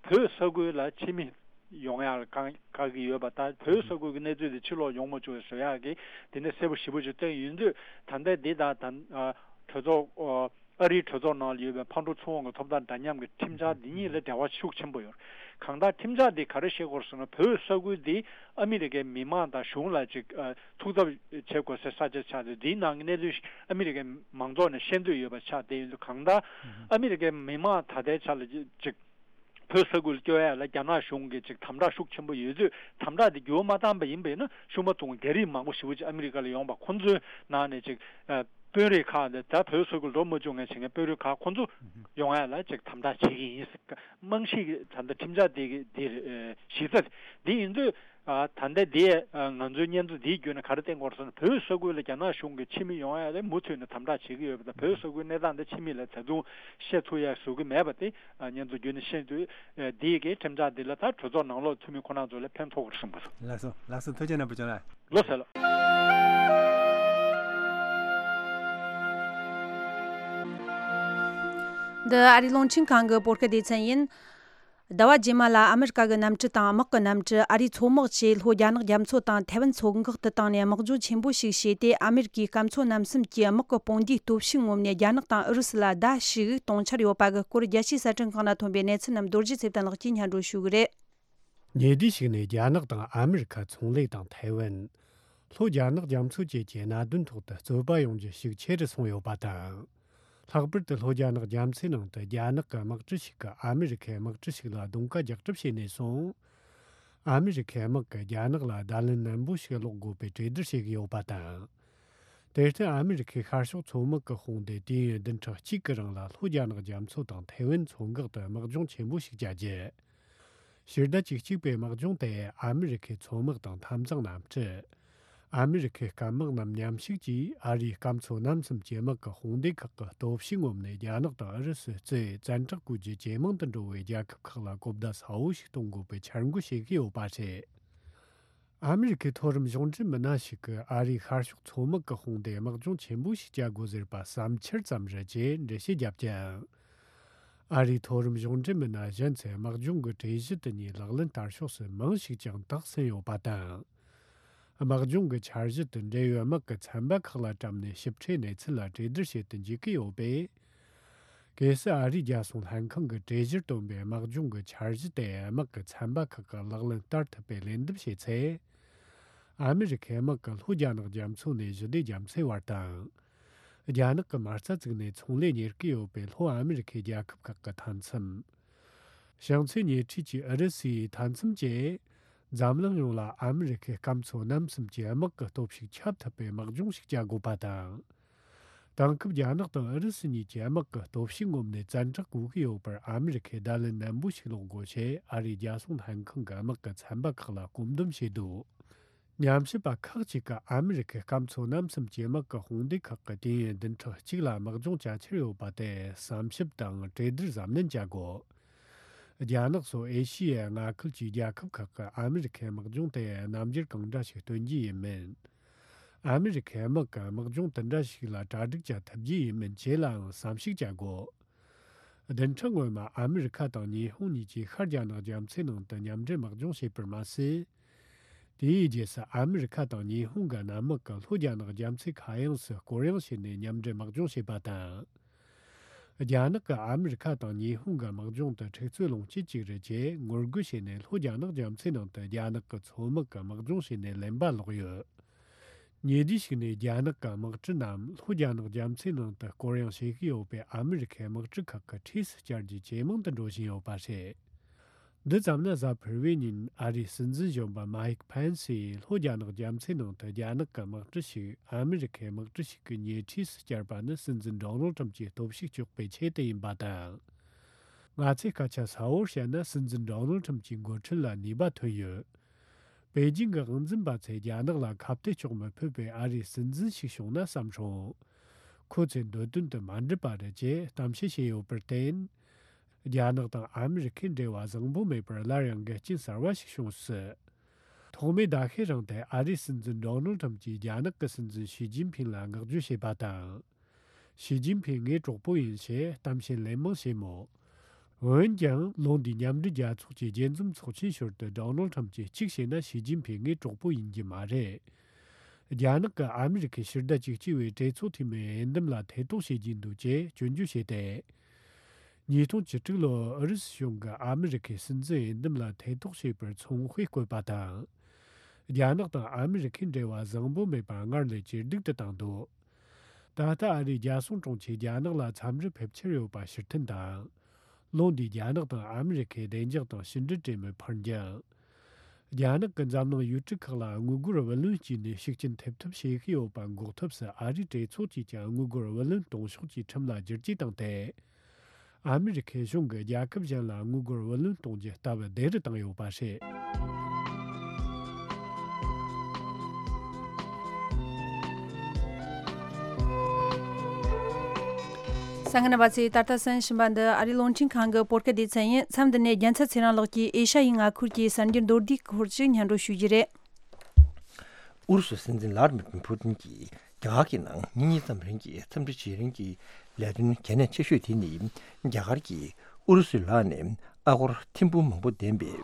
བོད་ས་ཁུལ་ལ་ཕྱི་མི་ཡོང་ཡག་ལ་བཀག་བཀག་གི་ཡོད་པ་དང་། བོད་ས་ཁུལ་གྱི་གནས་ཚུལ་དེ་ཕྱིར་ལོག་ཡོང་མ་བཅུག་བཟོ་ཡག་གི་དེ་འདྲ་གསལ་པོ་ཞེ་པོ་ཅིག་བཏོན་ཡོད་དུས། ད་ལྟ་འདི་དང་ད་ཨ་གྲོས་ཚོགས་ཨ་ཨ་རིའི་གྲོས་ཚོགས་ནང་ལ་ཡོད་པའི་ཕར་འགྲོ་ཚུར་འོང་གི་ཐོབ་ཐང་འདྲ་མཉམ་གྱི་ཁྲིམས་འཆར་འདི་གཉིས་ལ་འབྲེལ་བ་ཤུགས་ཆེན་པོ་ཡོད། གང་ལྟར་ཁྲིམས་འཆར་འདི་ག་རེ་བཤད་ཀྱི་ཡོད་ཟེར་ན། བོད་ས་ཁུལ་འདི་ཨ་མི་རི་ཀའི་མི་མང་དང་གཞུང་ལ་ཅིག་ཨ་ཐུགས་འཚབ་བྱེད་དགོས་སའི་ས་ཆ་ཆགས་ཏེ། འདིའི་ནང་གི་གནས་ཚུལ་ཨ་མི་རི་ཀའི་མང་ཚོགས་ནས་ཤེས་འདོད་ཡོད་པ་ཆགས་བསྡད་ཡོད་དུས། གང་ལྟར་ཨ་མི་རི་ཀའི་མི་མང་ད་ལྟའི་ཆ་ལ་ཅིག་བོད་ས་ཁུལ་སྐྱོད་ཡ་ལ་རྒྱ་ནག་གཞུང་གིས་ཅིག་དམ་དྲག་ཤུགས་ཆེན་པོ་ཡོད་དུས། དམ་དྲག་དེ་འགྱུར་བ་མ་བཏང་པ་ཡིན་པ་ཡིན་ན་ཤུགས་མ་ཐུང་རྒྱ་རིགས་མང་པོ་ཞེ་པོ་ཅིག་ཨ་མི་རི་ཀ་ལ་ཡོང་བ། ཁོང་ཚོའི་ནང་ནས་ཅིག་ཨ་དཔོན་རིགས་ཁག་དེ་ད་བོད་ས་ཁུལ་འགྲོ་མ་བཅུག་མཁན་བྱེད་མཁན་དཔོན་རིགས་ཁག་ཁོང་ཚོ་ཡོང་ཡ་ལ་ཅིག་དམ་དྲག་བྱེད་ཀྱི་ཡིན་ཟེར། རྨང་གཞི་གི་ད་ལྟ་ཁྲིམས་འཆར་དེ་གི་དེ་རེད། གཞི་རྩ་དེ་ཡིན་དུས། ཨ། ད་ལྟ་འདི་ང་ཚོའི་སྙན་ཐོ་འདིའི་བརྒྱུད་ནས་ག་རེ་བསྟན་དགོས་རེད་ཟེར་ན། བོད་ས་ཁུལ་ལ་རྒྱ་ནག་གཞུང་གིས་ཕྱི་མི་ཡོང་ཡ་དེ་མུ་མཐུད་ནས་དམ་དྲག་བྱེད་ཀྱི་ཡོད་པ་དང་། བོད་ས་ཁུལ་གནས་སྟངས་དེ་ཕྱི་མི་ལ་བརྡ་རྫུན་བཤད་ཚུགས་ཡ་བཟོ་གི་མེད་པ་དེ་སྙན་ཐོ་བརྒྱུད་ནས་ཤེས་དུས། འདི་གའི་ཁྲིམས་འཆར་འདི་ལ་ད་གྲོས་ཚོགས་ནང་ལོགས་འཐུས་མི་ཁོ་རང་ཚོ་ལ་ཕན་ཐོགས་ཀྱི་རེད་བསམ་གི་འདུག། ལགས་སོ། ལགས་སོ། ཐུགས་རྗེ་ཆེ་ནོར་བུ་ལྕམ་ལགས། ལགས་སོ། འདི་ཨ་རིའི་རླུང་འཕྲིན་ཁང་གི་བོད་སྐད་སྡེ་ཚན་ཡིན། ཟླ་བ་རྗེས་མ་ལ་ཨ་མི་རི་ཀ་གི་གནམ་གྲུ་དང་དམག་གི་གནམ་གྲུ། ཨ་རིའི་མཚོ་དམག་བཅས་ལྷོ་རྒྱ་ནག་རྒྱ་མཚོ་དང་ཐའེ་ཝན་མཚོ་འགག་ཏུ་བཏང་ནས་དམག་སྦྱོང་ཆེན་པོ་ཞིག་བྱས་ཏེ། ཨ་མི་རི་ཀའི་སྐམ་མཚོ་གནམ་གསུམ་གྱི་དམག་གི་དཔུང་སྡེའི་སྟོབས་ཤུགས་ངོམས་ནས་རྒྱ་ནག་དང་ཨུ་རུ་སུ་ལ་བརྡ་ཞུ་གཏོང་འཆར་ཡོད་པ་གི་སྐོར་རྒྱལ་སྤྱིའི་གསར་སྐྲུན་ཁང་ནས་ཐོན་པའི་གནས་ཚུལ་རྣམས་རྡོ་རྗེ་ཚེ་བརྟན་ལགས་ཀྱིས་སྙན་སྒྲོན་ཞུ་གི་རེད། ཉེ་དུས་ཤིག་ནས་རྒྱ་ནག་དང་ཨ་མི་རི་ཁ་ཚོང་ལས་དང་ཐའེ་ཝན། ལྷོ་རྒྱ་ནག་རྒྱ་མཚོ་བཅས་ཀྱི་གནད་དོན་ཐོག་ཏུ་རྩོད་པ་ཡོང་རྒྱུ་ཤུགས་ཆེ་རུ་སོང་ཡོད་པ་དང་། ལྷག་པར་དུ་ལྷོ་རྒྱ་ནག་རྒྱ་མཚོའི་ནང་དུ་རྒྱ་ནག་གི་དམག་གྲུ་ཞིག་གིས་ཨ་མི་རི་ཁའི་དམག་གྲུ་ཞིག་ལ་རྡུང་ཀ་རྒྱག་གྲབས་བྱས་ནས་བཟུང་། ཨ་མི་རི་ཁའི་དམག་གིས་རྒྱ་ནག་ལ་བརྡ་ལན་ནན་པོ་ཞིག་སློག་དགོས་པའི་གྲོས་བསྡུར་བྱེད་ཀྱི་ཡོད་པ་དང་། དེར་བརྟེན། ཨ་མི་རི་ཁའི་ཤར་ཕྱོགས་མཚོ་དམག་གི་དཔུང་སྡེ་དུས་ཡུན་བདུན་ཕྲག་གཅིག་གི་རིང་ལ་ལྷོ་རྒྱ་ནག་རྒྱ་མཚོ་དང་ཐའེ་ཝན་མཚོ་འགག་ཏུ་དམག་སྦྱོང་ཆེན་པོ་ཞིག་བྱ་རྒྱུ། ཕྱི་ཟླ་བཅུ་གཅིག་པའི་དམག་སྦྱོང་དེ་ཨ་མི་རི་ཁའི་མཚོ་དམག་དང་འཐབ་འཛིང་གནམ་གྲུ། ཨ་མི་རི་ཁའི་སྐམ་དམག་རྣམས་མཉམ་ཞུགས་ཀྱིས་ཨ་རིའི་སྐམ་མཚོ་གནམ་གསུམ་གྱི་དམག་གི་དཔུང་སྡེ་ཁག་གི་སྟོབས་ཤུགས་ངོམས་ནས་རྒྱ་ནག་དང་ཨུ་རུ་སུ་གཙོས་བཙན་དྲག་བཀོལ་རྒྱུ་ཇེ་མང་དུ་འགྲོ་བའི་རྒྱལ་ཁབ་ཁག་ལ་གོ་བརྡ་གསལ་བོ་ཞིག་གཏོང་དགོས་པའི་འཆར་འགོད་བྱེད་ཀྱི་ཡོད་པ་རེད། ཨ་མི་རི་ཁའི་མཐོ་རིམ་གཞུང་འབྲེལ་མི་སྣ་ཞིག་གིས་ཨ་རིའི་ཤར་ཕྱོགས་མཚོ་དམག་གི་དཔུང་སྡེས་དམག་སྦྱོང་ཆེན་པོ་ཞིག་བྱ་དགོས་ཟེར་བ་བསམ་འཆར་ཙམ་རེད་ཅེས་འགྲེལ་བཤད་བརྒྱབ་ཀྱང་། ཨ་རིའི་མཐོ་རིམ་གཞུང་འབྲེལ་མི་སྣ་གཞན་ཚོས་དམག་སྦྱོང་གི་གྲོས་གཞི་དེ་གཉིས་ལག་ལེན་བསྟར་ཕྱོགས་སུ་མང་ཞིག་ཀྱང་དག་ཟིན་ཡོད་པ་དང་། དམག་སྦྱོང་གི་འཆར་གཞི་དེ་འབྲེལ་ཡོད་དམག་གི་ཚན་པ་ཁག་ལ་བཀྲམ་ནས་ཞིབ་ཕྲའི་གནས་ཚུལ་ལ་གྲོས་བསྡུར་བྱེད་དུ་འཇུག་གི་ཡོད་པས། གལ་སྲིད་ཨ་རིའི་རྒྱལ་སྲུང་ལྷན་ཁང་གི་གྲོས་གཞིར་བཏོན་པའི་དམག་སྦྱོང་གི་འཆར་གཞི་དེ་དམག་གི་ཚན་པ་ཁག་གིས་ལག་ལེན་བསྟར་ཐུབ་པའི་ལས་འདེམས་བྱས་ཚེ། ཨ་མི་རི་ཁའི་དམག་གིས་ལྷོ་རྒྱ་ནག་རྒྱ་མཚོ་ནས་ཞི་བདེ་རྒྱ་མཚོའི་བར་དང་། རྒྱ་ནག་གིས་མ་རྩ་བཙུགས་ནས་ཚོང་ལས་གཉེར་གྱི་ཡོད་པའི་ལྷོ་ཨ་མི་རི་ཁའི་རྒྱལ་ཁབ་ཁག་གི་མཐའ་མཚམས། བྱང་མཚོའི་ཉེ་འཁྲིས་ཀྱི་ཨུ་རུ་སུའི་མཐའ་མཚམས་བཅས། འཛམ་གླིང་ཡོངས་ལ་ཨ་མི་རི་ཁའི་སྐམ་མཚོ་གནམ་གསུམ་གྱི་དམག་གི་སྟོབས་ཤུགས་ཁྱབ་ཐུབ་པའི་དམག་སྦྱོང་ཞིག་བྱ་དགོས་པ་དང་། དེང་སྐབས་རྒྱ་ནག་དང་ཨུ་རུ་སུ་གཉིས་ཀྱི་དམག་གི་སྟོབས་ཤུགས་ངོམས་ནས་བཙན་དྲག་བཀོལ་གྱི་ཡོད་པར་ཨ་མི་རི་ཁས་བརྡ་ལན་ནན་པོ་ཞིག་སློག་དགོས་ཞེས་ཨ་རིའི་རྒྱལ་སྲུང་ལྷན་ཁང་གི་དམག་གི་ཚན་པ་ཁག་ལ་སྐོམ་འདུན་བྱས་འདུག། ཉམས་ཞིབ་པ་ཁག་ཅིག་གིས་ཨ་མི་རི་ཁའི་སྐམ་མཚོ་གནམ་གསུམ་གྱི་དམག་གི་དཔུང་སྡེ་ཁག་གིས་དུས་ཡུན་བདུན་ཕྲག་གཅིག་ལ་དམག་སྦྱོང་བྱ་འཆར་ཡོད་པ་དེ་བསམ་ཞིབ་དང་གྲོས་བསྡུར་གཟབ་ནན་བྱ་དགོས། རྒྱ་ནག་སོགས་ཨེ་ཤི་ཡའི་མངའ་ཁུལ་གྱི་རྒྱལ་ཁབ་ཁག་གིས་ཨ་མི་རི་ཁའི་དམག་སྦྱོང་དེ་རྣམ་འགྱུར་གང་འདྲ་ཞིག་སྟོན་རྒྱུ་ཡིན་མིན། ཨ་མི་རི་ཁའི་དམག་གི་དམག་སྦྱོང་དེ་འདྲ་ཞིག་ལ་གྲ་སྒྲིག་བྱ་ཐུབ་རྒྱུ་ཡིན་མིན་བཅས་ལའང་བསམ་གཞིག་བྱ་དགོས། བདུན་ཕྲག་སྔོན་མ་ཨ་མི་རི་ཁ་དང་ཉི་ཧོང་གཉིས་ཀྱིས་ཤར་རྒྱ་ནག་རྒྱ་མཚོའི་ནང་དུ་མཉམ་འབྲེལ་དམག་སྦྱོང་བྱས་པར་མ་ཟད། དེའི་རྗེས་སུ་ཨ་མི་རི་ཁ་དང་ཉི་ཧོང་གི་གནམ་དམག་གིས་ལྷོ་རྒྱ་ནག་རྒྱ་མཚོའི་ཁ་གཡང་སུ་སྐོར་གཡེང་བྱས་ནས་མཉམ་འབྲེལ་དམག་སྦྱོང་བྱས་པ་དང་། རྒྱ་ནག་གིས་ཨ་མི་རི་ཁ་དང་ཉི་ཧོང་གི་དམག་སྦྱོང་དེ་འཁྲུག་རྩོད་སློང་བྱེད་ཅིག་རེད་ཅེས་ངོ་རྒོལ་བྱས་ནས་ལྷོ་རྒྱ་ནག་རྒྱ་མཚོའི་ནང་དུ་རྒྱ་ནག་གི་མཚོ་དམག་གིས་དམག་སྦྱོང་བྱས་ནས་ལེན་པ་ལོག་ཡོད། ཉེ་དུས་ཤིག་ནས་རྒྱ་ནག་གི་དམག་གྲུ་རྣམས་ལྷོ་རྒྱ་ནག་རྒྱ་མཚོའི་ནང་དུ་སྐོར་གཡེང་བྱེད་ཀྱི་ཡོད་པས་ཨ་མི་རི་ཁའི་དམག་གྲུ་ཁག་གི་འཁྲིས་སུ་བཅར་རྒྱུ་ཇེ་མང་དུ་འགྲོ་བཞིན་ཡོད་པ་རེད། འདི་ཙམ་ན་གཟའ་ཕུར་བུའི་ཉིན་ཨ་རིའི་སྲིད་འཛིན་གཞོན་པ་མཱིག་ཕེན་སིས་ལྷོ་རྒྱ་ནག་རྒྱ་མཚོའི་ནང་དུ་རྒྱ་ནག་གི་དམག་གྲུ་ཞིག་ཨ་མི་རི་ཁའི་དམག་གྲུ་ཞིག་གི་ཉེ་འཁྲིས་སུ་བསྐྱར་པ་ནི་སྲིད་འཛིན་ཌོ་ནལ་ཁྲམ་གྱི་སྟོབས་ཤུགས་གཅོག་པའི་ཆེད་དུ་ཡིན་པ་དང་། ང་ཚོས་སྐད་ཆ་གསལ་བོར་བཤད་ན་སྲིད་འཛིན་ཌོ་ནལ་ཁྲམ་གྱི་འགོ་ཁྲིད་ལ་ནུས་པ་ཐོན་ཡོད། པེ་ཅིང་གི་དབང་འཛིན་པ་ཚོས་རྒྱ་ནག་ལ་ཁ་གཏད་གཅོག་མི་ཕོད་པའི་ཨ་རིའི་སྲིད་འཛིན་ཞིག་བྱུང་ན་བསམ་སོང་། ཁོ་ཚོའི་འདོད་དོན་དེ་མ་འགྲུབ་པ་རེད་ཅེས་གཏམ་བཤད་བྱས་ཡོད་པར་བརྟེན། རྒྱ་ནག་དང་ཨ་མི་རི་ཁའི་འབྲེལ་བ་བཟང་པོ་མེད་པར་སླར་ཡང་འགལ་རྐྱེན་གསར་བ་ཞིག་བྱུང་སྲིད། ཐོག་མའི་ཟླ་ཤས་རིང་དེ་ཨ་རིའི་སྲིད་འཛིན་ཌོ་ནལ་ཁྲམ་གྱིས་རྒྱ་ནག་གི་སྲིད་འཛིན་ཞི་ཅིན་ཕིང་ལ་བསྔགས་བརྗོད་བྱས་པ་དང་། ཞི་ཅིན་ཕིང་ངའི་གྲོགས་པོ་ཡིན་ཞེས་གཏམ་བཤད་ལན་མང་བྱས་མོད། འོན་ཀྱང་ལོ་འདིའི་མཉམ་འབྲེལ་རྒྱལ་ཚོགས་ཀྱི་རྒྱས་འཛོམས་ཚོགས་ཆེན་ཞོར་དུ་ཌོ་ནལ་ཁྲམ་གྱིས་གཅིག་བྱས་ན་ཞི་ཅིན་ཕིང་ངའི་གྲོགས་པོ་ཡིན་རྒྱུ་མ་རེད། རྒྱ་ནག་གིས་ཨ་མི་རི་ཁའི་ཕྱི་ཟླ་བཅུ་གཅིག་པའི་གྲོས་ཚོགས་འཐུས་མིའི་འོས་འདེམས་ལ་ཐེ་གཏོགས་བྱེད་ཀྱི་འདུག་ཅེས་སྐྱོན་བརྗོད་བྱས་ཏེ། ཉིས་སྟོང་བཅུ་དྲུག་ལོར་ཨུ་རུ་སུ་གཞུང་གིས་ཨ་མི་རི་ཁའི་སྲིད་འཛིན་འོས་འདེམས་ལ་ཐེ་གཏོགས་བྱས་པར་ཚོང་དཔེ་བཀོད་པ་དང་། རྒྱ་ནག་དང་ཨ་མི་རི་ཁའི་འབྲེལ་བ་བཟང་པོ་མེད་པ་སྔར་ལས་ཇེ་སྡུག་ཏུ་བཏང་འདུག། ད་ལྟ་ཨ་རིའི་རྒྱལ་སྲུང་དྲུང་ཆེས་རྒྱ་ནག་ལ་འཚམས་འདྲི་ཕེབས་འཆར་ཡོད་པ་ཕྱིར་འཐེན་དང་། ལོ་འདིའི་རྒྱ་ནག་དང་ཨ་མི་རི་ཁའི་བདེ་འཇགས་དང་ཕྱི་འབྲེལ་གྲོས་མོལ་ཕར་འགྱངས། རྒྱ་ནག་གིས་འཛམ་གླིང་ཡུལ་གྲུ་ཁག་ལ་དངུལ་སྒོར་བུ་ལོན་བསྐྱིས་ནས་ཤུགས་རྐྱེན་ཐེབས་ཐབས་བྱེད་ཀྱི་ཡོད་པ་འགོག་ཐབས་སུ་ཨ་རིའི་གྲོས་ཚོགས་ཀྱིས་ཀྱང་དངུལ་སྒོར་བུ་ལོན་གཏོང་ཕྱོགས་ཀྱི་ཁྲིམས་ལ་བསྒྱུར་བཅོས་བཏང་སྟེ། ཨ་མི་རི་ཁའི་གཞུང་གིས་རྒྱལ་ཁབ་གཞན་ལ་དངུལ་སྒོར་བུ་ལོན་གཏོང་རྒྱུ་སྟབས་བདེ་རུ་བཏང་ཡོད་པ་རེད། གསན་མཁན་རྣམ་པ་ཚོས་ད་ལྟ་གསན་བཞིན་པ་འདི་ཨ་རིའི་རླུང་འཕྲིན་ཁང་གི་བོད་སྐད་སྡེ་ཚན་ཡིན། མཚམས་འདི་ནས་རྒྱལ་མཚན་ཚེ་རིང་ལགས་ཀྱིས་ཨེ་ཤ་ཡའི་མངའ་ཁུལ་གྱི་གསར་འགྱུར་མདོར་བསྡུས་སྐོར་ཞིག་སྙན་སྒྲོན་ཞུ་རྒྱུ་རེད། ཨུ་རུ་སུའི་སྲིད་འཛིན་ཝླ་ཌི་མིར་ཕུ་ཏིན་གྱིས་རྒྱ་གར་གྱི་ནང་ཉིན་གཉིས་ཙམ་རིང་གི་འཚམས་འདྲི་བྱེད་རིང་གི་ལས་དོན་གལ་གནད་ཆེ་ཤོས་དེ་ནི། རྒྱ་གར་གྱིས་ཨུ་རུ་སུའི་ལག་ནས་ཨ་སྒོར་ཐེར་འབུམ་མང་པོ་ལྡན་པའི།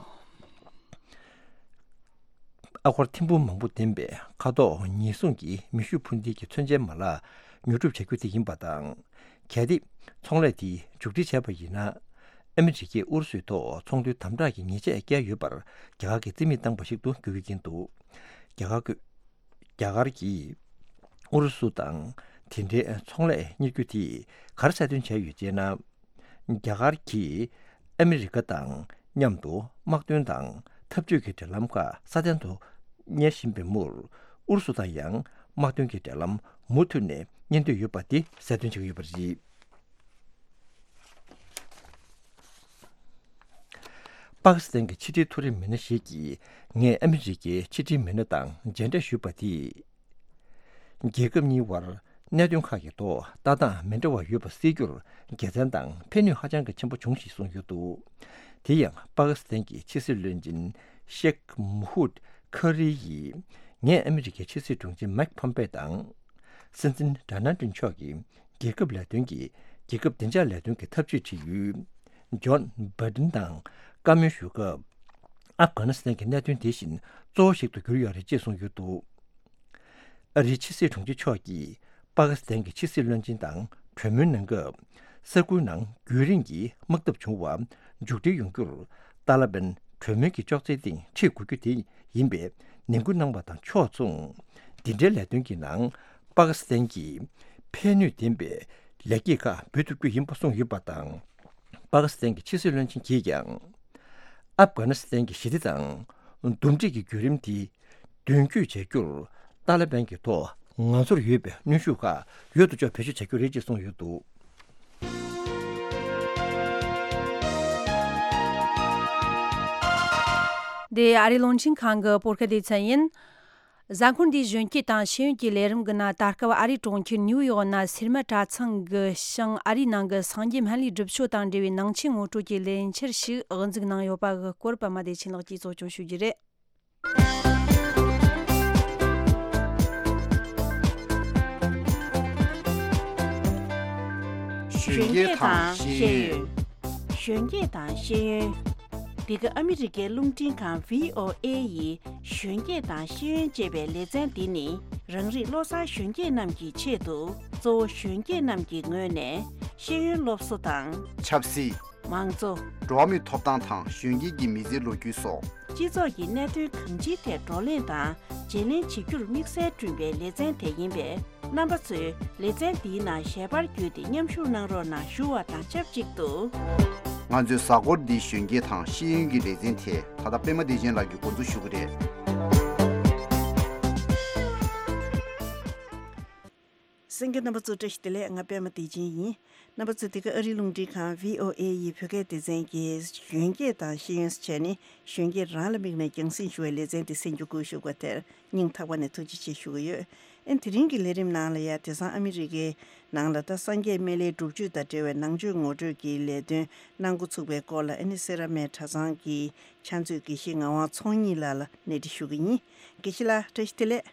ཨ་སྒོར་ཐེར་འབུམ་མང་པོ་ལྡན་པའི་ཁ་དོག་ཉེས་སྲུང་གི་མེ་ཤུགས་འཕུར་མདེལ་གྱི་མཚོན་ཆའི་མ་ལག་ཉོ་སྒྲུབ་བྱ་རྒྱུ་དེ་ཡིན་པ་དང་། གལ་ཏེ་ཚོང་ལས་དེ་མཇུག་སྒྲིལ་བྱས་པ་ཡིན་ན། ཨ་མི་རི་ཀས་ཨུ་རུ་སུའི་ཐོག་ཚོང་དོན་དམ་དྲག་གི་ཉེས་ཆད་བཀལ་ཡོད་པར་རྒྱ་གར་གྱིས་རྩིས་མེད་བཏང་བ་ཞིག་ཏུ་འགྱུར་གྱི་ཡིན་འདུག་རྒྱ་གར་རྒྱ་གར་གྱིས་ཨུ་རུ་སུ་དང་དེ་འབྲེལ་ཚོང་ལས་གཉེར་རྒྱུ་དེས་ག་རེ་གསལ་སྟོན་བྱས་ཡོད་ཅེ་ན། རྒྱ་གར་གྱིས་ཨ་མི་རི་ཀ་དང་མཉམ་དུ་དམག་དོན་དང་འཐབ་ཇུས་ཀྱི་འབྲེལ་ལམ་ཁག་སྲ་བརྟན་དུ་གཉེར་བཞིན་པའི་མུར། ཨུ་རུ་སུ་དང་ཡང་དམག་དོན་གྱི་འབྲེལ་ལམ་མུ་མཐུད་ནས་གཉེར་འདོད་ཡོད་པ་དེ་གསལ་སྟོན་བྱེད་ཀྱི་ཡོད་པ་རེད། པ་ཀི་སི་ཐན་གྱི་ཕྱི་འབྲེལ་མཐོ་རིམ་མི་སྣ་ཞིག་གིས་ངས་ཨ་མི་རི་ཀའི་ཕྱི་འབྲེལ་མི་སྣ་དང་མཇལ་འཕྲད་ཞུས་པ་དེས། རྒྱལ་ཁབ་གཉིས་བར་གནད་དོན་ཁག་གི་ཐོག་ལྟ་སྟངས་མི་འདྲ་བ་ཡོད་པ་སེལ་རྒྱུར་དགེ་མཚན་དང་ཕན་ནུས་ཧ་ཅང་གི་ཆེན་པོ་བྱུང་ཞེས་གསུངས་ཡོད་འདུག་དེ་ཡང་པ་ཀི་སི་ཐན་གྱི་ཕྱི་སྲིད་བློན་ཆེན་ཤེག་མུ་ཧུད་ཁ་རི་ཡིས། ངས་ཨ་མི་རི་ཀའི་ཕྱི་སྲིད་དྲུང་ཆེ་མེག་ཕོམ་པེ་དང་། སྲིད་འཛིན་ཌོ་ནལ་ཏྲམ་མཆོག་གིས་རྒྱལ་ཁབ་ལས་དོན་གྱི་རྒྱལ་ཁབ་བདེ་འཇགས་ལས་དོན་གྱི་འཐབ་ཇུས་ཁྲིད་ཡུལ་ཇོན་བྷའི་ཌེན་དང་བཀའ་མོལ་ཞུ་སྐབས། ཨབ་གྷ་ནི་སི་ཐན་གྱི་གནད་དོན་དེ་བཞིན་གཙོ་བོ་ཞིག་ཏུ་གྱུར་ཡོད་རེད་ཅེས་གསུངས་ཡོད་འདུག་ཨ་རིའི་ཕྱི་སྲིད་དྲུང་ཆེ་མཆོག་གིས་པ་ཀི་སི་ཐན་གྱི་ཕྱི་སྲིད་བློན་ཆེན་དང་གྲོས་མོལ་གནང་སྐབས། ས་ཁུལ་ནང་རྒྱུན་རིང་གི་དམག་འཐབ་བྱུང་བ་མཇུག་སྒྲིལ་ཡོང་རྒྱུར། ཏཱ་ལ་པན་གྲོས་མོལ་གྱི་ཅོག་ཙེའི་སྟེང་ཁྲིད་དགོས་རྒྱུ་དེ་ཡིན་པའི་ནན་སྐུལ་གནང་བ་དང་ཕྱོགས་མཚུངས། འདི་འདྲའི་ལས་དོན་གྱི་ནང་པ་ཀི་སི་ཐན་གྱིས་ཕན་ནུས་ལྡན་པའི་ལེགས་སྐྱེས་ཁག་འབུལ་ཐུབ་རྒྱུ་ཡིན་པ་གསུངས་ཡོད་པ་དང་། པ་ཀི་སི་ཐན་གྱི་ཕྱི་སྲིད་བློན་ཆེན་གྱིས་ཀྱང་། ཨབ་གྷ་ནི་སི་ཐན་གྱི་ཞི་བདེ་དང་འདུམ་འགྲིག་གི་བརྒྱུད་རིམ་དེ་མདུན་སྐྱོད་བྱ་རྒྱུར་ཏཱ་ལ་པན་གྱི་ཐོག་ང་ཚོར་ཡོད་པའི་གནོན་ཤུགས་ཁག་ཡོད་དོ་ཅོག་བེད་སྤྱོད་བྱ་རྒྱུ་རེད་ཅེས་གསུངས་ཡོད་འདུག་འདི་ཨ་རིའི་རླུང་འཕྲིན་ཁང་གི་བོད་སྐད་སྡེ་ཚན་ཡིན། གཟའ་འཁོར་འདིའི་གཞོན་སྐྱེས་དང་ཤེས་ཡོན་གྱི་ལས་རིམ་གྱི་ནང་། ད་སྐབས་ཨ་རིའི་གྲོང་ཁྱེར་ནིའུ་ཡོག་ནང་སིལ་མ་གྲྭ་ཚང་གི་ཞིང་ཨ་རིའི་ནང་གི་སངས་རྒྱས་སྨན་བླའི་སྒྲུབ་མཆོད་དང་འབྲེལ་བའི་ནང་ཆོས་ངོ་སྤྲོད་ཀྱི་ལས་འཆར་ཞིག་དབུ་འཛུགས་གནང་ཡོད་པ་གི་སྐོར་པད་མ་བདེ་ཆེན་ལགས་ཀྱིས་གཙོ་སྐྱོང་ཞུ་རྒྱུ་རེད། གཞོན་སྐྱེས་དང་ཤེས་ཡོན། གཞོན་སྐྱེས་དང་ཤེས་ཡོན། འདི་ག་ཨ་མི་རི་ཀའི་རླུང་འཕྲིན་ཁང་བྷི་ཨོ་ཨེ་ཡི་གཞོན་སྐྱེས་དང་ཤེས་ཡོན་ཅེས་པའི་ལེ་ཚན་འདི་ནི། རང་རིགས་བློ་བཟང་གཞོན་སྐྱེས་རྣམས་ཀྱི་ཆེད་དུ། གཙོ་བོ་གཞོན་སྐྱེས་རྣམས་ཀྱི་ངོས་ནས་ཤེས་ཡོན་སློབ་གསོ་དང་། ཆབ་སྲིད། མང་གཙོ། འགྲོ་བ་མིའི་ཐོབ་ཐང་དང་གཞོན་སྐྱེས་ཀྱི་མི་ཚེའི་ལོ་རྒྱུས་སོགས། སྤྱི་ཚོགས་ཀྱི་གནད་དོན་གང་ཅིའི་ཐད་བགྲོ་གླེང་དང་བརྗེ་ལེན་བྱེད་རྒྱུར་དམིགས་བསལ་བསྐྲུན་པའི་ལེ་ཚན་དེ་ཡིན་པས། རྣམ་པ་ཚོས་ལེ་ཚན་འདིའི་ནང་ཞལ་པར་བརྒྱུད་དེ་མཉམ་ཞུགས་གནང་རོགས་གནང་ཞུ་བ་དང་ཆབས་ཅིག་ཏུ། ང་ཚོའི་གཟའ་འཁོར་འདིའི་གཞོན་སྐྱེས་དང་ཤེས་ཡོན་གྱི་ལེ་ཚན་དེ་ད་ལྟ་པད་མ་བདེ་ཆེན་ལགས་ཀྱིས་འགོ་འཛུགས་ཞུ་གི་རེད། གསན་མཁན་རྣམ་པ་ཚོ་བཀྲ་ཤིས་བདེ་ལེགས། ང་པད་མ་བདེ་ཆེན་ཡིན། རྣམ་པ་ཚོ་འདི་ག་ཨ་རིའི་རླུང་འཕྲིན་ཁང་བྷི་ཨོ་ཨེ་ཡི་བོད་སྐད་སྡེ་ཚན་གྱི་གཞོན་སྐྱེས་དང་ཤེས་ཡོན་ཟེར་བྱས་ནས། གཞོན་སྐྱེས་རང་ལ་དམིགས་ནས་རྒྱང་སྲིང་ཞུ་བའི་ལེ་ཚན་འདི་གསན་རྒྱུ་བཀོད་བཞག་པ་དེར་སྙིང་ཐག་པ་ནས་ཐུགས་རྗེ་ཆེ་ཞུ་གི་ཡོད། ཨེ་དེ་རིང་གི་ལས་རིམ་ནང་ལ་ཡ། དེང་སང་ཨ་མི་རི་ཀའི་ནང་ལ་ད་སངས་རྒྱས་སྨན་བླའི་སྒྲུབ་མཆོད་དང་འབྲེལ་བའི་ནང་ཆོས་ངོ་སྤྲོད་ཀྱི་ལས་དོན་གནང་འགོ་ཚུགས་པའི་སྐོར་ལ། ཨ་ནི་སེ་ར་སྨད་གྲྭ་ཚང་གི་ཕྱག་མཛོད་དགེ་བཤེས་ངག་དབང་ཚོགས་གཉིས་ལགས་ལ་གནས་འདྲི་ཞུ་གི་ཡིན། དགེ་བཤེས་ལགས་བཀྲ་ཤིས་བདེ་ལེགས།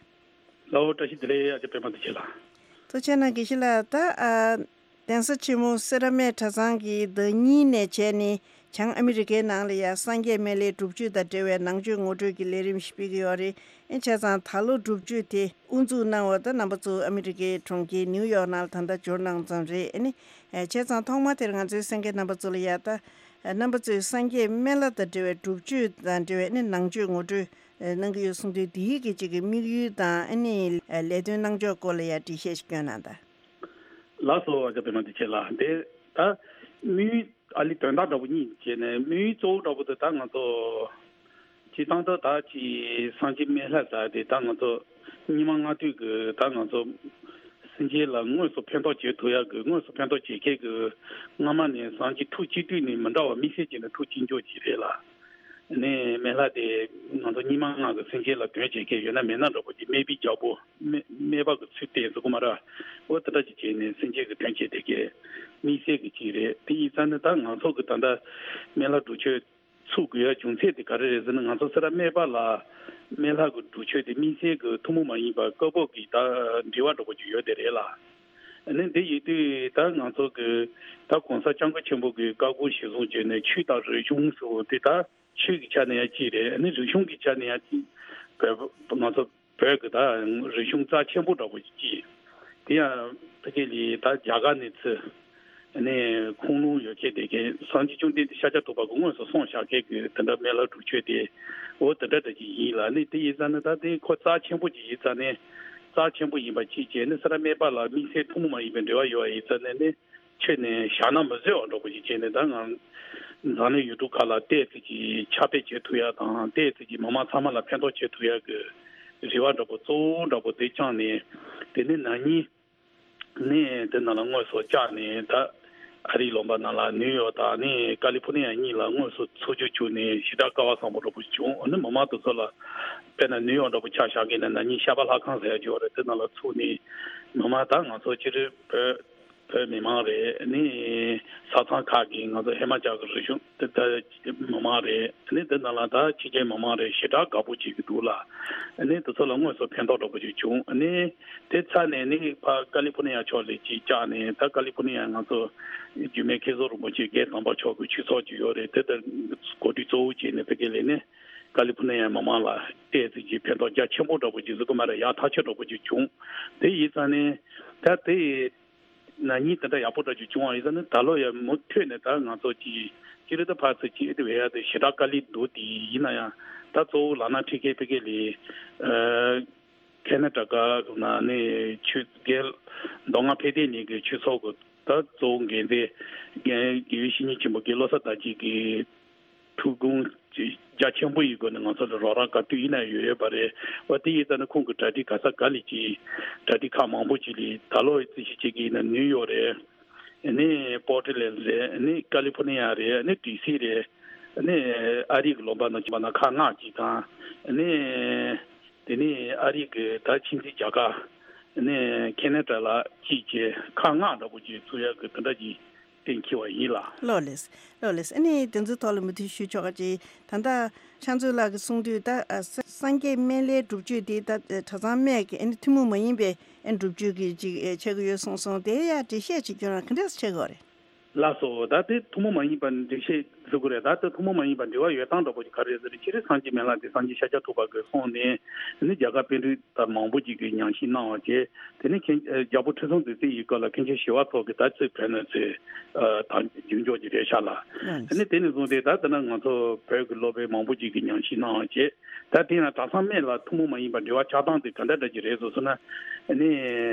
ལའོ། བཀྲ་ཤིས་བདེ་ལེགས། ཨ་ཅག་པད་མ་བདེ་ཆེན་ལགས། ཐུགས་རྗེ་གནང་། དགེ་བཤེས་ལགས། ད་ཨ་གདན་ས་ཆེན་མོ་སེ་ར་སྨད་གྲྭ་ཚང་གི་བདག་ཉིད་ནས་བྱས་ནས་བྱང་ཨ་མི་རི་ཀའི་ནང་ལ་ཡ་སངས་རྒྱས་སྨན་བླའི་སྒྲུབ་མཆོད་དང་འབྲེལ་བའི་ནང་ཆོས་ངོ་སྤྲོད་ཀྱི་ལས་རིམ་ཞིག་སྤེལ་གྱི་ཡོད་རེད། ཨེ་བྱས་ཙང་ད་ལོ་སྒྲུབ་མཆོད་དེ་དབུ་འཛུགས་གནང་བ་ད་རྣམ་པ་ཚོ་ཨ་མི་རི་ཀའི་གྲོང་ཁྱེར་ནིའུ་ཡོག་ནང་ལ་ད་ལྟ་འབྱོར་གནང་ཙམ་རེད། ཨ་ནི་ཨེ་བྱས་ཙང་ཐོག་མ་དེར་ང་ཚོའི་གསན་མཁན་རྣམ་པ་ཚོ་ལ་ཡ། ད་རྣམ་པ་ཚོས་སངས་རྒྱས་སྨན་བླ་དང་འབྲེལ་བའི་སྒྲུབ་མཆོད་དང་འབྲེལ་བའི་ཨ་ནི་ནང་ཆོས་ངོ་སྤྲོད་གནང་གི་ཡོད་གསུངས་དུས། འདིའི་གི་གཅིག་གི་དམིགས་ཡུལ་དང་ཨ་ནི་ལས་དོན་གནང་ཕྱོགས་སྐོར་ལ་ཡ་འགྲེལ་བཤད་ཞིག་སྐྱོན་གནང་དང་། ལགས་སོ། ཨ་ཅག་པད་མ་བདེ་ཆེན་ལགས། འདི་ད་དམིགས་ཡུལ་ཨ་ལི་དོན་དག་འདྲ་པོ་གཉིས་བྱས་ནས། དམིགས་ཡུལ་གཙོ་བོ་འདྲ་པོ་དེ་ད་ང་ཚོ་སྤྱིར་བཏང་ད་ད་ཅི་སངས་རྒྱས་སྨན་བླ་ཟེར་དེ་ད་ང་ཚོ་སྙིགས་མ་ལྔ་བདོའི་གི་ད་ང་ཚོ་སེམས་ཅན་ལ་དངོས་སུ་ཕན་ཐོགས་བྱེད་ཐུབ་ཡག་གི། དངོས་སུ་ཕན་ཐོགས་བྱེད་མཁན་གྱི་སྔ་མ་ནས་སངས་རྒྱས་ཐུགས་གཅིག་སྒྲིལ་ནས་མི་འདྲ་བ་དམིགས་བསལ་བྱས་ནས་ཐུགས་གཅིག་སྐྱོང་བྱས་རེད་ལ། ནས་སྨན་བླ་དེ་ང་ཚོ་རྙིང་མ་སྔགས་ཀྱི་སེམས་ཅན་ལ་དོན་བྱེད་མཁན་ཡོད་ན་མེད་ན་འདྲ་པོ་ཅིག་སྨན་པའི་རྒྱལ་པོ་སྨན་སྨན་པ་གི་ཚུལ་བསྟན་ཟེར་གོ་མ་ར། འོ་དེ་འདྲ་ཅིག་བྱས་ནས་སེམས་ཅན་གྱི་དོན་བྱེད་བསྡད་མཁན་དམིགས་བསལ་གྱི་ཅིག་རེད། དེ་ཡིན་ཙང་ནི་ད་ང་ཚོ་གི་ད་ལྟ་སྨན་བླ་སྒྲུབ་མཆོད་ཚུགས་དགོས་ཡ་རྒྱུ་མཚན་དེ་ག་རེ་རེད་ཟེར་ན། ང་ཚོ་སེ་ར་སྨད་པ་ལ་སྨན་བླ་གི་སྒྲུབ་མཆོད་དེ་དམིགས་བསལ་གྱི་ཐུན་མོང་མ་ཡིན་པ་བཀའ་བབས་ཀྱི་ད་འབྲེལ་བ་འདྲ་པོ་ཅིག་ཡོད་དེ་རེད་ལ། ཨ་ནི་འདི་ཡིན་དུས་ད་ང་ཚོ་གི་ད་གོང་ས་སྐྱབས་མགོན་ཆེན་པོ་གི་བཀའ་དགོངས་གཞིར་བཟུང་བྱས་ནས་ཆོས་དང་རིག་གཞུང་ཟེར་བ་དེ་ད་ཆོས་ཀྱི་ཆ་ནས་ཡང་གཅིག་རེད། ཨ་ནི་རིག་གཞུང་གི་ཆ་ནས་ཡང་གཅིག་བོད་ང་ཚོ་བོད་ཀྱི་ད་རིག་གཞུང་རྩ་ཆེན་པོ་འདྲ་པོ་ཅིག་གཅིག་དེ་ཡང་ཕ་གི་ལི་ད་རྒྱ་གར་ནས་ཚུར་ནས་ཁུངས་ལུང་ཡོད་མཁན་དེ་གའི་སངས་རྒྱས་བཅོམ་ལྡན་འདས་ཤཱཀྱ་ཐུབ་པ་གི་དངོས་སུ་གསུངས་བཞག་མཁན་གྱི་དེ་འདྲ་སྨན་བླ་སྒྲུབ་མཆོད་དེ་འོ་དེ་འདྲ་འདྲ་ཅིག་ཡིན་ལ། ནི་དེ་ཡིན་ཙང་ནི་ད་དེ་ཁོ་རྩ་ཆེན་པོ་ཅིག་ཡིན་ཙང་ནི་རྩ་ཆེན་པོ་ཡིན་པ་གཅིག་བྱས་ནི་སེ་ར་སྨད་པ་ལ་དམིགས་བསལ་ཐུན་མོང་མ་ཡིན་པའི་འབྲེལ་བ་ཡོད་པ་ཡིན་ཙང་ནི་ནི་ཁྱོད་ནི་བཞག་ན་མི་བཟོད་པ་འདྲ་པོ་ཅིག་བྱས་ནི་ད་ང་འཛམ་གླིང་ཡུལ་གྲུ་ཁག་ལ་ཏོག་ཙམ་ཅིག་ཁྱབ་སྤེལ་བྱེད་ཐུབ་ཡ་དང་ཏོག་ཙམ་ཅིག་མི་མང་ཚང་མ་ལ་ཕན་ཐོགས་བྱེད་ཐུབ་ཡ་གི་རེ་བ་འདྲ་པོ་གཙོ་བོ་འདྲ་པོ་དེ་བཅངས་ནས་དེ་ནི་ན་ནིང་ནས་དེ་ནང་ལ་དངོས་སུ་བཅར་ནས་ད་ཨ་རིའི་ལུང་པ་ནང་ལ་ནིའུ་ཡོག་དང་ནི་ཀ་ལི་ཕོར་ནི་ཡ་གཉིས་ལ་དངོས་སུ་ཚོགས་རྒྱུ་བྱུང་ནས་ཞེ་དྲག་སྐལ་བ་བཟང་པོ་འདྲ་པོ་བྱུང་། ཨ་ནི་མི་མང་དེ་ཚོ་ལ་དཔེར་ན་ནིའུ་ཡོག་འདྲ་པོ་ཆ་བཞག་གི་ན་ན་ནིང་ཤ་པ་ལྷ་ཁང་ཟེར་ཡ་ཅིག་ཡོད་རེད། དེ་ནང་ལ་ཚུགས་ནས་མི་མང་ད་ང་ཚོ་སྤྱིར་བོད་བོད་མི་མང་རེད། ནི་ས་མཚམས་ཁག་གི་ང་ཚོ་ཧི་མ་ཅལ་གི་རིག་གཞུང་དེ་ལྟ་མི་མང་རེད། ནི་འདི་ནང་ལ་ད་ཕྱི་རྒྱལ་མི་མང་རེད། ཞེ་དྲག་དགའ་པོ་བྱེད་ཀྱི་འདུག་ལ། ནི་དེ་ཚོ་ལ་དངོས་སུ་ཕན་ཐོགས་འདྲ་པོ་ཅིག་བྱུང་། ནི་དེ་ཚར་ནས་ནི་ཕ་ཀ་ལི་ཕོར་ནི་ཡ་ཕྱོགས་ལ་ཅིག་བཅར་ནས་ད་ཀ་ལི་ཕོར་ནི་ཡ་ང་ཚོ་རྒྱུད་སྨད་མཁན་ཟུར་རིན་པོ་ཆེ་རྒན་དམ་པ་མཆོག་གི་ཆོས་ཚོགས་ཅིག་ཡོད་རེད། དེ་ལྟར་གོ་སྒྲིག་གཙོ་བོ་བྱས་ནས་ཕ་གི་ལ་ནི་ཀ་ལི་ཕོར་ནི་ཡ་མི་མང་ལ་ཏོག་ཙམ་ཅིག་ཕན་ཐོགས་རྒྱ་ཆེན་པོ་འདྲ་པོ་ཅིག་ཟེར་གི་མ་རེད། ཡག་ཐག་ཆོད་འདྲ་པོ་ཅིག་བྱུང་། དེ་ཡིན་ཙང་ནི་ད་དེ། ན་ནིང་དེ་འདྲ་ཡག་པོ་འདྲ་ཅིག་བྱུང་བ་ཡིན་ཙང་ནི་ད་ལོ་ཡང་མུ་མཐུད་ནས་ད་ང་ཚོ་ཅིག་ཅི་རེད་ད་ཕར་ཚུར་ཅིག་ཨེ་དེ་བས་ཡ་དེ་ཞེ་དྲག་དཀའ་ལས་འདུག་དེ་ཡིན་ན་ཡང་ད་གཙོ་བོ་ལག་ན་ཁྲིད་མཁན་ཕ་གི་ལ་ཨ་ཁེ་ན་ཌ་ག་ནང་ནས་ཆོས་རྒྱལ་མདོ་སྔགས་ཕན་བདེ་གླིང་གི་ཆོས་ཚོགས་ཀྱི་ད་གཙོ་བོ་འགན་འཛིན་རྒན་དགེ་བའི་བཤེས་གཉེན་ཆེན་པོ་དགེ་བློ་བཟང་དར་རྒྱས་ཀྱིས། ཐུགས་དགོངས་རྒྱ་ཆེན་པོ་ཡི་སྒོ་ནས་ང་ཚོ་ལ་རོགས་རམ་ག་དུས་ཡིན་ན་ཡོད་ཡོད་པ་རེད། འོ་དེ་ཡིན་ཙང་ནི་ཁོང་གི་གྲ་སྒྲིག་ག་ས་ག་ལ་ཅིག་གྲ་སྒྲིག་ཁག་མང་པོ་ཅིག་ལས་ད་ལོ་རྩིས་ཞིབ་བྱེད་ཀྱི་ཡིན་ན་ནིའུ་ཡོག་རེད། ནི་པོར་ཊི་ལེན་ཌི་རེད། ནི་ཀ་ལི་ཕོར་ནི་ཡ་རེད། ནི་ཌི་སི་རེད། ནི་ཨ་རི་གི་ལུང་པ་ནང་ཆུང་བ་ན་ཁག་ལྔ་ཅིག་དང་། ནི་དེ་ནི་ཨ་རི་གི་ད་ཕྱི་འཛིན་རྒྱ་གར། ནི་ཁེ་ན་ཌ་ལ་ཅིག་བྱས་ཁག་ལྔ་འདྲ་པོ་ཅིག་ཚུགས་ཡག་གི་དེ་འདྲ་ཅིག་གཏན་འཁེལ་བ་ཡིན་ལ། ལགས་ལགས། ལགས་ལགས། ཨ་ནི་དེ་ཚོའི་ཐོག་ལ་མུ་མཐུད་ཞུ་ཆོག་ག་ཅིག་ད་ལྟ་ཕྱག་མཛོད་ལགས་ཀྱིས་གསུངས་དུས་ད་ཨ་ས་སངས་རྒྱས་སྨན་བླའི་སྒྲུབ་མཆོད་དེ་ད་གྲྭ་ཚང་སྨད་ཀྱི་ཨ་ནི་ཐུན་མོང་མ་ཡིན་པའི་ཨ་ནི་སྒྲུབ་མཆོད་ཀྱི་ཅིག་ཨེ་ཆགས་ཀྱི་ཡོད་གསུངས་སོང་། དེ་ཡང་འགྲེལ་བཤད་ཅིག་སྐྱོན་རང་ག་འདྲས་ཆགས་ཀྱི་ཡོད་རེད། ལགས་སོ། ད་དེ་ཐུན་མོང་མ་ཡིན་པ་འགྲེལ་བཤད་ཟེར་དགོས་རེད། ད་དེ་ཐུན་མོང་མ་ཡིན་པ་འབྲེལ་བ་ཡོད་སྟངས་འདྲ་པོ་ཅིག་ག་རེ་རེད་ཟེར་ན། སྤྱིར་སངས་རྒྱས་སྨན་བླ་དེ་སངས་རྒྱས་ཤཱཀྱ་ཐུབ་པ་གིས་གསུངས་ནས་ནི་རྒྱ་གར་པཎ་གྲུབ་དང་མང་པོ་ཅིག་གིས་ཉམས་ཞིབ་གནང་བ་བྱས། དེ་ནས་མཁན་ཨ་རྒྱལ་པོ་ཁྲི་སྲོང་ལྡེ་བཙན་ཡི་སྐབས་ལ་མཁན་ཆེན་ཞི་བ་འཚོ་གིས་ད་ཚུར་བོད་ནས་ཚུར་ཨ་དང་རྒྱུན་འཇོག་ཅིག་རེད་ཤག་ལ། ཨ་ནི་དེ་ནས་བཟུང་སྟེ་ད་ལྟ་ན་ང་ཚོ་བོད་ཀྱི་སློབ་དཔོན་མང་པོ་ཅིག་གིས་ཉམས་ཞིབ་གནང་བ་བྱས། ད་དེ་ཡང་གྲྭ་ཚང་སྨད་ལ་ཐུན་མོང་མ་ཡིན་པ་འབྲེལ་བ་ཆགས་སྟངས་དེ་ག་འདྲ་འདྲ་ཅིག་རེད་ཟེར་ན། ཨ་ནི་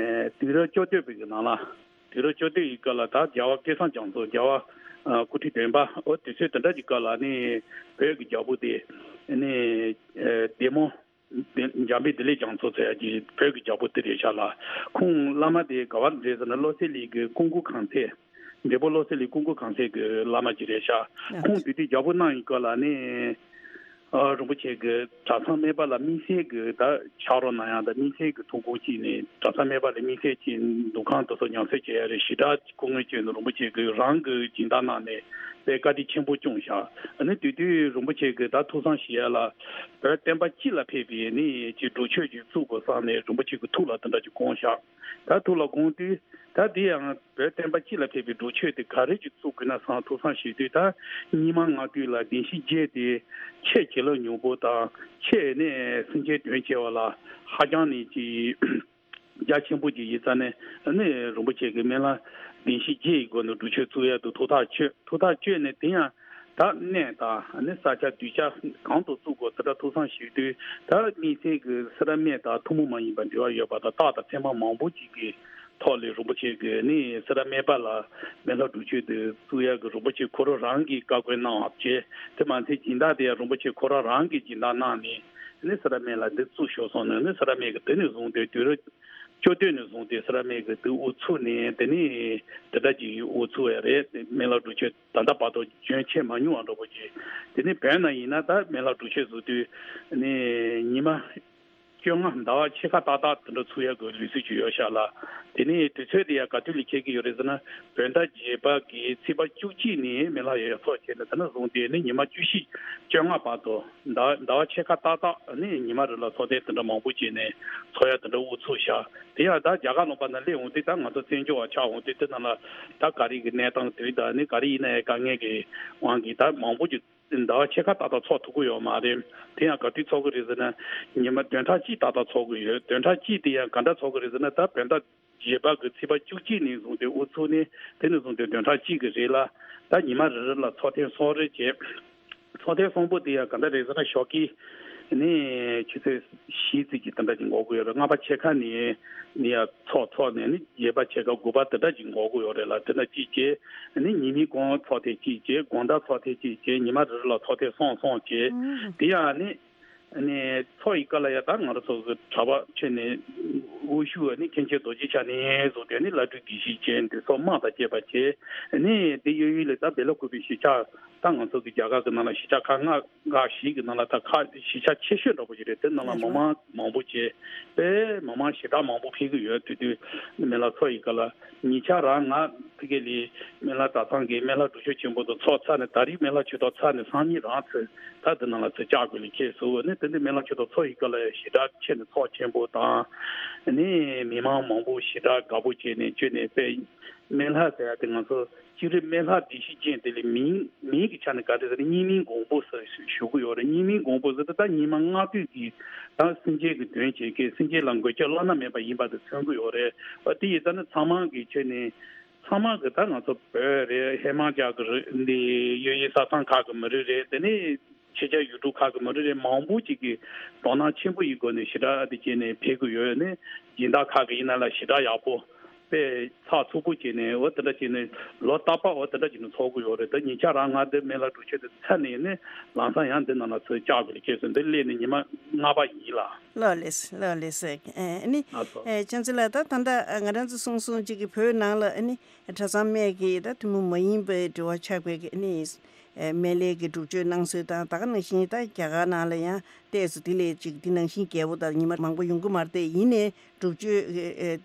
དུས་རབས་བཅོ་བརྒྱད་པའི་གི་ནང་ལ། དུས་རབས་བཅོ་བརྒྱད་ཀྱི་སྐབས་ལ་ད་རྒྱལ་བ་སྐལ་བཟང་རྒྱ་མཚོ། རྒྱལ་བ་ཨ་སྐུ་ཕྲེང་བདུན་པ། འོ་དུས་ཚོད་དེ་འདྲ་གྱི་སྐབས་ལ་ནི་བོད་ཀྱི་རྒྱལ་པོ་དེ་ནི་ཨ་བདེ་མོ་བདེ་འཇམ་དཔལ་བདེ་ལེགས་རྒྱ་མཚོ་ཟེར་ཡ་གྱི་བོད་ཀྱི་རྒྱལ་པོ་དེ་རེད་ཤག་ལ། ཁོང་བླ་མ་དེ་ག་བ་རེད་ཟེར་ན་བློ་གསལ་གླིང་གི་ཀུན་མཁྱེན་གང་ཚེ། འབྲས་སྤུངས་བློ་གསལ་གླིང་ཀུན་མཁྱེན་གང་ཚེ་གི་བླ་མ་ཅིག་རེད་ཤག། ཁོང་དེ་དུས་རྒྱལ་པོ་གནང་ཡི་སྐབས་ལ་ནི། ཨ་རིན་པོ་ཆེ་གི་གྲྭ་ཚང་སྨད་པ་ལ་དམིགས་བསལ་གྱི་ད་ཕྱག་རོགས་གནང་ཡག་དང་དམིགས་བསལ་གྱི་ཐུགས་དགོངས་བཞེས་ནས་གྲྭ་ཚང་སྨད་པ་ལ་དམིགས་བསལ་གྱི་འདུ་ཁང་དེ་ཚོ་ཉམས་གསོ་བྱེད་ཡག་རེད། ཞེ་དྲག་སྐུ་ངལ་བསྐྱོན་ནས་རིན་པོ་ཆེ་གིས་རང་གི་སྦྱིན་བདག་གནང་ནས་དཔེ་བཀའ་དྲིན་ཆེན་པོ་བསྐྱངས་ཤག། ཨ་ནི་དེ་དུས་རིན་པོ་ཆེ་གིས་ད་ཐུགས་བསམ་བཞེས་ཡག་ལ་བོད་བསྟན་པ་སྤྱི་ལ་ཕན་པའི་ནི་ཅིག་སྒྲུབ་མཆོད་ཅིག་བཙུགས་དགོས་བསམ་ནས་རིན་པོ་ཆེ་གི་ཐུགས་ལ་དེ་འདྲ་ཅིག་དགོངས་ཤག། ད་ཐུགས་ལ་དགོངས་དུས་ད་དེ་ཡང་བོད་བསྟན་པ་སྤྱི་ལ་ཕན་པའི་སྒྲུབ་མཆོད་དེ་ག་རེ་ཅིག་བཙུགས་དགོས་ན་བསམ་ཐུགས་བསམ་བཞེས་དུས། ད་རྙིང་མ་སྔགས་བཏུས་ལ་བདེན་བཞིའི་རྒྱན་དེ་ཆེས་བྱིན་རླབས་མྱུར་པོ་དང་ཆེས་ནས་སེམས་ཅན་དོན་བྱེད་པ་ལ་ཧ་ཅང་ནས་ཅིག་རྒྱ་ཆེན་པོ་ཅིག་ཡིན་ཙང་ནས་ནི་རིན་པོ་ཆེ་གིས་སྨན་བླ་བདེན་བཞིའི་རྒྱན་ཡི་སྒོ་ནས་སྒྲུབ་མཆོད་བཙུགས་ཡག་ཏུ་ཐུགས་ཐག་ཆོད། ཐུགས་ཐག་ཆོད་ནས་དེ་ཡང་ད་གནས་དང་ནི་ས་ཆ་གདུལ་བྱ་གང་དུ་བཙུགས་དགོས་དེ་འདྲ་ཐུགས་བསམ་བཞེས་དུས། ད་དམིགས་བསལ་གྱི་སེ་ར་སྨད་དང་ཐུན་མོང་མ་ཡིན་པ་འབྲེལ་བ་ཡོད་པ་དང་རྟགས་དང་མཚན་མ་མང་པོ་ཅིག་གི་ཐོག་ལས་རིན་པོ་ཆེ་གིས་ནི་སེ་ར་སྨད་པ་ལ་སྨན་བླ་སྒྲུབ་མཆོད་དེ་བཙུགས་ཡག་གི་རིན་པོ་ཆེ་ཁོ་རང་རང་གིས་བཀའ་བཀོད་གནང་བ་བྱས། དེ་མ་ཚད་སྦྱིན་བདག་དེ་ཡང་རིན་པོ་ཆེ་ཁོ་རང་རང་གིས་སྦྱིན་བདག་གནང་ནས་ནི་སེ་ར་སྨད་ལ་འདི་བཙུགས་ཤོག་གསུངས་ནས། ནི་སེ་ར་སྨད་ཀྱིས་དེ་ནས་བཟུང་སྟེ་དུས་རབས་ བཅུ་སྟོད་ནས་བཟུང་སྟེ་སེ་ར་མིག་གི་དུ་དབུ་ཚུགས་ནས། དེ་ནས་དེ་འདྲ་ཅིག་དབུ་ཚུགས་ཡ་རེད། མི་ལ་སྒྲུབ་མཆོད་ད་ལྟ་བར་དུ་བྱོན་ཆེས་མ་མྱོང་བ་འདྲ་པོ་ཅིག་དེ་ནས་བོད་ནང་ཡིན་ན་ད་མི་ལ་སྒྲུབ་མཆོད་བཟོ་དུས་ནས་ཉི་མ་བཅོ་ལྔ་ཟླ་བ་ཕྱེད་ཀ་ཏག་ཏག་དེ་འདྲ་ཚུགས་ཡ་གི་ལུགས་སྲོལ་ཅིག་ཡོད་ཤག་ལ། དེ་ནས་དུས་ཚོད་དེ་ཡང་ག་དུས་ལ་འཁེལ་གི་ཡོད་རེད་ཟེར་ན། བོད་ཟླ་བརྒྱད་པ་གི་ཚེས་པ་བཅུ་གཅིག་ནས་མི་ལ་ཡ་ཡ་ཚོགས་བྱས་ནས། དེ་ནས་བཟུང་སྟེ་ནི་ཉི་མ་བཅུ་བཞི་བཅོ་ལྔ་བར་དུ་ཟླ་ཟླ་བ་ཕྱེད་ཀ་ཏག་ཏག་ནི་ཉི་མ་རེ་ལ་ཚོགས་ཐེངས་དེ་འདྲ་མང་པོ་བྱས་ནས་ཚོགས་ཡ་དེ་འདྲ་དབུ་ཚུགས་ཤག་དེ་ཡང་ད་རྒྱ་གར་ལུང་པ་ན་སླེབས་འོང་དུས། ད་ང་ཚོ་བཙན་བྱོལ་བ་ཆགས་འོང་དུས། དེ་ནང་ལ་ད་ག་རེ་གི་གནས་སྟངས་དུས་ད་ནི་ག་རེ་ཡིན་ན་ཡང་དཀའ་ངལ་གི་དབང་གིས་ད་མང་པོ་ཅིག་ཟླ་བ་ཕྱེད་ཀ་ཏག་ཏག་ཚོགས་ཐུབ་ཀྱི་ཡོད་མ་རེད། དེ་ཡང་ག་དུས་ཚོགས་ཀྱི་རེད་ཟེར་ན། ཉི་མ་བདུན་ཕྲག་གཅིག་ཏག་ཏག་ཚོགས་ཀྱི་ཡོད། བདུན་ཕྲག་གཅིག་དེ་ཡང་ག་འདྲ་ཚོགས་ཀྱི་རེད་ཟེར་ན། ད་བོད་ཟླ་བརྒྱད་པ་གི་ཚེས་པ་བཅུ་གཅིག་ནས་བཟུང་སྟེ་དབུ་ཚུགས་ནས། དེ་ནས་བཟུང་སྟེ་བདུན་ཕྲག་གཅིག་གི་རིང་ལ་ད་ཉི་མ་རེ་རེ་ལ་ཚོགས་ཐེངས་གསུམ་རེ་བྱས། ཚོགས་ཐེངས་གསུམ་པོ་དེ་ཡང་ག་འདྲ་རེད་ཟེར་ན། ཞོགས་ཀས་ནས་ཆུ་ཚོད་བཞི་ཙམ་གྱི་དེ་འདྲ་ཅིག་འགོར་གྱི་ཡོད་རེད། ལྔ་པ་ཕྱེད་ཀ་ནས་ནས་ཡང་ཚོགས་ཚོགས་ནས་ནི་བརྒྱད་པ་ཕྱེད་ཀ་དགུ་པ་དེ་འདྲ་ཅིག་འགོར་གྱི་ཡོད་རེད་ལ། དེ་འདྲ་གཅིག་བྱས་ནི་ཉི་མའི་གུང་ཚོགས་ཐེངས་གཅིག་བྱས། དགོང་དག་ཚོགས་ཐེངས་གཅིག་བྱས། ཉི་མ་རེ་རེ་ལ་ཚོགས་ཐེངས་གསུམ་གསུམ་བྱས། དེ་ཡང་ནི་ནས་ཚོགས་ཡི་ག་ལ་ཡ་ད་ང་རང་ཚོ་གི་གྲྭ་པ་ཆོས་ནས་དབུ་བཞུགས་ནི་མཁན་ཆེན་རྡོ་རྗེ་འཆང་ནས་བཟུང་སྟེ་ནི་བླ་སྤྲུལ་དགེ་བཤེས་བཅས་འདི་ཚོ་དམངས་དང་བཅས་པ་བྱས། ནི་དེ་གཡས་གཡོན་ལ་ད་བེ་ལ་ཀུ་པའི་གཞིས་ཆགས། ད་ང་ཚོ་གི་རྒྱ་གར་གི་ནང་ལ་གཞིས་ཆགས་ཁག་ལྔ་ཁག་བཞི་གི་ནང་ལ་ད་ཁག་གཞིས་ཆགས་ཆེ་ཤོས་འདྲ་པོ་ཞིག་རེད། དེ་ནང་ལ་མི་མང་མང་པོ་བྱས། དཔེ་མི་མང་ཞེ་དྲག་མང་པོ་ཕེབས་ཀྱི་ཡོད། དེ་དུས་མི་ལ་ཚོགས་ཡི་ག་ལ་ཉེ་ཆར་རང་ང་ཕ་གི་ལ་མི་ལ་གྲྭ་ཚང་གི་མི་ལ་སྒྲུབ་མཆོད་ཆེན་པོ་དང་ཚོགས་ཚར་ནས། ད་རེས་མི་ལ་ཆོས་ཐོག་ཚར་ནས་སང་ཉིན་རང་ཚོས་ད་དེ་ནང་ལ་ཚོས་བཅར་དགོས་ལ་ཁེལ་སོང་། ནི་དེ་འདྲ་མི་ལ་ཆོས་ཐོག་ཚོགས་ཡི་ག་ལ་ཞེ་དྲག་ཆེ་ནས་ཚོགས་ཆེན་པོ་དང་། ནི་མི་མང་མང་པོ་ཞེ་དྲག་དགའ་པོ་བྱས་ནས་བྱོན་ནས། དཔེ་མི་ལ་ཟེར་ཡ་དེ་ང་ཚོ་སྤྱིར་སྨན་ལྷ་བདེ་གཤེགས་ཅན་དེ་ལ་མིང་མིང་གི་ཆ་ནས་ག་རེ་ཟེར་ན། སྙིགས་མའི་མགོན་པོ་ཟེར་ཞུ་གི་ཡོད་རེད། སྙིགས་མའི་མགོན་པོ་ཟེར་དུས་ད་སྙིགས་མ་ལྔ་བདོ་གི་ད་སེམས་ཅན་གྱི་དོན་བྱེད་མཁན། སེམས་ཅན་ལ་མགོན་སྐྱབས་བླ་ན་མེད་པ་ཡིན་པ་དེ་མཚོན་གྱི་ཡོད་རེད། འོ་དེ་ཡིན་ཙང་ནི་ཚང་མ་གི་ཆ་ནས་ཚང་མ་གི་ད་ང་ཚོ་བོད་རེད། ཧི་མ་ཅལ་གི་རེད། འདི་གཡས་གཡོན་ས་ཐང་ཁག་གི་མི་རིགས་རེད། དེ་ནས་ཕྱི་རྒྱལ་ཡུལ་གྲུ་ཁག་གི་མི་རིགས་རེད། མང་པོ་ཅིག་གིས་དོ་སྣང་ཆེན་པོ་ཡིན་སྒོ་ནས་ཞེ་དྲག་དེ་བྱས་ནས་ཕེབས་ཀྱི་ཡོད། ནས་སྦྱིན་བདག་ཁག་གི་ཡིན་ན་ལ་ཞེ་དྲག་ཡག་པོ་དཔེ་ཚགས་ཚུད་པོ་བྱས་ནས། འོ་དེ་འདྲ་བྱས་ནས་ལོ་རྟག་པར་འོ་དེ་འདྲ་བྱས་ནས་ཚོགས་ཀྱི་ཡོད་རེད། ད་ཉེ་ཆར་རང་ང་འདི་མི་ལ་སྒྲུབ་མཆོད་དེ་ཚར་ནས་ནི་ལམ་སང་ཡང་འདི་ནང་ལ་ཚུར་བཅར་དགོས་ལ་ཁེལ་སོང་། འདི་སླེབས་ནས་ཉི་མ་ལྔ་པ་ཡིན་ལ། ལགས་ལགས་ལགས་ལགས། ཨ་ནི་ལགས་སོ། ཨེ་བྱང་ཆུབ་ལགས། ད་ད་ལྟ་ང་རང་ཚོ་གསུང་གསུང་གཅིག་གི་བོད་ནང་ལ་ཨ་ནི་གྲྭ་ཚང་སྨད་ཀྱི་ད་ཐུན་མོང་མ་ཡིན་པའི་འབྲེལ་བ་ཆགས་པའི་ཨ་ནི་སྨན་བླའི་གི་སྒྲུབ་མཆོད་གནང་སྲོལ་དང་། ད་ག་ནང་བཞིན་ད་རྒྱ་གར་ནང་ལ་ཡང་ཏོག་ཙམ་དེ་ལས་ཅིག་དེ་ནང་བཞིན་རྒྱས་པོ་དང་ཉི་མ་མང་པོ་ཡོང་གི་མ་རེད། དེ་ཡིན་ནའི་སྒྲུབ་མཆོད་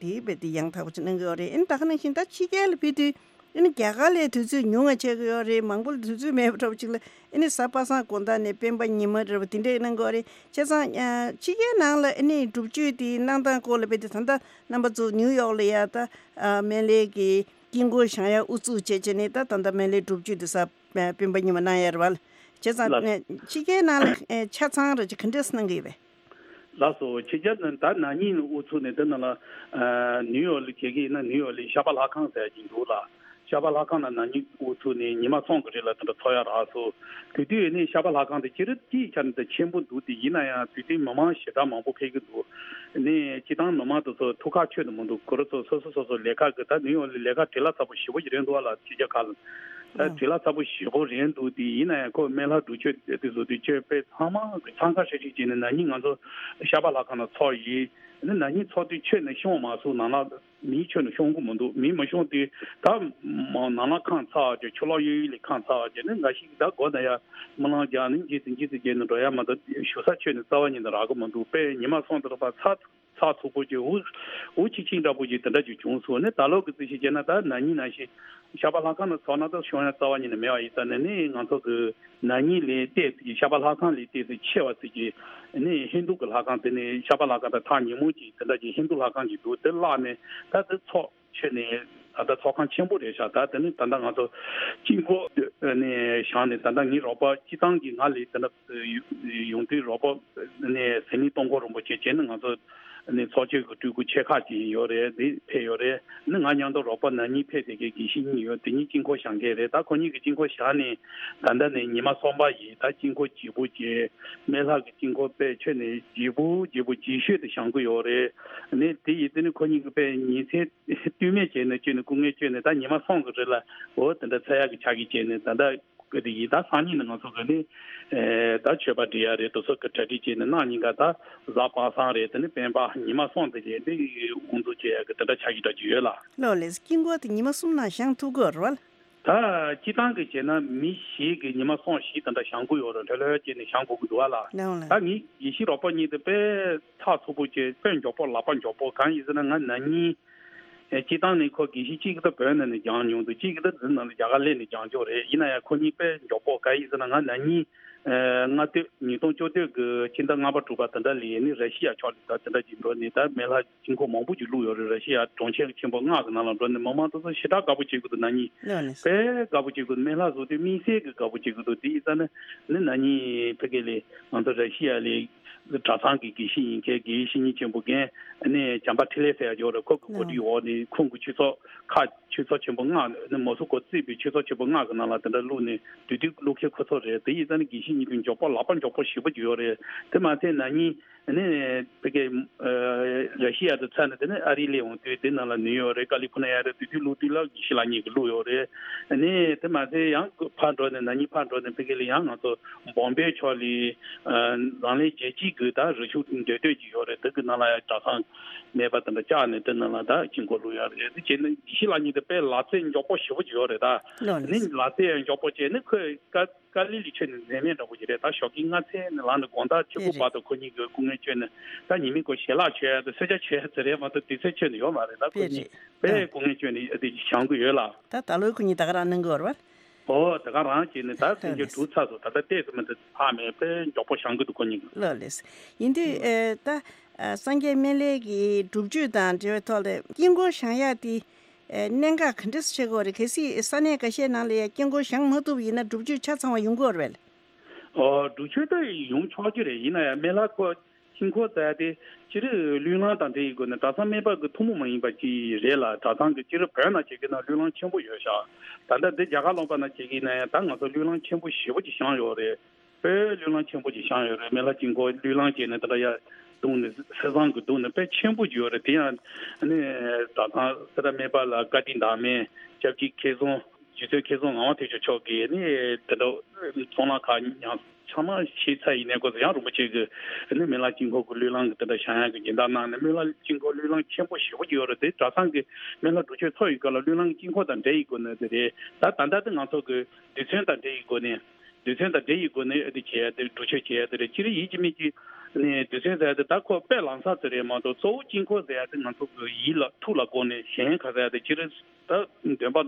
དེ་རྦད་དེ་ཡང་དག་པོ་ཅིག་གནང་གི་ཡོད་རེད། ཨ་ནི་ད་ག་ནང་བཞིན་ད་ཕྱི་རྒྱལ་ལ་ཕེབས་དུས་ཨ་ནི་རྒྱ་གར་ལ་དུས་ཚོད་ཉུང་ང་ཆགས་ཀྱི་ཡོད་རེད། མང་པོ་ལ་དུས་ཚོད་མེད་པ་འདྲ་པོ་ཅིག་ལ་ཨ་ནི་གཟའ་པ་སངས་དགོང་དག་ནས་སྤེན་པ་ཉི་མ་རེད་པ། དེ་འདྲས་གནང་གི་ཡོད་རེད། བྱས་ཙང་ཕྱི་རྒྱལ་ནང་ལ་ཨ་ནི་སྒྲུབ་མཆོད་དེ་གནང་སྟངས་སྐོར་ལ་རྦད་དེ་ད་ལྟ་རྣམ་པ་ཚོ་ཉིའུ་ཡོག་ལ་ཡ་ད་སྨན་བླའི་གི་དཀྱིལ་འཁོར་བཞེངས་ཡ་དབུ་བཙུགས་བྱས་བྱས་ནས། ད་ད་ལྟ་སྨན་བླའི་སྒྲུབ་མཆོད་དེ་གཟའ་སྤེན་པ་ཉི་མ་གནང་ཡ་རེད་པ། བྱས་ཙང་ལགས། ཕྱི་རྒྱལ་ནང་ལ་ཆ་ཚང་རེ་ཅིག་ག་འདྲས་གནང་གི་ཡོད་པས། ལགས་སོ། ཕྱི་རྒྱལ་ནང་ད་ན་ནིང་དབུ་ཚུགས་ནས་དེ་ནང་ལ་ཨ་ནིའུ་ཡོག་ལ་བྱེད་ཀྱི་ཡིན་ན། ནིའུ་ཡོག་ལ་ཤར་པ་ལྷ་ཁང་ཟེར་གྱི་འདུག་ལ། ཤར་པ་ལྷ་ཁང་ལ་ན་ནིང་དབུ་ཚུགས་ནས་ཉི་མ་གསུམ་གྱི་རིང་ལ་དེ་འདྲ་ཚོགས་ཡ་རག་སོང་། དེ་དུས་ནི་ཤར་པ་ལྷ་ཁང་དེ་སྤྱིར་སྤྱིའི་ཆ་ནས་དེ་ཆེན་པོ་འདུག་དེ་ཡིན་ན་ཡང་དེ་དུས་མི་མང་ཞེ་དྲག་མང་པོ་ཕེབས་ཀྱི་འདུག་ནི་སྤྱིར་བཏང་མི་མང་དེ་ཚོ་ཐུགས་ཁག་ཆོད་དུ་མི་འདུག་ཁོ་རང་ཚོ་སོ་སོ་སོ་སོ་ལས་ཀ་གི་ད་ནིའུ་ཡོག་ལ་ལས་ཀ་བྲེལ་བ་ཚ་པོ་ཞེ་པོ་ཞིག་རན་འདུག་ཨ་ལ། ཕྱི་རྒྱལ་ཁག་ལ་ད་བྲེལ་བ་ཚ་པོ་ཞེ་པོ་རན་འདུག་དེ་ཡིན་ན་ཡང་ཁོ་སྨན་བླ་སྒྲུབ་མཆོད་དེ་བཟོ་དུས་ཆོས་དཔེ་ཚང་མ་གི་འཚང་ཁ་ཤིག་ཤིག་བྱས་ནས་ན་ནིང་ང་ཚོ་ཤར་པ་ལྷ་ཁང་ལ་ཚོགས་ཡིན། ནི་ན་ནིང་ཚོགས་དུས་ཆོས་ནི་ཤོང་མ་སོང་། ནང་ལ་མི་ཆོས་ནི་ཤོང་གི་མི་འདུག་མི་མ་ཤོང་དུས་ད་མ་ནང་ལ་ཁང་ཚ་བ་ཅིག་ཆུ་ལོག་གཡས་གཡོན་ལ་ཁང་ཚ་བ་ཅིག་ནི་འགའ་ཞིག་ད་སྒོ་ན་ཡ་རྨི་ལམ་རྒྱག་ནི་འཇིགས་སུ་འཇིགས་སུ་བྱས་ནས་འགྲོ་ཡ་མ་གཏོགས་བཞུགས་ས་ཆོས་ནི་རྩ་བ་ཉིད་ནས་རག་གི་མི་འདུག་དཔེ་ཉི་མ་གསུམ་དེ་ལ་ཕར་ཚ་ཚ་ཚུགས་པོ་ཅིག་འུ་འུ་ཆིག་ཆིག་འདྲ་པོ་ཅིག་དེ་འདྲ་ཅིག་བྱུང་སོང་། ནི་ད་ལོ་གི་རྩིས་ཤིག་བྱས་ན་ད་ན་ནིང་ནང་བཞིན་ཤར་པ་ལྷ་ཁང་ནང་ཚོགས་ན་ད་ཤོང་ཡ་རྩ་བ་ཉིད་ནས་མེད་པ་ཡིན་ཙང་ནི་ནི་ང་ཚོ་གི་ན་ནིང་ལས་ཏོག་ཙམ་ཤར་པ་ལྷ་ཁང་ལས་ཏོག་ཙམ་ཆེ་བ་ཙམ་གྱི་ནི་ཧིན་རྡུ་གི་ལྷ་ཁང་དེ་ནི་ཤར་པ་ལྷ་ཁང་དང་ཐག་ཉེ་མོ་ཅིག་དེ་འདྲ་ཅིག་ཧིན་རྡུ་ལྷ་ཁང་ཅིག་འདུག་དེ་བརླགས་ནས་ད་དེ་ཚོགས་ཆེ་ནས་ད་ལྟ་ཚོགས་ཁང་ཆེན་པོ་རེད་ཤག་ད་དེ་ནི་ད་ལྟ་ང་ཚོ་དཀྱིལ་འཁོར་ནས་བཞེངས་ནས་ད་ལྟ་ངའི་རོགས་པ་སྤྱི་བཏང་གི་ང་ལས་ད་ལྟ་ཡོང་དུས་རོགས་པ་ནས་ཟི་ལིང་སྟོང་འཁོར་རིན་པོ་ཆེ་བྱས་ནས་ང་ཚོ་ནས་ཚོགས་ཆོས་ཀྱི་སྤྲུལ་སྐུ་ཆེ་ཁག་ཅིག་ཡོད་རེད། འདི་ཕེབས་ཡོད་རེད། ནི་ང་མཉམ་དུ་རོགས་པ་ན་ནིང་ཕེབས་བསྡད་མཁན་དགེ་བཤེས་གཉིས་ཡོད། དེ་གཉིས་དཀྱིལ་འཁོར་བཞེངས་མཁན་རེད། ད་ཁོ་གཉིས་ཀྱིས་དཀྱིལ་འཁོར་བཞེངས་ནས་ད་ལྟ་ནས་ཉི་མ་གསུམ་པ་ཡིན། ད་དཀྱིལ་འཁོར་བརྗེ་པོ་བྱས། སྨན་ལྷ་གི་དཀྱིལ་འཁོར་དཔེ་ཆོས་ནས་བརྗེ་པོ་བརྗེ་པོ་རྗེས་ཤོད་དུ་བཞེངས་ཀྱི་ཡོད་རེད། ནི་དེ་ཡིན་དུས་ནི་ཁོ་གཉིས་ཀྱིས་དཔེ་ཉིན་མཚན་ལྟོས་མེད་བྱས་ནས་བྱས་ནས་སྐུ་ངལ་བསྐྱོན་ནས་ད་ཉི་མ་གསུམ་གྱི་རིང་ལ་འོ་དེ་འདྲ་འཚོགས་ཡག་གི་ཕྱག་གིས་བྱས་ནས་ད་ལྟ། གི་དེ་ཡིན། ད་སང་ཉིན་ནི་ང་ཚོ་གི་ནི་ཨེ་ད་མཆོད་པ་སྒྲིག་ཡ་རེད། དེ་ཚོ་གི་གྲ་སྒྲིག་བྱས་ནས་གནངས་ཉིན་ཀ་ད་གཟའ་པ་སངས་རེད། དེ་ནི་སྤེན་པ་ཉི་མ་གསུམ་དེ་རྗེས་ནི་དབུ་འཛུགས་བྱེད་ཡ་གི་དེ་འདྲ་ཆགས་ཀྱི་འདྲ་ཀྱི་ཡོད་ལ། ལགས་ལགས། དཀྱིལ་འཁོར་དེ་ཉི་མ་གསུམ་ནང་བཞེངས་ཐུབ་ཀྱི་ཡོད་རེད་བ། ད་སྤྱིར་བཏང་གི་བྱས་ན་མི་བཞི་གི་ཉི་མ་གསུམ་བཞི་དེ་འདྲ་བཞེངས་དགོས་ཡོད་རེད། ལྷོད་ལྷོད་བྱས་ནས་བཞེངས་དགོས་ཀྱི་འདུག་བ་ལ། ལགས་ལགས། ད་ངས་དགེ་བཤེས་རོགས་པ་གཉིས་དེ་དཔེ་ཚགས་ཚུད་པོ་བྱས། དཔེ་མགྱོགས་པོ་ལག་པ་མགྱོགས་པོ། གང་ཡིན་ཟེར་ན་ང་ན་ནིང་ཨེ་སྤྱིར་བཏང་ནས་ཁོ་དགེ་བཤེས་གཅིག་གི་ད་བོད་ནང་ནས་སྦྱངས་མྱོང་འདུག་གཅིག་གི་ད་འཛིན་ནང་ལ་རྒྱ་གར་སླེབས་ནས་སྦྱངས་ཆོག་རེད། ཡིན་ན་ཡང་ཁོ་གཉིས་དཔེ་མགྱོགས་པོ། གང་ཡིན་ཟེར་ན་ང་ན་ནིང་ཨེ་ལྔ་སྟོད་ཉིས་སྟོང་བཅུ་སྟོད་ཀྱི་ཕྱི་ཟླ་ལྔ་པ་དྲུག་པ་དེ་འདྲ་ལ་ནི་ར་ཤི་ཡ་ཕྱོགས་ལ་ད་དེ་འདྲ་ཅིག་འགྲོ་ནས། ད་མེ་ལྷ་དཀྱིལ་འཁོར་མང་པོ་ཅིག་བླུགས་ཡོད་རེད། ར་ཤི་ཡ་གྲོང་ཁྱེར་ཆེན་པོ་ལྔ་གི་ནང་ལ་འགྲོ་ནས་མི་མང་དེ་ཚོ་ཞེ་དྲག་དགའ་པོ་བྱེད་ཀྱི་འདུག་ན་ནིང་། ལགས་ནས། དཔེ་དགའ་པོ་བྱེད་ཀྱི་འདུག་མེ་ལྷ་བཟོ་དུས་དམིགས་བསལ་གྱི་དགའ་པོ་བྱེད་ཀྱི་འདུག་དེ་ཡིན་ཙང་ནི་ནི་ན་ནིང་ཕ་གི་ལ་ང་ཚོ་ར་ཤི་ཡ་ལ་གྲྭ་ཚང་གི་དགེ་བཤེས་ཡིན་མཁན་དགེ་བའི་བཤེས་གཉེན་ཆེན་པོ་རྒན་ནི་བྱམས་པ་འཕྲིན་ལས་ཟེར་ཡ་ཅིག་ཡོད་རེད། ཁོ་གི་གོ་སྒྲིག་འོག་ནས་ཁོང་གི་ཆོས་ཚོགས་ཁག་ཆོས་ཚོགས་ཆེན་པོ་ལྔ་ནི་མོ་སི་ཀོ་གཙོས་པའི་ཆོས་ཚོགས་ཆེན་པོ་ལྔ་གི་ནང་ལ་དེ་འདྲ་བླུགས་ནས། དེ་དུས་བླུགས་མཁན་ཁོ་ཚོ་རེད། དེ་ཡིན་ཙང་ནི་དགེ་བཤེས་གཉིས་དེ་མགྱོགས་པོ་ལག་པ་མགྱོགས་པོ་ཞེ་པོ་ཅིག་ཡོད་རེད། དེ་མ་ཚད་ན་ནིང་ནི་ཕ་གི་ཨ་ར་ཤི་ཡ་དེ་ཚར་ནས་དེ་ནས་ཨ་རི་སླེབས་འོང་དུས་དེ་ནང་ལ་ནིའུ་ཡོག་རེད། ཀ་ལི་ཕོར་ནི་ཡ་རེད། དེ་དུས་བླུགས་དུས་ལ་དགེ་བཤེས་ལགས་གཉིས་ཀྱིས་བླུགས་ཡོད་རེད། ནི་དེ་མ་ཚད་ཡང་ཕར་འགྲོ་ནས་ན་ནིང་ཕར་འགྲོ་ནས་ཕ་གི་ལ་ཡང་ང་ཚོ་བོམ་བེ་ཕྱོགས་ལ་ཨ་འཛམ་གླིང་རྒྱལ་སྤྱི་གི་ད་རི་ཆུ་འདྲ་འདྲ་ཅིག་ཡོད་རེད། དེ་གི་ནང་ལ་ཡང་གྲྭ་ཚང་མེད་པ་དེ་འདྲ་བཅག་ནས་དེ་ནང་ལ་ད་དཀྱིལ་འཁོར་བླུགས་ཡ་རེད། དེ་བྱས་ནས་དགེ་བཤེས་ལགས་གཉིས་དེ་དཔེ་ལག་རྩལ་མགྱོགས་པོ་ཞེ་པོ་ཅིག་ཡོད་རེད་ད། ལགས་ནི་ལགས། ལག་རྩལ་ཡང་མགྱོགས་པོ་བྱས་ནས་ཁོས་ཀ་ཀ་ལི་ལི་མཆོད་ནས་མཛད་མེད་འདྲ་པོ་ཅིག་རེད། ད་ཞོགས་ཀྱི་སྔ་ཚལ་ནས་ལངས་ནས་དགོང་དག་ཕྱི་དཔེ་གུ་རེད། བར་དུ་ཁོ་གཉིས་ཀྱིས་སྐུ་ངལ་བསྐྱོན་ནས། ད་ཉི་མའི་སྐོར་ཞལ་ལག་མཆོད་ཡ་དེ་གསོལ་ཇ་མཆོད་ཡ་དེ་རེད་མ་གཏོགས་དུས་ཚོད་མཆོད་ནས་ཡོད་མ་རེད། ད་དཔེ་ཁོ་གཉིས་རེད། དཔེ་ཨ་སྐུ་ངལ་བསྐྱོན་ནས་ཨ་དེ་བཞེངས་གི་ཡོད་ལ། ད་ད་ལོའི་ཁོ་གཉིས་ད་ག་རང་གནང་གི་ཡོད་རེད་བ། ཨོ་ད་ག་རང་བྱས་ནས་ད་ལགས་སེམས་ཅན་ལགས། གྲུབ་ཚར་སོང་། ད་ལྟ་ལྟས་ཙམ་མ་གཏོགས་ཕར་མེད། དཔེ་མགྱོགས་པོ་བཞེངས་གི་འདུག་ཁོ་གཉིས་ཀྱིས། ལགས་ལགས། ཡིན་དུས་ཨེ་ད་ཨ་སངས་རྒྱས་སྨན་བླའི་གི་སྒྲུབ་མཆོད་དང་འབྲེལ་བའི་ཐོག་ལ་དཀྱིལ་འཁོར་བཞེངས་ཡག་དེ་ཨེ་གནད་འགག་ག་འདྲས་ཆགས་ཀྱི་ཡོད་རེད། གལ་སྲིད་ས་གནས་འགའ་ཤས་ནང་ལ་ཡང་དཀྱིལ་འཁོར་བཞེངས་མ་ཐུབ་ཡིན་ན་སྒྲུབ་མཆོད་ཆ་ཚང་བ་ཡོང་གི་ཡོད་རེད་པས། ཨོ་སྒྲུབ་མཆོད་ད་ཡོང་ཆོག་གི་རེད། ཡིན་ན་ཡང་སྨན་བླ་ཁོ་དཀྱིལ་འཁོར་ཟེར་ཡ་དེ་སྤྱིར་བློས་བསླངས་དང་འབྲེལ་ཡོད་དགོས་ནས། གྲྭ་ཚང་སྨན་པ་གི་ཐུན་མོང་མ་ཡིན་པ་ཅིག་རེད་ལ། གྲྭ་ཚང་གི་སྤྱིར་བོད་ནང་བྱེད་ཀྱི་ན་བློས་བསླངས་ཆེན་པོ་ཡོད་ཤག་ད་ལྟ་འདི་རྒྱ་གར་ལུང་པ་ནང་བྱེད་ཀྱི་ན་ཡང་ད་ང་ཚོ་བློས་བསླངས་ཆེན་པོ་ཞེ་པོ་ཅིག་བཞེངས་ཡོད་རེད། དཔེ་བློས་བསླངས་ཆེན་པོ་ཅིག་བཞེངས་ཡོད་རེད། སྨན་བླ་དཀྱིལ་འཁོར་བློས་བསླངས་བྱས་ནས་དེ་འདྲ་ཡར་བརྡུངས་ནས་གསེར་ཟངས་ཀྱིས་བརྡུངས་ནས་དཔེ་ཆེན་པོ་ཅིག་ཡོད་རེད། དེ་ཡང་ནི་གྲྭ་ཚང་སེ་ར་སྨན་པ་ལགས་བཀའ་དྲིན་བདག་མེད་སྐྱབས་རྗེ་མཁས་བཙུན་རྗེ་བཙུན་མཁས་བཙུན་ངག་དབང་ཐེག་མཆོག་མཆོག་གིས་ནི་དེ་འདྲ་གཙུག་ལག་ཁང་ཡང་ཚང་མ་ཕྱེ་ཚར་ཡིན་ནའི་སྐོར་ཡང་རིན་པོ་ཆེ་གིས་ནི་སྨན་བླ་དཀྱིལ་འཁོར་གྱི་བློས་བསླངས་ཀྱི་དེ་འདྲ་བཞེངས་ཡག་གི་སྦྱིན་བདག་གནང་ནས། སྨན་བླ་དཀྱིལ་འཁོར་བློས་བསླངས་ཆེན་པོ་ཞེ་པོ་ཅིག་ཡོད་རེད། དེ་གྲྭ་ཚང་གི་སྨན་བླ་སྒྲུབ་མཆོད་ཚོགས་ཡི་སྐབས་ལ་བློས་བསླངས་དཀྱིལ་འཁོར་དང་འབྲེལ་ཡི་སྒོ་ནས་དེ་རེད། ད་ད་ལྟ་དེ་ང་ཚོ་གི་རྡུལ་ཚོན་དང་འབྲེལ་ཡི་སྒོ་ནས། རྡུལ་ཚོན་དང་འབྲེལ་ཡི་སྒོ་ནས་ཨ་དེ་བྱས་ཏེ་སྒྲུབ་མཆོད་བྱས་ཏེ་རེད། སྤྱིར་ཡིན་གཅིག་མིན་གཅིག་ནས་རྡུལ་ཚོན་ཟེར་ཡ་དེ་ད་ཁོ་དཔེ་ལམ་སང་ཙམ་རེད་མ་གཏོགས། གཙོ་བོ་དཀྱིལ་འཁོར་ཟེར་ཡ་དེ་ང་ཚོ་གི་ཡིད་ལ་ཐུགས་ལ་དགོངས་ནས་གཞན་ག་ཟེར་ཡ་དེ་སྤྱིར་ད་འདོན་པ་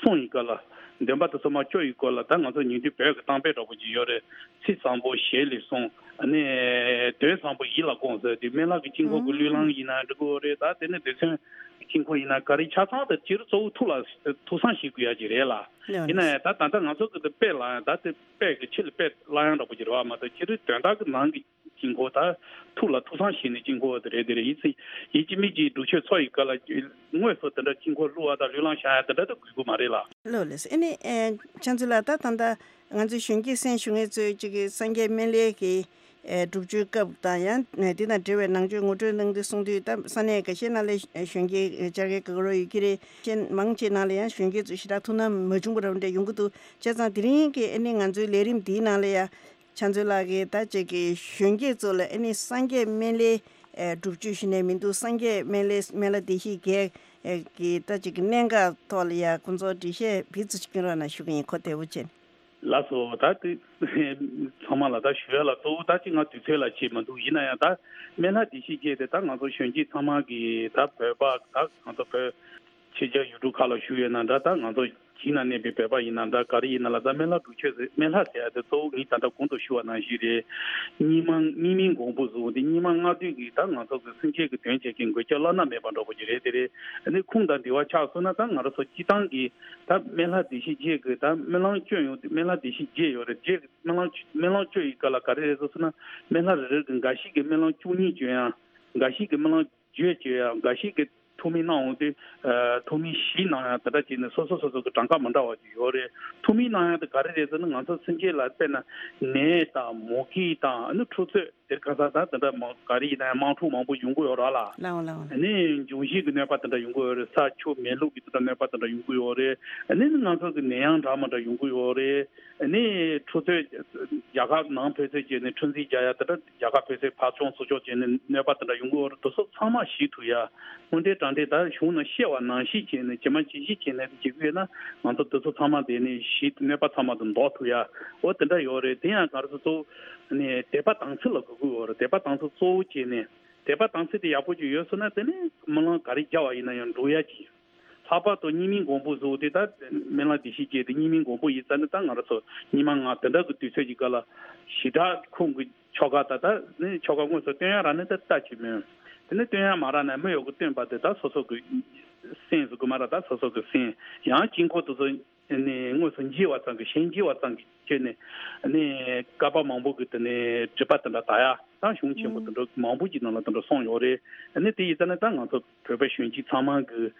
གསུང་ཡི་སྐབས་ལ། འདོན་པ་དེ་ཚོ་མར་བཅོ་ཡི་སྐབས་ལ་ད་ང་ཚོ་ཉིན་དུས་བོད་ཀྱི་གཏམ་དཔེ་འདྲ་པོ་ཅིག་ཡོད་རེད། ཚིག་བཟང་པོ་ཞལ་ལས་གསུངས། ཨ་ནི་དོན་བཟང་པོ་ཡིད་ལ་དགོངས་ཟེར་དུས། སྨན་བླ་གི་དཀྱིལ་འཁོར་གྱི་བློས་བསླངས་ཡིན་ན་འགྲིག་གི་རེད། ད་དེ་ནས་རྡུལ་ཚོན་དཀྱིལ་འཁོར་ཡིན་ན་ག་རེ་ཆ་ཚང་དེ་སྤྱིར་གཙོ་བོ་ཐུགས་ལ་ཐུགས་བསམ་བཞེས་དགོས་ཡ་ཅིག་རེད་ལ། ཡིན་ན་ཡང་ད་ད་ལྟ་ང་ཚོ་གི་དེ་དཔེ་ལ་ཡང་ད་དེ་དཔེ་གི་ཕྱི་ལ་དཔེ་བླང་ཡང་འདྲ་པོ་ཅིག་རེད་བ་མ་གཏོགས། སྤྱིར་དོན་དག་གི་ནང་གི་དཀྱིལ་འཁོར་ད་ཐུགས་ལ་ཐུགས་བསམ་བཞེས་ནས་དཀྱིལ་འཁོར་དེ་རེད། དེ་རེད། ཡིན་ཙི་ཡིན་གཅིག་མིན་གཅིག་སྒྲུབ་མཆོད་ཚོགས་ཡི་སྐབས་ལ་དངོས་སུ་དེ་འདྲ་དཀྱིལ་འཁོར་བླུགས་པ་དང་བློས་བསླངས་བཞེངས་ཡ་དེ་འདྲ་ད་དགོས་ཀྱི་མ་རེད་ལ། ལགས་ལགས། ཨ་ནི་ཨེ་ཕྱག་མཛོད་ལགས། ད་ད་ལྟ་ང་ཚོའི་གཞོན་སྐྱེས་གསན་ཞུ་མཁན་ཚོས་ཅིག་གི་སངས་རྒྱས་སྨན་བླའི་གི་ཨེ་སྒྲུབ་མཆོད་སྐབས་དང་ཡང་ཨེ་དེ་དང་འབྲེལ་བའི་ནང་ཆོས་ངོ་སྤྲོད་གནང་དུས་གསུངས་དུས། ད་ས་གནས་འགའ་ཤས་ནང་ལ་གཞོན་སྐྱེས་བཅར་མཁན་ག་རེ་ཡོད་ཀྱི་རེད། གཞན་མང་ཆེ་ནང་ལ་ཡང་གཞོན་སྐྱེས་ཚོས་ཞེ་དྲག་ཐུགས་སྣང་མ་བྱུང་བ་འདྲ་པོ་འདྲ་ཡོང་གི་འདུག་བྱས་ཙང་དེ་རིང་གི་ཨ་ནི་ང་ཚོའི་ལས་རིམ་འདིའི་ནང་ལ་ཡང་ཕྱག་མཛོད་ལགས་ཀྱིས་ད་ཅིག་གི་གཞོན་སྐྱེས་ཚོ་ལ་ཨ་ནི་སངས་རྒྱས་སྨན་བླའི་ཨེ་སྒྲུབ་མཆོད་ཞུ་ནས་མི་འདུག་སངས་རྒྱས་སྨན་བླའི་སྨན་བླ་བདེ་གཤེགས་བརྒྱད་ཀྱི་ད་ཅིག་གི་གནད་འགག་ཐོག་ལ་ཡང་ཁོང་ཚོར་འགྲེལ་བཤད་ཕུལ་ཚུལ་ཅིག་སྐྱོན་རོགས་གནང་ཞུ་གི་ཡིན། གོ་བདེ་པོ་བྱས། ལགས་སོ། ད་དེ་ཚང་མ་ལ་ད་ཞུ་ཡ་ལ་གཙོ་བོ་ད་ཅིག་ང་དུས་ཚོད་ལ་བྱེད་མི་འདུག་ཡིན་ན་ཡང་ད་སྨན་བླ་བདེ་གཤེགས་བརྒྱད་དེ་ད་ང་ཚོ་གཞོན་སྐྱེས་ཚང་མ་གི་ད་བོད་པ་ད་ང་ཚོ་བོད་ཕྱི་རྒྱལ་ཡུལ་གྲུ་ཁག་ལ་བཞུགས་ཡོད་ན་འདྲ། ད་ང་ཚོ་གཞིས་ནང་གནས་པའི་བོད་པ་ཡིན་ན་འདྲ། ག་རེ་ཡིན་ན་ལ་ད་སྨན་བླ་སྒྲུབ་མཆོད་ཟེར། སྨན་བླ་ཟེར་ཡ་དེ་གཙོ་བོ་ངས་ད་ལྟ་གོང་དུ་ཞུ་བ་ནང་བཞིན་རེད། རྙིང་མ་རྙིང་མའི་མགོན་པོ་བཟོ་འོང་དུས་རྙིང་མ་ལྔ་བདོའི་གི་ད་ང་ཚོ་གི་སེམས་ཅན་གི་དོན་བྱེད་མཁན་མགོན་སྐྱབས་བླ་ན་མེད་པ་འདྲ་པོ་ཅིག་རེད། དེ་རེད། ཨ་ནི་ཁུངས་དང་འདྲི་བ་ཆགས་སོང་ན་ད་ང་རང་ཚོ་སྤྱིར་བཏང་གི་ད་སྨན་བླ་བདེ་གཤེགས་བརྒྱད་ཀྱི་ད་སྨོན་ལམ་སྐྱོན་ཡོང་དུས་སྨན་བླ་བདེ་གཤེགས་བརྒྱད་ཡོད་རེད། བརྒྱད་ཀྱི་སྨོན་ལམ་སྨོན་ལམ་སྐྱོན་ཡི་ག་ལ་ག་རེ་རེད་ཟེར་སོང་ན། སྨན་བླ་རེ་རེ་གི་འགའ་ཞིག་གི་སྨོན་ལམ་བཅུ་གཉིས་བརྗོད་ཡང་། འགའ་ཞིག་གི་སྨོན་ལམ་བརྗོད་བརྗོད་ཡང་། འགའ་ཞིག་གི་ཐུགས་སྨོན་གནང་འོང་དུས་ཨ་ཐུགས་སྨོན་བཞི་གནང་ཡང་དེ་འདྲ་བྱས་ནས་སོ་སོ་སོ་སོ་གི་གྲངས་ཀ་མི་འདྲ་བ་ཅིག་ཡོད་རེད། ཐུགས་སྨོན་གནང་ཡང་དེ་ག་རེ་རེད་ཟེར་ན། ང་ཚོ་སེམས་ཅན་ལ་དཔེར་ན་ནད་དང་མུ་གེ་དང་ཨ་ནི་འཁྲུག་རྩོད། དེར་ཁ་སང་ད་དེ་འདྲ་མང་ག་རེ་ཡིན་ན་ཡང་དམག་འཁྲུག་མང་པོ་ཡོང་གི་ཡོད་རེད་ལ། ལའོ་ལའོ། ཨ་ནི་འབྱུང་བཞི་གི་གནོད་པ་དེ་འདྲ་ཡོང་གི་ཡོད་རེད། ས་ཆུ་མེ་རླུང་གི་དེ་འདྲ་གནོད་པ་དེ་འདྲ་ཡོང་གི་ཡོད་རེད། ཨ་ནི་ང་ཚོ་གི་ནད་ཡམས་འདྲ་མི་འདྲ་ཡོང་གི་ཡོད་རེད། ཨ་ནི་འཕྲུལ་ཚོས་རྒྱལ་ཁབ་ནང་འཕྲུལ་ཚོས་བྱས་ནས་འཁྲུག་འཛིང་རྒྱག་ཡ་དེ་འདྲ། རྒྱལ་ཁབ་འཕྲུལ་ཚོས་ཕར་ཕྱོགས་ཚུར་ཕྱོགས་བྱས་ནས་གནོད་པ་དེ་འདྲ་ཡོང་གི་ཡོད་རེད། དེ་ཚོ་ཚང་མ་ཞི་ཐུབ་ཡ། དངོས་འབྲེལ་དྲང་འབྲེལ་ད་གཞུང་ནང་བཤད་པ་ནང་བཞིན་བྱས་ནས་ཇི་མ་ཇི་བཞིན་བྱས་ནས་བྱེད་ཀྱི་ཡོད་ན། ང་ཚོ་དེ་ཚོ་ཚང་མ་དེ་ནས་ཞི་གནོད་པ་ཚང་མ་དེ་ཟློག་ཐུབ་ཡ། འོ་དེ་འདྲ་ཡོད་རེད། དེ་ཡང་ག་རེ་ཟེར། གཙོ་བོ་ནས་དད་པ་དམ་ཚིག་ལ་དགོས་ཀྱི་ཡོད་རེད། དད་པ་དམ་ཚིག་གཙོ་བོ་བྱས་ནས། དད་པ་དམ་ཚིག་དེ་ཡག་པོ་ཅིག་ཡོད་སོང་ན་དེ་ནས་སྨོན་ལམ་ག་རེ་རྒྱག་པ་ཡིན་ན་ཡང་འགྲུབ་ཡ་ཅིག། ལྷག་པར་དུ་སྙིགས་མའི་མགོན་པོ་ཟེར་བ་དེ་ད་སྨོན་ལམ་བདེ་གཤེགས་བརྒྱད་དེ་སྙིགས་མའི་མགོན་པོ་ཡིན་ཙང་ནི། ད་ང་རང་ཚོ་ཉི་མ་ལྔ་དེ་འདྲ་གི་དུས་ཚོད་ཀྱི་སྐབས་ལ་ཞི་དྲག་ཁོང་གི་ཆོ་ག་ད་ད་ནི་ཆོ་ག་དངོས་སུ་སྟོན་ཡ་རག་ན་ད་ལྟ་ཅིག་མིན། དེ་ནི་སྟོན་ཡ་མ་རག་ན་མི་ཡོད་གི་སྟོན་པ་དེ་ད་སོ་སོ་གི་སེམས་སུ་དགོས་མ་རེད། ད་སོ་སོ་གི་སེམས་ཡང་དཀྱིལ་འཁོར་དེ་ཚོ་ནི་དངོས་སུ་མཇལ་བ་ཙམ་གྱིས། གཞན་མཇལ་བ་ཙམ་གྱིས་བྱས་ནས་ནི་བསྐལ་པ་མང་པོ་གི་དེ་ནས་སྒྲིབ་པ་དེ་འདྲ་དག་ཡ། ད་གཞུང་ཆེན་པོ་དེ་འདྲ་མང་པོ་ཅིག་ནང་ལ་དེ་འདྲ་གསུངས་ཡོད་རེད། ཨ་ནི་དེ་ཡིན་ཙང་ནི་ད་ང་ཚོ་བོད་པ་གཞོན་སྐྱེས་ཚང་མ་གི་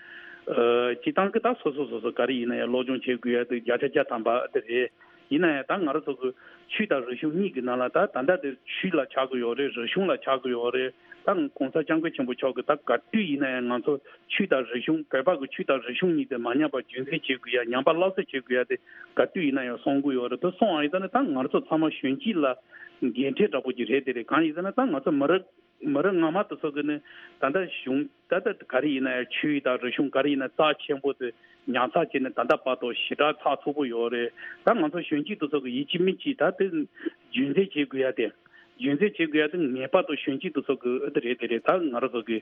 ཨ་སྤྱིར་བཏང་གི་ད་སོ་སོ་སོ་སོ་ག་རེ་ཡིན་ན་ཡང་སློབ་སྦྱོང་བྱེད་དགོས་ཡ་དེ་བརྒྱ་ཆ་བརྒྱ་ཐམ་པ་དེ་རེད། ཡིན་ན་ཡང་ད་ང་རང་ཚོ་གི་ཆོས་དང་རིག་གཞུང་གཉིས་ཀྱི་ནང་ལ་ད་ད་ལྟ་དེ་ཆོས་ལ་ཆགས་ཀྱི་ཡོད་རེད། རིག་གཞུང་ལ་ཆགས་ཀྱི་ཡོད་རེད། ད་གོང་ས་སྐྱབས་མགོན་ཆེན་པོ་མཆོག་གིས་ད་ག་དུས་ཡིན་ན་ཡང་ང་ཚོ་ཆོས་དང་རིག་གཞུང་། བོད་པ་གི་ཆོས་དང་རིག་གཞུང་གཉིས་དེ་མ་ཉམས་པར་རྒྱུན་འཛིན་བྱེད་དགོས་ཡ། ཉམས་པ་སླར་གསོ་བྱེད་དགོས་ཡ་དེ་ག་དུས་ཡིན་ན་ཡང་གསུང་གི་ཡོད་རེད། དེ་གསུང་བ་ཡིན་ཙང་ནི་ད་ང་རང་ཚོ་ཚང་མ་གཞོན་སྐྱེས་ལ་འགན་འཁྲི་འདྲ་པོ་ཅིག་རེད། དེ་རེད། གང་ཡིན་ཟེར་ན་ད་ང་ཚོ་མི་རབས་མི་རབས་སྔ་མ་དེ་ཚོ་གི་ནི་ད་ལྟ་གཞུང་ད་ལྟ་ག་རེ་ཡིན་ན་ཡང་ཆོས་དང་རིག་གཞུང་ག་རེ་ཡིན་ན་རྩ་ཆེན་པོ་དེ་ཉར་ཚགས་བྱས་ནས་ད་ལྟ་བར་དུ་ཞེ་དྲག་ཚགས་ཚུད་པོ་ཡོད་རེད། ད་ང་ཚོ་གཞོན་སྐྱེས་དེ་ཚོ་གི་ཡིན་གཅིག་མིན་གཅིག་ད་དེ་རྒྱུན་འཛིན་བྱེད་དགོས་ཡ་དེ། རྒྱུན་འཛིན་བྱེད་དགོས་ཡ་དེ་ངེས་པར་དུ་གཞོན་སྐྱེས་དེ་ཚོ་གི་ཨ་དེ་རེད། དེ་རེད། ད་ང་རང་ཚོ་གི་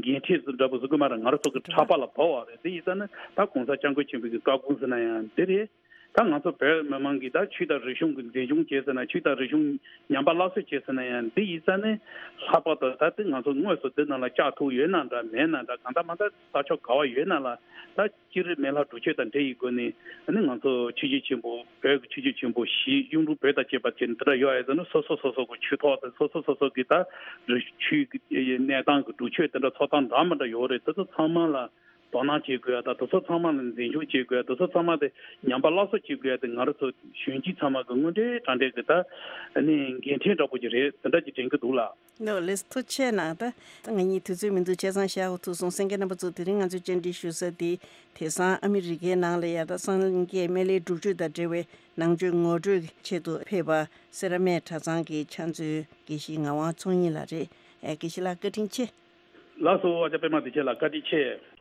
འགན་འཁྲི་འདྲ་པོ་ཟེར་དགོས་མ་རེད། ང་རང་ཚོ་གི་ཕྲག་པ་ལ་བབས་པ་རེད། དེ་ཡིན་ཙང་ནི་ད་གོང་ས་སྐྱབས་མགོན་ཆེན་པོ་གི་བཀའ་དགོངས་ཟེར་ན་ཡང་དེ་རེད། ད་ང་ཚོ་བོད་མི་མང་གིས་ད་ཆོས་དང་རིག་གཞུང་གི་འཛིན་སྐྱོང་བྱས་ཟེར་ན། ཆོས་དང་རིག་གཞུང་ཉམས་པ་སླར་གསོ་བྱས་ཟེར་ན་ཡང་། འདི་ཡིན་ཙང་ནི་ལྷག་པར་དུ་ད་ལྟ་ང་ཚོ་དངོས་སུ་འདི་ནང་ལ་བཅར་ཐུབ་ཡོད་ན་འདྲ་མེད་ན་འདྲ། གང་ལྟར་མ་ལྟར་ས་ཕྱོགས་ག་བ་ཡོད་ན་ལ་ད་སྤྱིར་སྨན་བླ་སྒྲུབ་མཆོད་དང་འབྲེལ་ཡི་སྒོ་ནས། ཨ་ནི་ང་ཚོ་ཆོས་བརྒྱུད་ཆེན་པོ། བོད་ཀྱི་ཆོས་བརྒྱུད་ཆེན་པོ་བཞི། གཡུང་དྲུང་བོན་དང་བཅས་པ་བཅས་ནས་དེ་འདྲ་ཡོད་ཡ་ཟེར་ན། སོ་སོ་སོ་སོ་གི་ཆོས་ཐོག་དང་སོ་སོ་སོ་སོ་གི་ད་རི་ཆོས་ཀྱི་གནས་སྟངས་ཀྱི་སྒྲུབ་མཆོད་དེ་འདྲ་ཚོགས་སྟངས་འདྲ་མི་འདྲ་ཡོད་རེད། དེ་ཚོ་ཚང་མ་ལ་དོ་སྣང་བྱེད་དགོས་ཡ་དང་། དེ་ཚོ་ཚང་མ་ལ་འཛིན་སྐྱོང་བྱེད་དགོས་ཡ། དེ་ཚོ་ཚང་མ་དེ་ཉམས་པ་སླར་གསོ་བྱེད་དགོས་ཡ་དེ་ང་རང་ཚོ་གཞོན་སྐྱེས་ཚང་མ་གི་དངོས་འབྲེལ་དྲང་འབྲེལ་གྱི་ད་ནི་འགན་འཁྲི་འདྲ་པོ་ཅིག་རེད། དེ་འདྲ་ཅིག་དྲན་གྱི་འདུག་ལགས། ལགས་ལགས། ཐུགས་རྗེ་ཆེ་གནང་། ད་ང་གཉིས་དུས་ཚོད་མི་འདུག། བྱས་ཙང་ཞག་འུ་ཐུག་སོང་། གསན་མཁན་རྣམ་པ་ཚོ་དེ་རིང་ང་ཚོའི་བཅར་འདྲི་ཞུ་ས་དེ་དེང་སང་ཨ་མི་རི་ཀའི་ནང་ལ་ཡ་ད་སངས་རྒྱས་སྨན་བླའི་སྒྲུབ་མཆོད་དང་འབྲེལ་བའི་ནང་ཆོས་ངོ་སྤྲོད་ཆེད་དུ་ཕེབས་པ་སེ་ར་སྨད་གྲྭ་ཚང་གི་ཕྱག་མཛོད་དགེ་བཤེས་ངག་དབང་ཚོགས་གཉིས་ལགས་རེད། ཨེ། དགེ་བཤེས་ལགས་བཀའ་དྲིན་ཆེ། ལགས་སོ། ཨ་ཅག་པད་མ་བདེ་ཆེན་ལགས་བཀའ་དྲིན་ཆེ།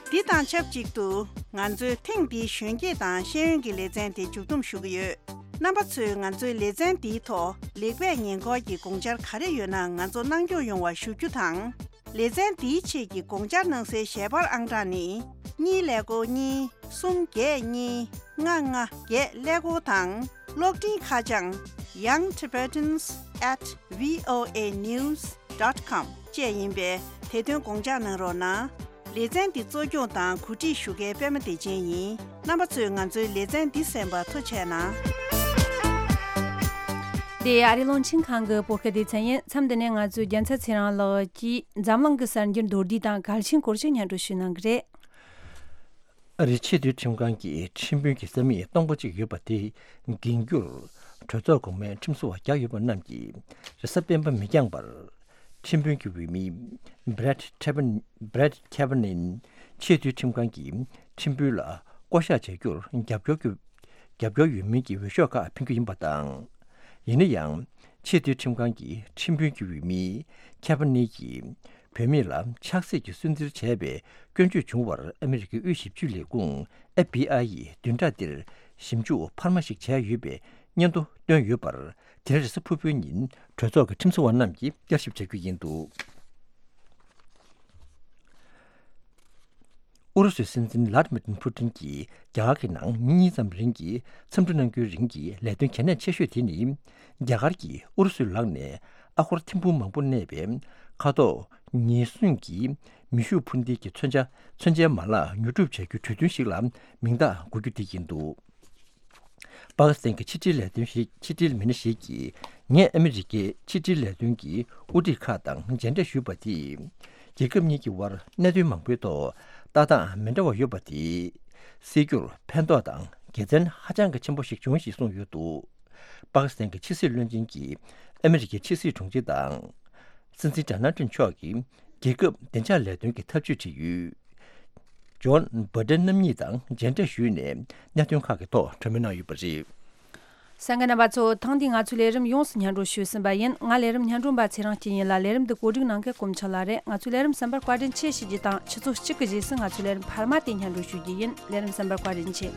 འདི་དང་ཆབས་ཅིག་ཏུ་ང་ཚོའི་ཐེངས་འདིའི་གཞོན་སྐྱེས་དང་ཤེས་ཡོན་གྱི་ལེ་ཚན་དེ་མཇུག་བསྡོམས་ཞུ་གི་ཡོད། རྣམ་པ་ཚོས་ང་ཚོའི་ལེ་ཚན་འདིའི་ཐོག་ལེགས་སྤེལ་ཉེས་འཁོར་གྱི་དགོངས་འཆར་ག་རེ་ཡོད་ན་ང་ཚོར་གནང་སྐྱོང་ཡོང་བ་ཞུ་རྒྱུ་དང་། ལེ་ཚན་འདིའི་ཆེད་ཀྱི་དགོངས་འཆར་གནང་སའི་ཞལ་པར་ཨང་གྲངས་ནི། གཉིས་ཀླད་ཀོར་གཉིས། གསུམ་བརྒྱད་གཉིས། ལྔ་ལྔ་བརྒྱད་ཀླད་ཀོར་དང་། གློག་འཕྲིན་ཁ་བྱང་young tibetans at voa news dot com བཅས་ཡིན་པས། དེ་དོན་དགོངས་འཇགས་གནང་རོགས་གནང་། ལེ་ཚན་འདི་གཙོ་སྐྱོང་དང་གོ་སྒྲིག་ཞུ་མཁན་པད་མ་བདེ་ཆེན་ཡིན། རྣམ་པ་ཚོས་ང་ཚོའི་ལེ་ཚན་འདི་གསན་པར་ཐུགས་རྗེ་གནང་། འདི་ཨ་རིའི་རླུང་འཕྲིན་ཁང་གི་བོད་སྐད་སྡེ་ཚན་ཡིན། མཚམས་འདི་ནས་ང་ཚོའི་རྒྱལ་མཚན་ཚེ་རིང་ལགས་ཀྱིས་འཛམ་གླིང་གི་གསར་འགྱུར་མདོར་བསྡུས་དང་གལ་ཆེན་སྐོར་ཞིག་སྙན་སྒྲོན་ཞུ་གནང་གི་རེད། ཨ་རིའི་ཆེས་མཐོའི་ཁྲིམས་ཁང་གིས་ཁྲིམས་དཔོན་གྱི་ས་མིག་སྟོང་པ་གཅིག་ཡོད་པ་དེ་འགན་འཁྱེར་གྲོས་ཚོགས་གོང་མའི་ཁྲིམས་བཟོ་བ་བརྒྱ་ཡོད་པ་རྣམས་ཀྱིས་རེས་གཟའ་སྤེན་པ་མི་འགྱངས་པར་ཁྲིམས་དཔོན་གྱི་འོས་མི་Brett Kavanaugh Brett Kavanaugh ཆེས་མཐོའི་ཁྲིམས་ཁང་གི་ཁྲིམས་དཔོན་ལ་བསྐོ་གཞག་བྱ་རྒྱུར་རྒྱབ་སྐྱོར་གྱི་རྒྱབ་སྐྱོར་ཡོད་མིན་གྱི་འོས་ཤོག་ཁག་འཕེན་རྒྱུ་ཡིན་པ་དང་། ཡིན་ན་ཡང་། ཆེས་མཐོའི་ཁྲིམས་ཁང་གི་ཁྲིམས་དཔོན་གྱི་འོས་མི་Kavanaugh གྱིས་བུད་མེད་ལ་ཆགས་སྲེད་ཀྱིས་སུན་གཙེར་བྱས་པའི་སྐྱོན་བརྗོད་བྱུང་བར་ཨ་མི་རི་ཀའི་དབུས་ཞིབ་དཔྱོད་ལས་ཁུངས་FBI ཡིས་བདུན་ཕྲག་འདིར་ཞིབ་འཇུག་འཕར་མ་ཞིག་བྱས་ཡོད་པའི་སྙན་ཐོ་བཏོན་ཡོད་པར། དེ་རིང་རེས་གཟའ་ཕུར་བུའི་ཉིན་གྲོས་ཚོགས་ཀྱི་ཁྲིམས་བཟོ་བ་རྣམས་ཀྱིས་བསྐྱར་ཞིབ་བྱ་རྒྱུ་ཡིན་འདུག། ཨུ་རུ་སུའི་སྲིད་འཛིན་ལྷ་དི་མིར་ཕུ་ཏིན་གྱིས་རྒྱ་གར་གྱི་ནང་ཉིན་གཉིས་ཙམ་རིང་གི་འཚམས་འདྲི་གནང་རྒྱུའི་རིང་གི་ལས་དོན་གལ་གནད་ཆེ་ཤོས་དེ་ནི། རྒྱ་གར་གྱིས་ཨུ་རུ་སུའི་ལག་ནས་ཨ་སྒོར་ཐེར་འབུམ་མང་པོ་གནས་པའི་ཁ་དོག་ཉེས་སྲུང་གི་མེ་ཤུགས་འཕུར་མདེལ་གྱི་མཚོན་ཆ་མཚོན་ཆའི་མ་ལག་ཉོ་སྒྲུབ་བྱ་རྒྱུའི་གྲོས་མཐུན་ཞིག་ལ་མིང་རྟགས་འགོད་རྒྱུ་དེ་ཡིན་འདུག། པ་ཀི་སི་ཐན་གྱི་ཕྱི་འབྲེལ་ལས་དོན་ཞིག་ཕྱི་འབྲེལ་མི་སྣ་ཞིག་གིས། ངས་ཨ་མི་རི་ཀའི་ཕྱི་འབྲེལ་ལས་དོན་གྱི་དབུ་ཁྲིད་ཁག་དང་མཇལ་འཕྲད་ཞུས་པ་དེས། རྒྱལ་ཁབ་གཉིས་ཀྱི་དབར་གནད་དོན་མང་པོའི་ཐོག་ལྟ་སྟངས་མི་འདྲ་བ་ཡོད་པ་དེ་སེལ་རྒྱུར་ཕན་ཐོགས་དང་དགེ་མཚན་ཧ་ཅང་གི་ཆེན་པོ་ཞིག་བྱུང་ཞེས་གསུངས་ཡོད་འདུག། པ་ཀི་སི་ཐན་གྱི་ཕྱི་སྲིད་བློན་ཆེན་གྱིས་ཨ་མི་རི་ཀའི་ཕྱི་སྲིད་དྲུང་ཆེ་དང་། སྲིད་འཛིན་ཌོ་ནལ་ཊམ་མཆོག་གིས་རྒྱལ་ཁབ་བདེ་འཇགས་ལས་དོན་གྱི་ཐབས་ཇུས་བྲིས་ཡོད། ཇོན་བྷ་ཏན་རྣམ་གཉིས་དང་མཇལ་འཕྲད་ཞུས་ནས་གནད་དོན་ཁག་གི་ཐོག་གྲོས་མོལ་གནང་ཡོད་པ་རེད། གསན་མཁན་རྣམ་པ་ཚོ། ཐེངས་འདིའི་ང་ཚོའི་ལས་རིམ་ཡོངས་སུ་སྙན་སྒྲོན་ཞུས་ཟིན་པ་ཡིན། ང་ལས་རིམ་སྙན་སྒྲོན་པ་ཚེ་རིང་སྐྱིད་ཡིན་ལ། ལས་རིམ་འདི་གོ་སྒྲིག་གནང་མཁན་གོམ་ཆག་ལགས་རེད། ང་ཚོའི་ལས་རིམ་གསན་པར་བཀའ་དྲིན་ཆེ་ཞུ་རྒྱུ་དང་། ཆུ་ཚོད་གཅིག་གི་རྗེས་སུ་ང་ཚོའི་ལས་རིམ་འཕར་མ་དེ་སྙན་སྒྲོན་ཞུ་རྒྱུ་ཡིན། ལས་རིམ་གསན་པར་བཀའ་དྲིན་ཆེ།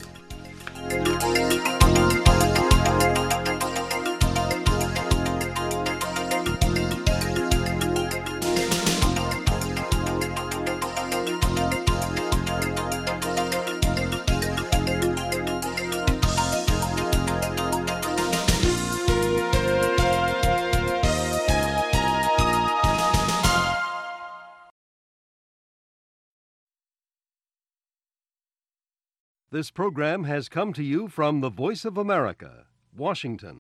This program has come to you from the Voice of America, Washington.